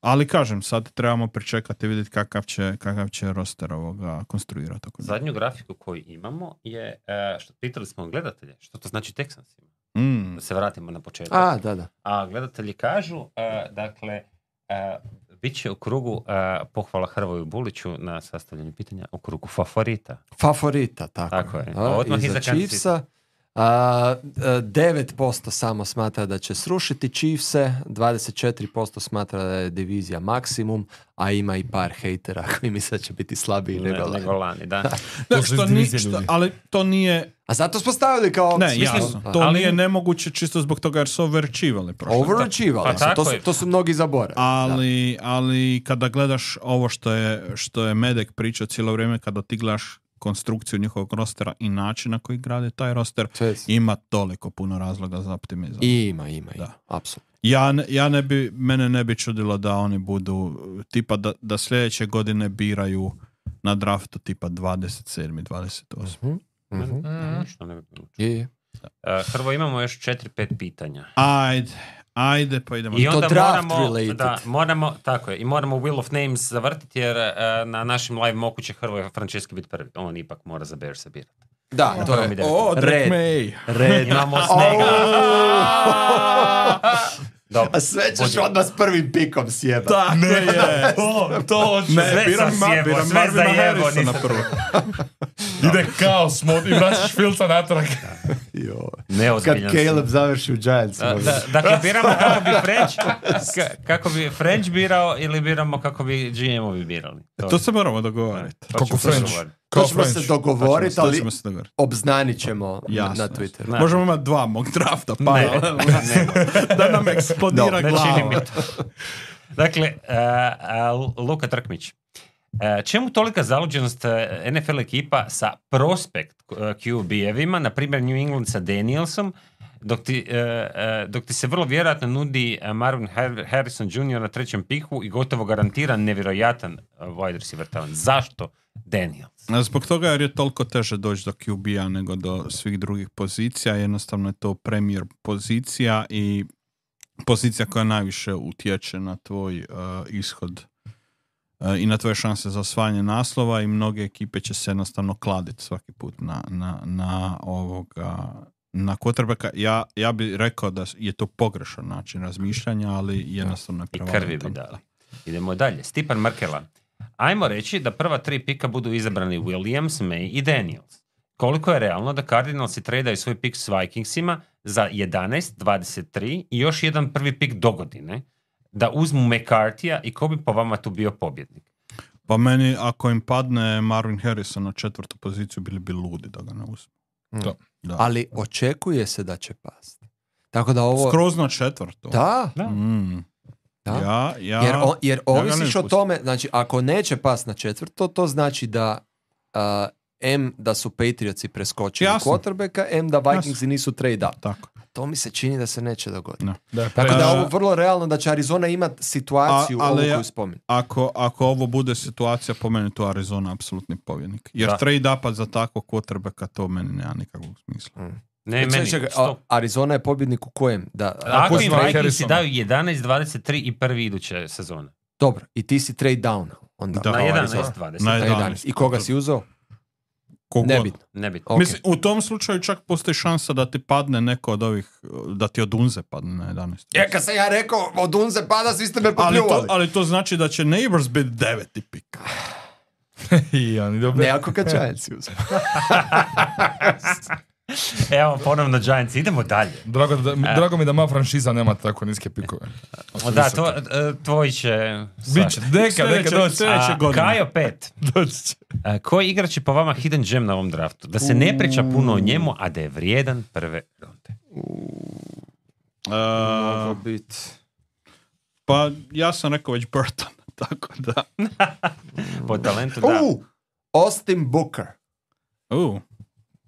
Ali kažem, sad trebamo pričekati i vidjeti kakav će, kakav će roster ovoga konstruirati. Zadnju grafiku koju imamo je, što pitali smo gledatelje, što to znači Texansima. Mm. Da se vratimo na početak. A, da, da. A gledatelji kažu, uh, dakle, uh, bit će u krugu uh, pohvala Hrvoju Buliću na sastavljanju pitanja u krugu favorita. Favorita, tako. Tako je. A, odmah iza Chiefsa. A, devet posto samo smatra da će srušiti Chiefse, dvadeset četiri posto smatra da je divizija maksimum, a ima i par hejtera koji misle da će biti slabiji nego lani. Nego lani, da. da što ni, što, ali to nije... A zato smo stavili kao... Ne, jasno. To ali... nije nemoguće čisto zbog toga jer su overachievali. Overachievali, pa, to, su, to su mnogi zaboravili. Ali, ali kada gledaš ovo što je, što je Medek pričao cijelo vrijeme, kada ti gledaš konstrukciju njihovog rostera i način na koji grade taj roster, Čest. ima toliko puno razloga za optimizam. Ima, ima, ima. Apsolutno. Ja, ja ne bi, mene ne bi čudilo da oni budu tipa da, da sljedeće godine biraju na draftu tipa dvadeset sedam dvadeset osam Mm-hmm. Mm-hmm. Što ne bi bilo je. Uh, Hrvo, imamo još četiri pet pitanja. Ajde. Ajde, pa idemo. I onda moramo, da, moramo, tako je, i moramo Wheel of Names zavrtiti jer uh, na našim live moku će Hrvoje Franceschi biti prvi. On ipak mora za Bears se birati. Da, no, to je o, red. Red. Imamo snega. Dobro. A sve ćeš Budi. odmah s prvim pikom sjebati. Tako ne, je. to, to ne, sve biram, sam sjebo, biram sve za jebo. Na prvo. Ide kaos mod i vraćaš Filca natrag. Kad Caleb završi u Giants. Da, da, dakle, biramo kako bi French kako bi French birao ili biramo kako bi G M-ovi birali. To, to se moramo dogovoriti. Kako French? To ćemo se dogovoriti, ali obznanit ćemo na, na Twitteru. Ne. Možemo imati dva mog drafta, pa ne, ne, da nam eksplodira no, glava. Dakle, uh, uh, Luka Trkmić. Uh, čemu tolika zaluđenost uh, N F L ekipa sa prospekt uh, Q B-evima, na primjer New England sa Danielsom, dok ti, uh, uh, dok ti se vrlo vjerojatno nudi uh, Marvin Harrison junior na trećem piku i gotovo garantiran nevjerojatan uh, wide receiver talent. Zašto Daniels? Zbog toga jer je toliko teže doći do Q B-a nego do svih drugih pozicija. Jednostavno je to premier pozicija i pozicija koja najviše utječe na tvoj uh, ishod uh, i na tvoje šanse za osvajanje naslova i mnoge ekipe će se jednostavno kladiti svaki put na, na, na ovoga na quarterbacka. Ja, ja bih rekao da je to pogrešan način razmišljanja, ali jednostavno je prevalentan. I krvi bi dali. Idemo dalje. Stipan Markela. Ajmo reći da prva tri pika budu izabrani Williams, May i Daniels. Koliko je realno da Cardinalsi tradaju svoj pik s Vikingsima, za jedanaest dvadeset tri i još jedan prvi pik do godine da uzmu McCarthyja i ko bi po vama tu bio pobjednik? Pa meni, ako im padne Marvin Harrison na četvrtu poziciju, bili bi ludi da ga ne uzmu. Mm. Da. Ali očekuje se da će pasti. Tako da ovo... Skroz na četvrtu. Da. Da. Mm. Da. Ja, ja, jer o, jer ja ovisiš o tome, znači ako neće pas na četvrto, to znači da uh, M da su Patriotsi preskočili quarterbacka, M da Vikingsi Jasno. nisu trade up. Tako. To mi se čini da se neće dogoditi. No. Da, Tako da je ovo vrlo realno da će Arizona imati situaciju A, ovu ja, koju spominjem. Ako, ako ovo bude situacija, po meni to Arizona apsolutni pobjednik. Jer da. trade upa za takvog quarterbacka, to meni nema nikakvog smisla. Mm. Ne, meni, čekaj, a, Arizona je pobjednik u kojem? Da, ako im Vikingsi daju jedanaest dvadeset tri i prvi iduće sezone. Dobro, i ti si trade down. Onda. Da, na jedanaest dvadeset. Na jedanaest. I koga si uzeo? Kogod. Nebitno. Nebitno. Okay. Mislim, u tom slučaju čak postoji šansa da ti padne neko od ovih, da ti od Unze padne na jedanaest. Ja, kad sam ja rekao od Unze pada, svi ste me popljuvali. Ali to, ali to znači da će Neighbors biti deveti pik. I oni dobro. Ne ako kad Giantsi uzme. Evo, ponovno Giants. Idemo dalje. Drago, da, mi, drago mi da moja franšiza nema tako niske pikove. O, da, tvo, tvoj će... Biće, neka, neka doći. Sljedeće godine. Kajo pet. Doći će. A, koji igrač je po vama hidden gem na ovom draftu? Da se ne priča puno o njemu, a da je vrijedan prve runde. Mogu biti. Pa ja sam rekao već Burton. Tako da. Po talentu, da. Uh, Austin Booker. Uh.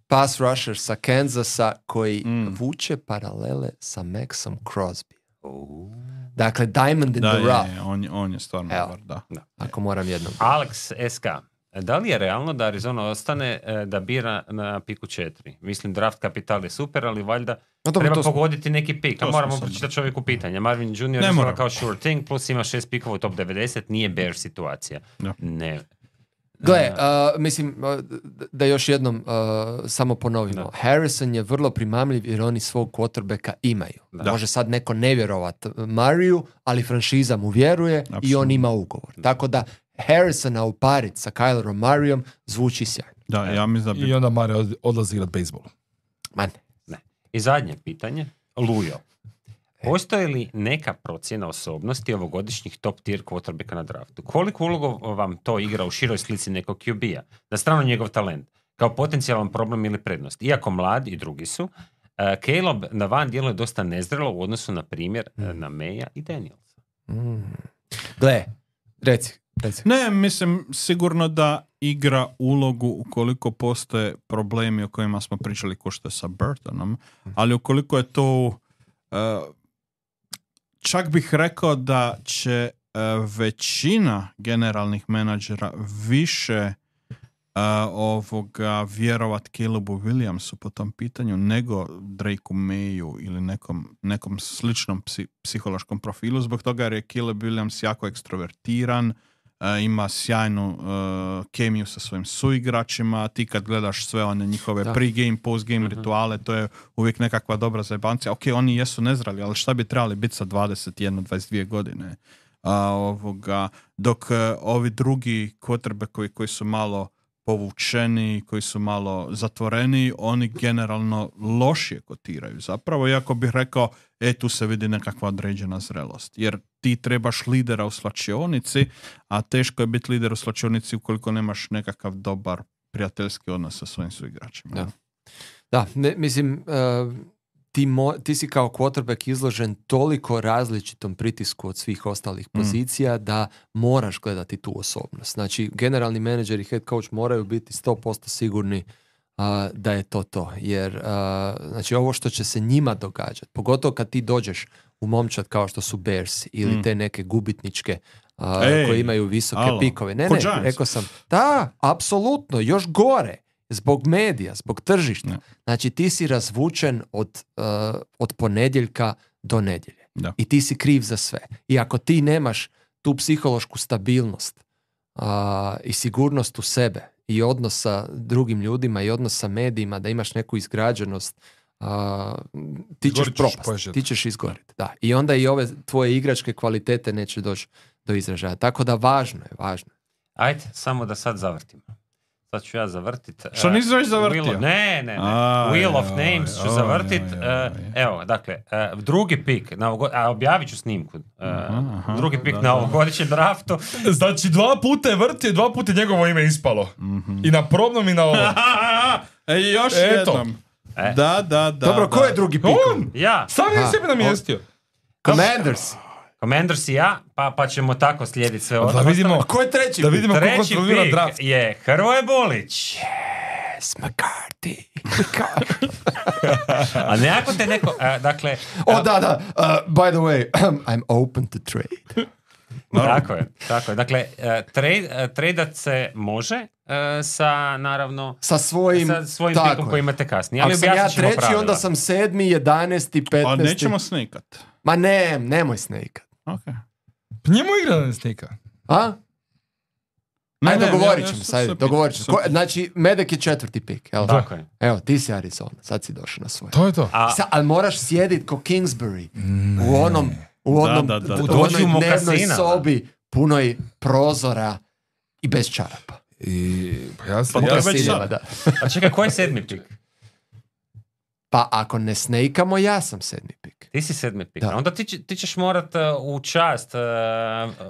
Pass rusher sa Kansasa koji mm. vuče paralele sa Maxom Crosby. Uh. Dakle, Diamond in da, the je, rough. Je, on, on je stvarno Evo, dobar, da. da. Ako moram jednom. Alex S K. Da li je realno da Arizona ostane da bira na piku četiri? Mislim, draft kapital je super, ali valjda no, treba to pogoditi smo, neki pik. A moramo pročitati čovjeku pitanja. Marvin junior je kao sure thing, plus ima šest pikova u top devedeset, nije bear situacija. No. Ne. Gle, uh, mislim, uh, da još jednom uh, samo ponovimo. Da. Harrison je vrlo primamljiv jer oni svog quarterbacka imaju. Da. Može sad neko ne vjerovat Mariju, ali franšiza mu vjeruje Absolutno. I on ima ugovor. Da. Tako da Harrisona uparit sa Kylerom Marijom zvuči sjajno. Da, ja mislim da bi... I onda Mario odlazi igrat bejsbol. Ma ne. ne. I zadnje pitanje. Lujo. Postoji li neka procjena osobnosti ovogodišnjih top tier quarterbacka na draftu? Koliko ulogu vam to igra u široj slici nekog Q B-a? Na stranu njegov talent, kao potencijalan problem ili prednost. Iako mlad i drugi su, uh, Caleb na van djeluje dosta nezrelo u odnosu na primjer mm. na Maya i Danielsa. Mm. Gle, reci, reci. Ne, mislim sigurno da igra ulogu ukoliko postoje problemi o kojima smo pričali ko što je sa Burtonom, ali ukoliko je to... Uh, čak bih rekao da će uh, većina generalnih menadžera više uh, ovoga vjerovat Calebu Williamsu po tom pitanju nego Drakeu Mayu ili nekom, nekom sličnom psi, psihološkom profilu, zbog toga jer je Caleb Williams jako ekstrovertiran, uh, ima sjajnu uh, kemiju sa svojim suigračima, ti kad gledaš sve one njihove da. Pre-game, post-game uh-huh. rituale, to je uvijek nekakva dobra zajebancija. Ok, oni jesu nezrali, ali šta bi trebali biti sa dvadeset jedan dvadeset dvije godine? A, ovoga, dok uh, ovi drugi quarterbackovi koji su malo povučeni, koji su malo zatvoreni, oni generalno lošije kotiraju. Zapravo, iako bih rekao, e, tu se vidi nekakva određena zrelost. Jer ti trebaš lidera u slačionici, a teško je biti lider u slačionici ukoliko nemaš nekakav dobar prijateljski odnos sa svojim suigračima. Da, da ne, mislim, uh, ti, mo, ti si kao quarterback izložen toliko različitom pritisku od svih ostalih mm. pozicija da moraš gledati tu osobnost. Znači, generalni menadžer i head coach moraju biti sto posto sigurni uh, da je to to. Jer, uh, znači, ovo što će se njima događati, pogotovo kad ti dođeš u momčad kao što su Bears ili mm. te neke gubitničke uh, Ej, koji imaju visoke alo. pikove. Ne, ne, rekao sam, da, apsolutno, još gore. Zbog medija, zbog tržišta. No. Znači ti si razvučen od, uh, od ponedjeljka do nedjelje. No. I ti si kriv za sve. I ako ti nemaš tu psihološku stabilnost uh, i sigurnost u sebe i odnos sa drugim ljudima i odnos sa medijima, da imaš neku izgrađenost, uh, ti ćeš propast. Ti ćeš izgoriti. Da. I onda i ove tvoje igračke kvalitete neće doći do izražaja. Tako da važno je, važno je. Ajde, samo da sad zavrtimo. sad ću ja zavrtit. Što nisi već zavrtio? Wheel of, ne, ne, ne. Aj, Wheel of aj, Names ću aj, zavrtit. aj, aj, aj. Uh, evo, dakle, uh, drugi pik, na ovogod... a objavit ću snimku. Uh, aha, aha, drugi pik da, na da. ovogodišnjem draftu. Znači, dva puta je vrtio, dva puta je njegovo ime ispalo. Mm-hmm. I na probnom i na ovom. E, još Eto. jednom. E. Da, da, da. Dobro, da. ko je drugi pik? On! Ja, Sam je Aha. sebe namjestio. Commanders. Commanders i ja, pa, pa ćemo tako slijediti sve Da ostalo. vidimo, A ko je treći da pik? vidimo ko Treći kontrolira pik draft. je Hrvoje Bulić. Yes, McCarthy. A nekako te neko, uh, dakle... O, da, da. Uh, by the way, I'm open to trade. Tako je, tako je. Dakle, uh, trade, uh, tradat se može uh, sa, naravno, Sa svojim, sa svojim tako pikom je. koji imate kasnije. Ali Ako sam ja objasnit ćemo treći, pravila. onda sam sedmi, jedanesti, petnesti. A nećemo snikat. Ma ne, nemoj snake. Okay. Pa njemu igra da ne snika. A? Ne, Ajde, ne, dogovorit ja- ćemo ja se, ajde, sam- dogovorit ćemo. sam- Ko- Znači, Medek je četvrti pik, jel? Tako je. Evo, ti si Arizona, sad si došao na svoj. To je to. A, Sa, ali moraš sjedit ko Kingsbury u onom, u onom, Da, da, da, da. u Dođi u onoj dnevnoj mokasina. sobi punoj prozora i bez čarapa. I, pa ja sam, Pa ja to je sam, već Ciljeva, sad. da. a čekaj, koji je sedmi pik? Pa ako ne snejkamo, ja sam sedmi pik. Ti si sedmi pik. Da. Onda ti, će- ti ćeš morat uh, u čast... Uh,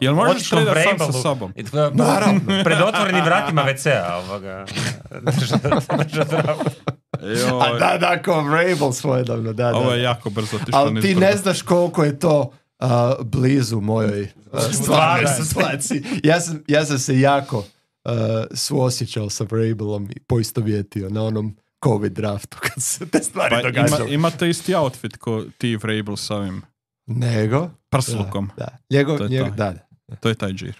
Jel možeš otići tom tradat sam sa Vrabelu, sobom? i, uh, Naravno. Pred otvorenim vratima ve cea ovoga. Držat, držat draft. Joj, A da, da, ko Vrabel svojedavno, da, da. ovo je jako brzo otišlo Ali ti nizbrdo. ne znaš koliko je to uh, blizu mojoj uh, stvarnoj Stvarno. situaciji. Ja sam, ja sam se jako uh, suosjećao sa Vrabelom i poistovjetio na onom COVID draftu kad se te stvari Pa ima, događale. imate isti outfit ko ti Vrabel s ovim Nego? prslukom. Da, da. Njegov, To je njegov, to. da, da. To je taj džir.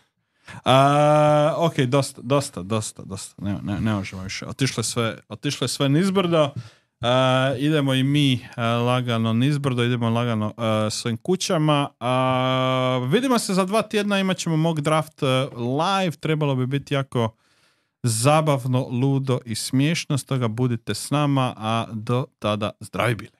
A, ok, dosta, dosta, dosta, dosta. Ne, ne, ne možemo više. Otišle sve, otišle sve nizbrdo. A, idemo i mi a, lagano nizbrdo, idemo lagano a, svojim kućama. A, vidimo se za dva tjedna, imat ćemo mock draft a, live. Trebalo bi biti jako zabavno, ludo i smiješno. Stoga budite s nama, a do tada zdravi bili.